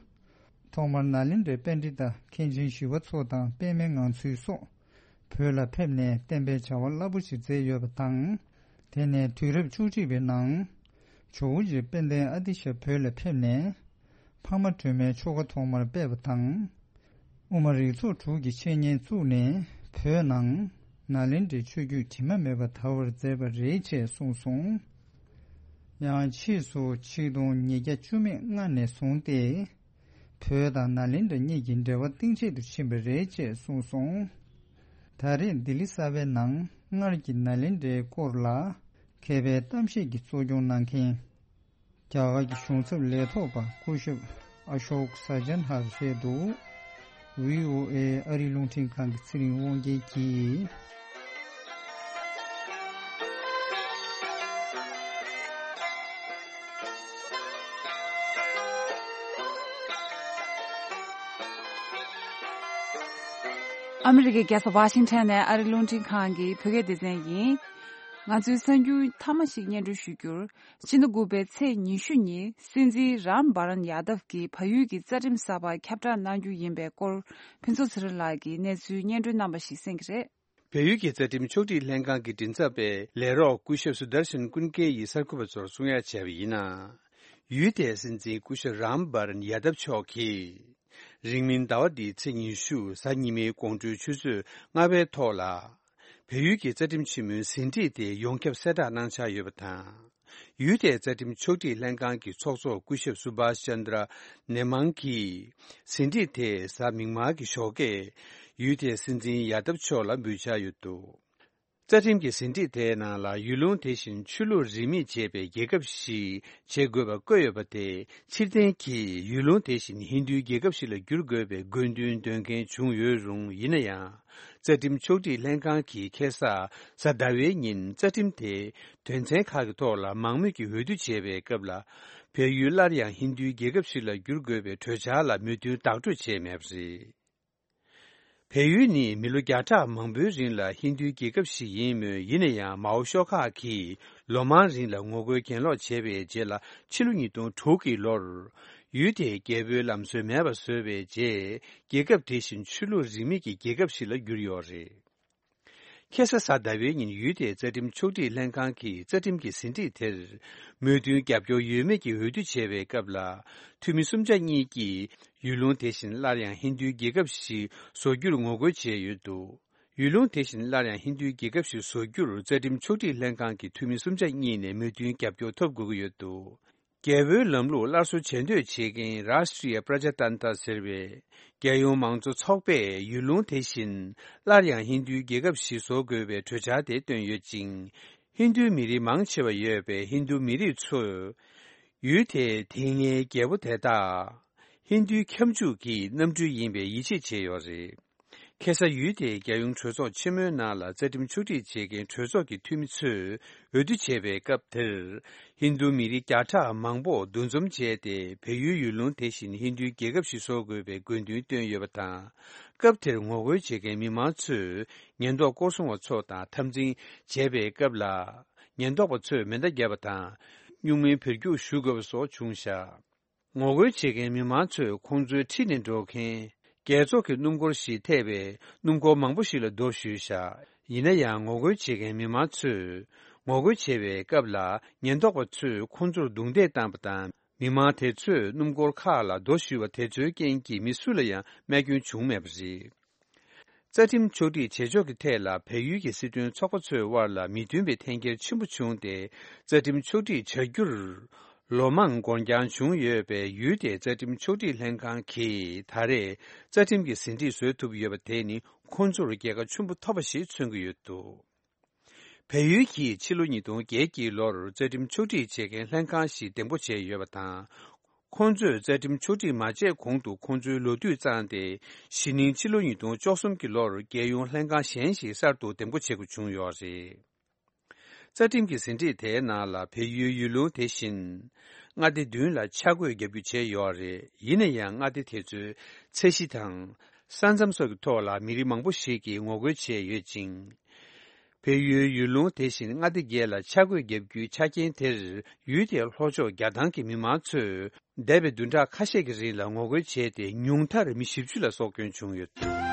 ཐོག་མར་ནཱ་ལེནྡྲའི་པཎྜི་ཏ་མཁན་ཆེན་ཞི་བ་འཚོ་དང་པདྨའི་ངང་ཚུལ་སོགས་བོད་ལ་ཕེབས་ནས་བསྟན་པའི་བྱ་བ་རླབས་པོ་ཆེ་མཛད་ཡོད་པ་དང་། དེ་ནས་དུས་རབས་བཅུ་གཅིག་པའི་ནང་ཇོ་བོ་རྗེ་དཔལ་ལྡན་ཨ་ཏི་ཤ་བོད་ལ་ཕེབས་ནས་འཕགས་མ་སྒྲོལ་མའི་ཆོ་ག་ཐོག་མར་སྤེལ་བ་དང་། དབུ་མ་རིགས་ཚོགས་དྲུག་གི་འཆད་ཉན་བཙུགས་ནས་བོད་ནང་ནཱ་ལེནྡྲའི་ཆོས་བརྒྱུད་དྲི་མ་མེད་པ་དར་བར་མཛད་པ་རེད་ཅེས་གསུངས་སོང་། ཡང་ཕྱིས་སུ་ཆིག་སྟོང་ཉིས་བརྒྱ་བཅུ་མེད་ལྔ་ནས་བཟུང་སྟེ། བོད་དང་ནཱ་ལེནྡྲ་གཉིས་ཀྱི་འབྲེལ་བ་གཏིང་ཆད་དུ་ཕྱིན་པ་རེད་ཅེས་གསུངས་སོང་། ད་རེས་ལྡི་ལི་གསར་པའི་ནང་སྔར་གྱི་ནཱ་ལེནྡྲའི་སྐོར་ལ་མཁས་པའི་གཏམ་བཤད་ཀྱི་གཙོ་སྐྱོང་གནང་མཁན། རྒྱ་གར་གྱི་གཞུང་ཚབ་ལས་ཐོག་པ་སྐུ་ཞབས་ཨ་ཤོག་ས་ཇན་ཧར་རེད་འདུག། བྷི་ཨོ་ཨེ་ཨ་རིའི་རླུང་འཕྲིན་ཁང་གི་ཚེ་རིང་དབང་རྒྱལ་གྱིས། ཨ་མི་རི་ཀའི་རྒྱལ་ས་ཝ་ཤིང་ཊོན་ནས་ཨ་རིའི་རླུང་འཕྲིན་ཁང་གི་བོད་སྐད་སྡེ་ཚན་ཡིན། ང་ཚོའི་གསར་འགྱུར་མཐའ་མ་ཞིག་སྙན་སྒྲོན་ཞུ་རྒྱུར། ཕྱི་ཟླ་དགུ་པའི་ཚེས་ཉི་ཤུ་ཉིན་སྲིད་འཛིན་རམ་བྷ་རན་ཡ་དབ་ཀྱིས་བལ་ཡུལ་གྱི་རྩ་ཁྲིམས་གསར་པ་ཁྱབ་བསྒྲགས་གནང་རྒྱུ་ཡིན་པའི་སྐོར། ཕུན་ཚོགས་ཚེ་རིང་ལགས་ཀྱིས་གནས་ཚུལ་སྙན་སྒྲོན་གནང་པ་ཞིག་གསན་གྱི་རེད། བལ་ཡུལ་གྱི་རྩ་ཁྲིམས་ཕྱོགས་སྒྲིག་ལྷན་ཁང་གི་མགྲིན་ཚབ་པས་ལས་རོགས་སྐུ་ཞབས་སུ་དར་ཤན་ཀུན་ཀེ་ཡིས་གསར་འགོད་པ་ཚོར་གསུང་ཡ་བྱས་པ་ཡིན་ན། ཡུལ་དེའི་སྲིད་འཛིན་སྐུ་ཞབས་རམ་བྷ་རན་ཡ་དབ་མཆོག་གིས། རིང་མིན་ཟླ་བ་འདིའི་ཚེས་ཉི་ཤུ་གཟའ་ཉི་མའི་དགོང་དྲོའི་ཆུ་ཚོད་ལྔ་པའི་ཐོག་ལ། བལ་ཡུལ་གྱི་རྩ་ཁྲིམས་ཆེན་མོའི་ཟིན་བྲིས་དེ་ཡོངས་ཁྱབ་གསལ་བསྒྲགས་གནང་འཆར་ཡོད་པ་དང་། ཡུལ་དེའི་རྩ་ཁྲིམས་ཕྱོགས་སྒྲིག་ལྷན་ཁང་གི་ཚོགས་གཙོ་སྐུ་ཞབས་སུ་བྷཱས་ཅན་དྲ་ནེ་མང་གིས་ཟིན་བྲིས་དེ་གཟའ་མིག་དམར་གྱི་ཞོགས་ཀས་ཡུལ་དེའི་སྲིད་འཛིན་ཡ་དབ་མཆོག་ལ་འབུལ་འཆར་ཡོད་འདུག། རྩ་ཁྲིམས་ཀྱི་ཟིན་བྲིས་དེའི་ནང་ལ་ཡུལ་ལུང་དེ་བཞིན་ཆོས་ལུགས་རིས་མེད་བྱེད་པའི་རྒྱལ་ཁབ་ཞིག་བྱེད་དགོས་པ་བཀོད་ཡོད་པ་དེ་ཕྱིར་འཐེན་གྱིས་ཡུལ་ལུང་དེ་བཞིན་ཧིན་རྡུའི་རྒྱལ་ཁབ་ཞིག་ལ་བསྒྱུར་དགོས་པའི་དགོས་འདུན་འདོན་མཁན་བྱུང་ཡོད་རུང་། ཡིན་ན་ཡང་། རྩ་ཁྲིམས་ཕྱོགས་སྒྲིག་ལྷན་ཁང་གིས་ཁ་སང་གཟའ་ཟླ་བའི་ཉིན་རྩ་ཁྲིམས་དེ་དོན་ཚན་ཁག་གི་ཐོག་ལ་མང་མོས་ཀྱིས་འོས་བསྡུ་བྱས་པའི་སྐབས་ལ། བལ་ཡུལ་སླར་ཡང་ཧིན་རྡུའི་རྒྱལ་ཁབ་ཞིག་ལ་བསྒྱུར་དགོས་པའི་གྲོས་འཆར་ལ་མོས་མཐུན་བདག་སྤྲོད་བྱས་མེད་པ་རེད། བལ་ཡུལ་ནི་མི་ལོ་བརྒྱ་ཕྲག་མང་པོའི་རིང་ལ་ཧིན་རྡུའི་རྒྱལ་ཁབ་ཞིག་ཡིན་མོད། ཡིན་ན་ཡང་མའོ་ཤོག་ཁག་གིས་ལོ་མང་རིང་ལ་ངོ་རྒོལ་གྱེན་ལོག་བྱས་པའི་རྗེས་ལ། ཕྱི་ལོ་ཉིས་སྟོང་དྲུག་གི་ལོར་ཡུལ་དེའི་རྒྱལ་པོའི་ལམ་སྲོལ་མེད་པ་བཟོས་པའི་རྗེས། རྒྱལ་ཁབ་དེ་བཞིན་ཆོས་ལུགས་རིས་མེད་ཀྱི་རྒྱལ་ཁབ་ཞིག་ལ་གྱུར་ཡོད་རེད། ཁ་སང་གཟའ་ཟླ་བའི་ཉིན་ཡུལ་དེའི་རྩ་ཁྲིམས་ཕྱོགས་སྒྲིག་ལྷན་ཁང་གིས་རྩ་ཁྲིམས་ཀྱི་ཟིན་བྲིས་དེར་མོས་མཐུན་རྒྱབ་སྐྱོར་ཡོད་མེད་ཀྱི་འོས་བསྡུ་བྱས་པའི་སྐབས་ལ། འཐུས་མི་གསུམ་ཆ་གཉིས་ཀྱིས་ཡུལ་ལུང་དེ་བཞིན་སླར་ཡང་ཧིན་རྡུའི་རྒྱལ་ཁབ་ཞིག་བཟོ་རྒྱུར་ངོ་རྒོལ་བྱས་ཡོད་འདུག། ཡུལ་ལུང་དེ་བཞིན་སླར་ཡང་ཧིན་རྡུའི་རྒྱལ་ཁབ་ཞིག་བཟོ་རྒྱུར་རྩ་ཁྲིམས་ཕྱོགས་སྒྲིག་ལྷན་ཁང་གི་འཐུས་མི་གསུམ་ཆ་གཉིས་ནས་མོས་མཐུན་རྒྱབ་སྐྱོར་ཐོབ་དགོས་ཀྱི་ཡོད་འདུག། རྒྱལ་པོའི་ལམ་ལུགས་སླར་གསོ་བྱེད་འདོད་བྱེད་མཁན་རཱ་ཤི་ཏྲི་ཡ་པྲ་ཇ་ཏན་ཏ་ཟེར་བའི་རྒྱལ་ཡོངས་མང་གཙོ་ཚོགས་པས་ཡུལ་ལུང་དེ་བཞིན་སླར་ཡང་ཧིན་རྡུའི་རྒྱལ་ཁབ་ཞིག་བཟོ་དགོས་པའི་གྲོས་འཆར་དེ་བཏོན་ཡོད་ཅིང་། ཧིན་རྡུའི་མི་རིགས་མང་ཆེ་བ་ཡོད་པའི་ཧིན་རྡུ་མི་རིགས་ཚོས་ཡུལ་དེའི་དེ་སྔའི་རྒྱལ་པོ་དེ་དག་ཧིན་རྡུའི་ཁྱབ་འཇུག་གི་གནམ་གྲུ་ཡིན་པའི་ཡིད་ཆེས་བྱས་ཡོད་རེད། ཁ་སང་ཡུལ་དེའི་རྒྱལ་ཡོངས་གྲོས་ཚོགས་ཆེན་མོའི་ནང་ལ་རྩ་ཁྲིམས་ཕྱོགས་སྒྲིག་བྱེད་མཁན་གྲོས་ཚོགས་ཀྱི་འཐུས་མི་ཚོས་འོས་བསྡུ་བྱས་པའི་སྐབས་དེར། ཧིན་རྡུ་མི་རིགས་བརྒྱ་ཕྲག་མང་པོ་འདུ་འཛོམས་བྱས་ཏེ། བལ་ཡུལ་ཡུལ་ལུང་དེ་བཞིན་ཧིན་རྡུའི་རྒྱལ་ཁབ་ཞིག་བཟོ་དགོས་པའི་དགོས་འདུན་བཏོན་ཡོད་པ་དང་། སྐབས་དེར་ངོ་རྒོལ་བྱེད་མཁན་མི་མང་ཚོས་ཉེན་རྟོག་སྐོར་སྲུང་བ་ཚོ་དང་འཐབ་འཛིང་བྱས་པའི་སྐབས་ལ། ཉེན་རྟོག་པ་ཚོས་མེ་མདའ་བརྒྱབ་པ་དང་། སྨྱུག་མའི་བེར་རྒྱུག་ཞུ་དགོས་པ་སོགས་བྱུང་བཞག། ངོ་རྒོལ་བྱེད་མཁན་མི་མང་ཚོས་ཁོང་ཚོའི་འཁྲིས་ནས་འགྲོ་མཁན་རྒྱལ་ཚོགས་ཀྱི་སྣུམ་འཁོར་ཞིག་ཐེ་བའི་སྣུམ་འཁོར་མང་པོ་ཞིག་ལ་རྡོ་གཞུས་བཞག། ཡིན་ན་ཡང་ངོ་རྒོལ་བྱེད་མཁན་མི་མང་ཚོས་ངོ་རྒོལ་བྱེད་པའི་སྐབས་ལ་ཉེན་རྟོག་པ་ཚོས་ཁོང་ཚོར་རྡུང་རྡེག་བཏང་བ་དང་། མི་མང་དེ་ཚོས་སྣུམ་འཁོར་ཁག་ལ་རྡོ་གཞུས་པ་དེ་ཚོའི་རྐྱེན་གྱིས་མི་སུ་ལ་ཡང་རྨས་སྐྱོན་བྱུང་མེད་པ་རེད། རྩ་ཁྲིམས་ཕྱོགས་སྒྲིག་བྱེད་ཕྱོགས་ཀྱི་ཐད་ལ་བལ་ཡུལ་གྱི་སྲིད་དོན་ཚོགས་པ་ཚོའི་དབར་ལ་མི་མཐུན་པའི་འཐེན་འཁྱེར་ཆེན་པོ་བྱུང་སྟེ། རྩ་ཁྲིམས་ཕྱོགས་སྒྲིག་བྱ་རྒྱུར་ལོ་མང་འགོར་འགྱངས་བྱུང་ཡོད་པས། ཡུལ་དེའི་རྩ་ཁྲིམས་ཕྱོགས་སྒྲིག་ལྷན་ཁང་གིས་ད་རེས་རྩ་ཁྲིམས་ཀྱི་ཟིན་བྲིས་བཟོ་ཐུབ་ཡོད་པ་དེ་ནི་ཁོང་ཚོར་རྒྱལ་ཁ་ཆེན་པོ་ཐོབ་པ་ཞིག་མཚོན་གྱི་ཡོད་འདུག། བལ་ཡུལ་གྱིས་ཕྱི་ལོ་ཉིས་སྟོང་བརྒྱད་ཀྱི་ལོར་རྩ་ཁྲིམས་ཕྱོགས་སྒྲིག་བྱེད་མཁན་ལྷན་ཁང་ཞིག་འདེམས་བསྐོ་བྱས་ཡོད་པ་དང་། ཁོང་ཚོས་རྩ་ཁྲིམས་ཕྱོགས་སྒྲིག་མ་བྱས་གོང་དུ་ཁོང་ཚོའི་ལོ་དུས་བརྩམས་ཏེ། གཞེས་ནིང་ཕྱི་ལོ་ཉིས་སྟོང་བཅུ་གསུམ་གྱི་ལོར་རྒྱལ་ཡོངས་ལྷན་ཁང་གཞན་ཞིག་གསར་དུ་འདེམས་བསྐོ་བྱེད་དགོས་བྱུང་ཡོད་རེད། རྩ་ཁྲིམས་ཀྱི་ཟིན་བྲིས་དེའི་ནང་ལ་བལ་ཡུལ་ཡུལ་ལུང་དེ་བཞིན་མངའ་སྡེ་བདུན་ལ་ཆ་བགོས་བརྒྱབ་རྒྱུ་བྱས་ཡོད་རེད། ཡིན་ན་ཡང་མངའ་སྡེ་དེ་ཚོའི་ཚད་གཞི་དང་ས་མཚམས་སོགས་ཀྱི་ཐོག་ལ་མི་རིགས་མང་པོ་ཞིག་གིས་ངོ་རྒོལ་བྱས་ཡོད་ཅིང་། བལ་ཡུལ་ཡུལ་ལུང་དེ་བཞིན་མངའ་སྡེ་བརྒྱད་ལ་ཆ་བགོས་བརྒྱབ་རྒྱུའི་ཆ་རྐྱེན་དེར། ཡུལ་དེའི་ལྷོ་ཕྱོགས་རྒྱ་ཐང་གི་མི་མང་ཚོས་འདས་པའི་བདུན་ཕྲག་ཁ་ཤས་ཀྱི་རིང་ལ་ངོ་རྒོལ་བྱས་ཏེ། ཉུང་མཐར་མི་བཞི་བཅུ་ལ་སྲོག་སྐྱོན་བྱུང་ཡོད།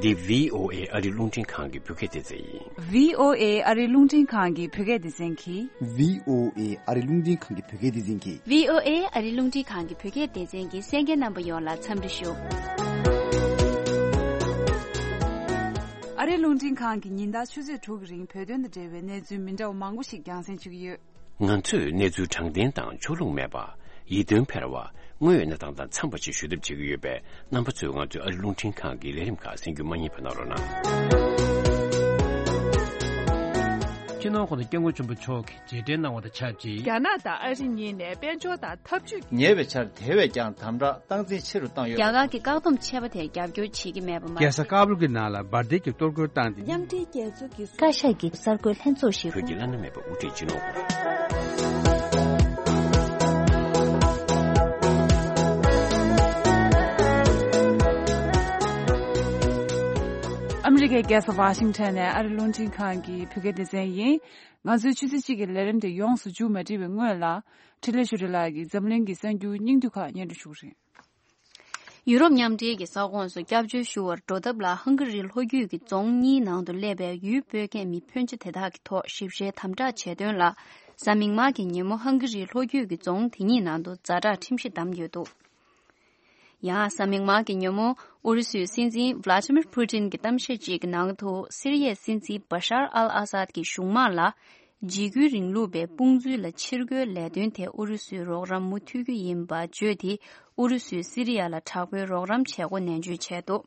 འདི་བྷི་ཨོ་ཨེ་ཨ་རི་རླུང་འཕྲིན་ཁང་གི་བོད་སྐད་སྡེ་ཚན་ཡིན། བྷི་ཨོ་ཨེ་ཨ་རི་རླུང་འཕྲིན་ཁང་གི་བོད་སྐད་སྡེ་ཚན་གྱིས། བྷི་ཨོ་ཨེ་ཨ་རི་རླུང་འཕྲིན་ཁང་གི་བོད་སྐད་སྡེ་ཚན་གྱིས། བྷི་ཨོ་ཨེ་ཨ་རི་རླུང་འཕྲིན་ཁང་གི་བོད་སྐད་སྡེ་ཚན་གྱི་གསན་མཁན་རྣམ་པ་ཡོངས་ལ་འཚམས་འདྲི་ཞུ། ཨ་རི་རླུང་འཕྲིན་ཁང་གིས་ཉིན་ལྟར་ཆུ་ཚོད་དྲུག་གི་རིང་བོད་དོན་དང་འབྲེལ་བའི་གནས་ཚུལ་མི་འདྲ་བ་མང་པོ་ཞིག་རྒྱང་སྲིང་ཞུ་གི་ཡོད། ང་ཚོས་གནས་ཚུལ་དྲང་བདེན་དང་ཕྱོགས་ལྷུང་མེད་པ། ཡིད་རྟོན་འཕེར་བ། དངོས་ཡོད་གནས་སྟངས་དང་འཚམས་པ་ཞིག་ཞུ་ཐབས་བྱེད་ཀྱི་ཡོད་པས། རྣམ་པ་ཚོས་ང་ཚོའི་ཨ་རི་རླུང་འཕྲིན་ཁང་གི་ལས་རིམ་ཁག་གསན་རྒྱུ་མ་བསྙེལ་བ་གནང་རོགས་གནང་། སྤྱི་ནོར་༸གོང་ས་༸སྐྱབས་མགོན་ཆེན་པོ་མཆོག་གིས་རྗེས་དྲན་གནང་བ་དང་ཆབས་ཅིག་རྒྱ་ནག་དང་ཨ་རི་གཉིས་ནས་དཔལ་འབྱོར་དང་འཐབ་ཇུས་ཉེ་བའི་ཆར་དེ་བས་ཀྱང་དམ་དྲག་སྟངས་འཛིན་ཆེ་རུ་བཏང་ཡོད། རྒྱ་གར་གྱི་བཀག་སྡོམ་ཆད་པ་དེར་རྒྱབ་སྐྱོར་བྱེད་ཀྱི་མེད་པ་མ་རྒྱལ་ས་ཀ་བུལ་གྱི་ནང་ལ་འབར་མདེལ་གྱི་གཏོར་རྒོལ་བཏང་སྟེ། མཉམ་འབྲེལ་རྒྱལ་ཚོགས་ཀྱི་བཀའ་ཤག་གི་གསར་འགོད་ལྷན་ཚོགས་ཤིག་བོད་ཀྱི་བླ་ན་མེད་པའི་དབུ་ཁྲིད་སྤྱི་ནོར་ཨ་མི་རི་ཀའི་རྒྱལ་ས་ཝ་ཤིང་ཊོན་ནས་ཨ་རི་རླུང་འཕྲིན་ཁང་གི་བོད་སྐད་སྡེ་ཚན་ཡིན། ང་ཚོའི་ཆུ་ཚོད་གཅིག་གི་ལས་རིམ་དེ་ཡོངས་སུ་མཇུག་མ་སྒྲིལ་བའི་སྔོན་ལ། འཕྲིན་ལས་ཆོས་སྒྲོན་ལགས་ཀྱིས་འཛམ་གླིང་གི་གསར་འགྱུར་སྙིང་བསྡུས་ཁག་སྙན་སྒྲོན་ཞུ་གི་རེད། ཡུ་རོབ་མཉམ་འབྲེལ་གྱི་ས་ཁོངས་སུ་སྐྱབས་བཅོལ་ཞུ་བར་འགྲོ་ཐབས་ལ་ཧང་ག་རིའི་ལྷོ་རྒྱུད་ཀྱི་རྫོང་གཉིས་ནང་དུ་སླེབས་པའི་ཡུལ་སྤོ་མཁན་མི་ཕོན་ཆེ་དེ་དག་གི་ཐོག་ཞིབ་བཤེར་དམ་དྲག་བྱས་དོན་ལ། གཟའ་མིག་དམར་གྱི་ཉིན་མོ་ཧང་ག་རིའི་ལྷོ་རྒྱུད་ཀྱི་རྫོང་དེ་གཉིས་ནང་དུ་ཛ་དྲག་ཁྲིམས་གཞི་བསྡམས་ཡོད་འདུག་ཡང་གཟའ་མིག་དམར་གྱི་ཉིན་མོ་ཨུ་རུ་སུའི་སྲིད་འཛིན་Vladimir Putin་གྱི་གཏམ་བཤད་ཅིག་གི་ནང་དུ། སི་རི་ཡའི་སྲིད་འཛིན་Bashar al-Assad་གྱི་གཞུང་དམག་ལ། འཇིགས་སྐུལ་རིང་ལུགས་པའི་དཔུང་འཛུལ་ལ་ཕྱིར་རྒོལ་ལས་དོན་དེ་ཨུ་རུ་སུའི་རོགས་རམ་མུ་མཐུད་རྒྱུ་ཡིན་པ་བརྗོད་དེ། ཨུ་རུ་སུས་སི་རི་ཡ་ལ་དྲག་པོའི་རོགས་རམ་བྱེད་སྒོ་ནན་བརྗོད་བྱས་འདུག་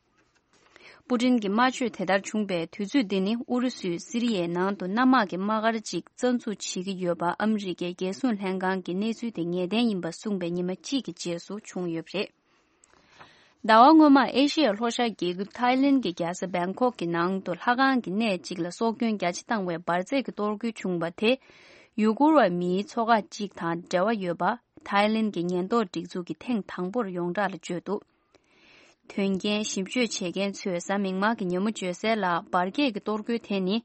པུ་ཏིན་གྱི་དམར་མཆོད་དེ་ལྟར་བྱུང་བའི་དུས་ཚོད་འདི་ནི། ཨུ་རུ་སུས་སི་རི་ཡའི་ནང་དུ་གནམ་དམག་གི་དམག་སྒར་ཅིག་རྩ་འཛུགས་བྱེད་ཀྱི་ཡོད་པ། ཨ་མི་རི་ཀའི་རྒྱལ་སྲུང་ལྷན་ཁང་གིས་གནས་ཚུལ་དེ་ངེས་གཏན་ཡིན་པ་གསུངས་པའི་ཉི་མ་གཅིག་གི་རྗེས་སུ་བྱུང་ཡོད་པ་རེད། ཟླ་བ་སྔོན་མ་ཨེ་ཤི་ཡའི་ལྷོ་ཤར་རྒྱལ་ཁབ་ཐའི་ལེན་གྱི་རྒྱལ་ས་བེང་ཀོག་གི་ནང་དུ་ལྷ་ཁང་གི་གནས་གཅིག་ལ་སྲོག་སྐྱོན་རྒྱ་ཆེ་བཏང་བའི་འབར་རྫས་ཀྱི་གཏོར་རྒོལ་བྱུང་བ་དེ། ཡུ་གུར་བ་མིའི་ཚོགས་ཁག་ཅིག་དང་འབྲེལ་བ་ཡོད་པ། ཐའི་ལེན་གྱི་ཉེན་རྟོག་སྒྲིག་འཛུགས་ཀྱིས་ཐེངས་དང་པོར་ཡོངས་གྲགས་ལ་བརྗོད་འདུག་དོན་རྐྱེན་ཞིབ་དཔྱོད་བྱེད་མཁན་ཚོས་གཟའ་མིག་དམར་གྱི་ཉིན་མོ་བརྗོད་གསལ་ལ། འབར་གས་ཀྱི་གཏོར་རྒོལ་དེ་ནི།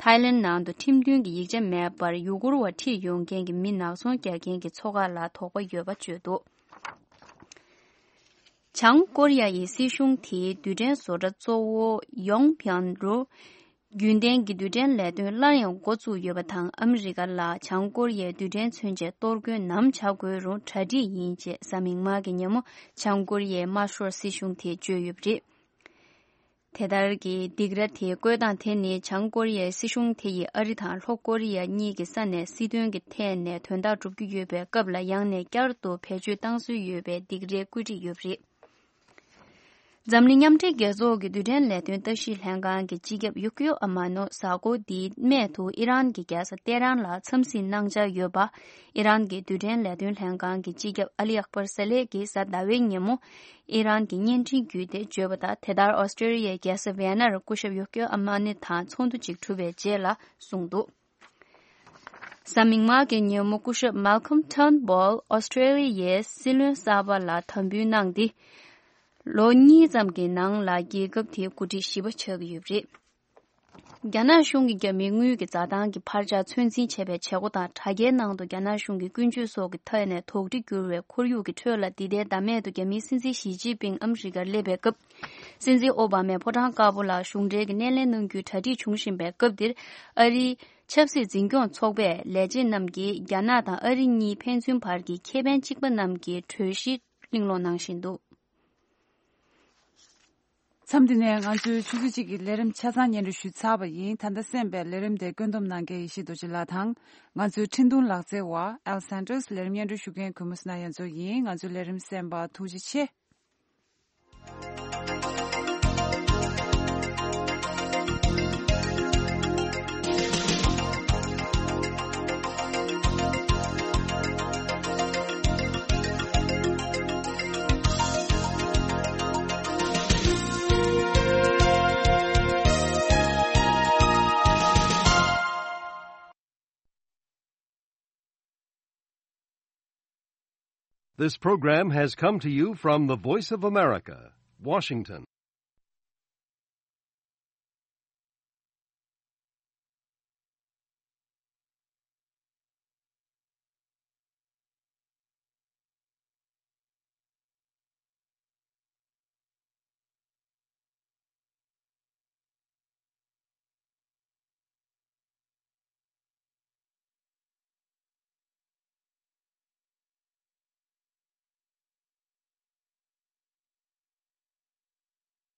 ཐའི་ལེན་ནང་དུ་ཁྲིམས་མཐུན་གྱི་ཡིག་ཆ་མེད་པར་ཡུ་གུར་བ་ཁྲིད་ཡོང་མཁན་གྱི་མི་ནག་ཚོང་རྒྱག་མཁན་གྱི་ཚོགས་ཁག་ལ་དོགས་པ་ཡོད་པ་བརྗོད་འདུག་བྱང་ཀོ་རི་ཡ་ཡི་སྲིད་གཞུང་དེའི་རྡུལ་ཕྲན་བཟོ་གྲྭ་གཙོ་བོ་ཡོང་ཕིང་རུ། རྒྱུན་ལྡན་གྱི་རྡུལ་ཕྲན་ལས་དོན་སླར་ཡང་འགོ་བཙུགས་ཡོད་པ་དང་། ཨ་མི་རི་ཀ་ལ་བྱང་ཀོ་རི་ཡའི་རྡུལ་ཕྲན་མཚོན་ཆའི་གཏོར་རྒོལ་ནམ་བྱ་དགོས་རུང་གྲ་སྒྲིག་ཡིན་ཅེས་གཟའ་མིག་དམར་གྱི་ཉིན་མོ་བྱང་ཀོ་རི་ཡའི་དམར་ཤོག་སྲིད་གཞུང་དེས་བརྗོད་ཡོད་པ་རེད། དེ་ལྟར་གྱི་སྡིགས་ར་དེ་བཀོད་སྟངས་དེ་ནི། བྱང་ཀོ་རི་ཡའི་སྲིད་གཞུང་དེ་ཡིས་ཨ་རི་དང་ལྷོ་ཀོ་རི་ཡ་གཉིས་ཀྱི་ས་ནས་སྲིད་དོན་གྱི་ཐད་ནས་དོན་དག་སྒྲུབ་ཀྱི་ཡོད་པའི་སྐབས་ལ། ཡང་ནས་བསྐྱར་དུ་བེད་སྤྱོད་བཏང་སྲོལ་ཡོད་པའི་སྡིགས་རའི་བཀོད་སྒྲིག་ཡོད་པ་རེད། འཛམ་གླིང་མཉམ་འབྲེལ་རྒྱལ་ཚོགས་ཀྱི་རྡུལ་ཕྲན་ལས་དོན་ལྟ་ཞིབ་ལྷན་ཁང་གི་སྤྱི་ཁྱབ་ཡུ་ཀིའོ་ཨ་མ་ནོ་གཟའ་འཁོར་འདིའི་སྨད་དུ་ཨི་རན་གྱི་རྒྱལ་ས་ཏེ་རན་ལ་འཚམས་གཟིགས་གནང་འཆར་ཡོད་པ། ཨི་རན་གྱི་རྡུལ་ཕྲན་ལས་དོན་ལྷན་ཁང་གི་སྤྱི་ཁྱབ་ཨ་ལི་ཨག་པར་ས་ལེ་གིས་གཟའ་ཟླ་བའི་ཉིན་མོ་ཨི་རན་གྱི་བརྙན་འཕྲིན་བརྒྱུད་དེ་བརྗོད་པ་ལྟར། དེ་ལྟར་ཨོ་སི་ཀྲེ་ལི་ཡའི་རྒྱལ་ས་ཝེ་ནར་སྐུ་ཞབས་ཡུ་ཀིའོ་ཨ་མ་ནི་དང་ཚོགས་འདུ་ཅིག་གྲུབ་པའི་རྗེས་ལ་གསུངས་འདུག་གཟའ་མིག་དམར་གྱི་ཉིན་མོ་སྐུ་ཞབས་མལ་ཁོམ་ཊརན་བྷོལ་ཨོ་སི་ཀྲེ་ལི་ཡའི་སྲིད་བློན་གསར་པ་ལ་དམ་འབུལ་གནང་སྟེ། ལོ་གཉིས་ཙམ་གྱི་ནང་ལ་རྒྱལ་ཁབ་དེའི་འགོ་ཁྲིད་བཞི་པ་ཆགས་ཀྱི་ཡོད་པ་རེད། རྒྱ་ནག་གཞུང་གིས་རྒྱ་མིའི་དངུལ་གྱི་འཛའ་ཐང་གི་འཕར་ཆག་ཚོད་འཛིན་བྱེད་པའི་བྱེད་སྒོ་དང་། དྲ་རྒྱའི་ནང་དུ་རྒྱ་ནག་གཞུང་གི་ཀུན་སྤྱོད་སོགས་ཀྱི་ཐད་ནས་དོགས་འདྲི་འགྱུར་བའི་ཁོར་ཡུག་གི་ཁྲོད་ལ། འདི་ཟླའི་ཟླ་སྨད་དུ་རྒྱ་མིའི་སྲིད་འཛིན་ཞི་ཅིན་ཕིང་ཨ་མི་རི་ཀར་སླེབས་པའི་སྐབས། སྲིད་འཛིན་ཨོ་བྷ་མས་ཕོ་བྲང་དཀར་པོ་ལ་གཞུང་འབྲེལ་གྱི་སྣེ་ལེན་གནང་རྒྱུའི་གྲ་སྒྲིག་བྱུང་བཞིན་པའི་སྐབས་འདིར། ཨ་རིའི་ཆབ་སྲིད་འཛིན་སྐྱོང་ཚོགས་པའི་ལས་བྱེད་རྣམས་ཀྱིས་རྒྱ་ནག་དང་ཨ་རི་གཉིས་ཕན་ཚུན་བར་གྱི་ཁེ་ཕན་གཅིག་པ་རྣམས་ཀྱི་གྲོས་གཞི་གླེང་སློང་གནང་བཞིན་འདུག་མཚམས་འདི་ནས་ང་ཚོའི་ཆུ་ཚོད་གཅིག་གི་ལས་རིམ་ཆ་ཚང་སྙན་སྒྲོན་ཞུས་ཚར་བ་ཡིན། ད་ལྟ་གསན་པའི་ལས་རིམ་དེ་བཀོད་འདོམས་གནང་མཁན་ཡེ་ཤེས་རྡོ་རྗེ་ལགས་དང་། ང་ཚོའི་འཕྲིན་གཏོང་ལག་རྩལ་བ་ཨེལ་སན་ཏོས། ལས་རིམ་སྙན་སྒྲོན་ཞུ་མཁན་གུས་མོ་སི་ན་ཡ་མཚོ་ཡིན། ང་ཚོའི་ལས་རིམ་གསན་པར་ཐུགས་རྗེ་ཆེ། This program has come to you from the Voice of America, Washington.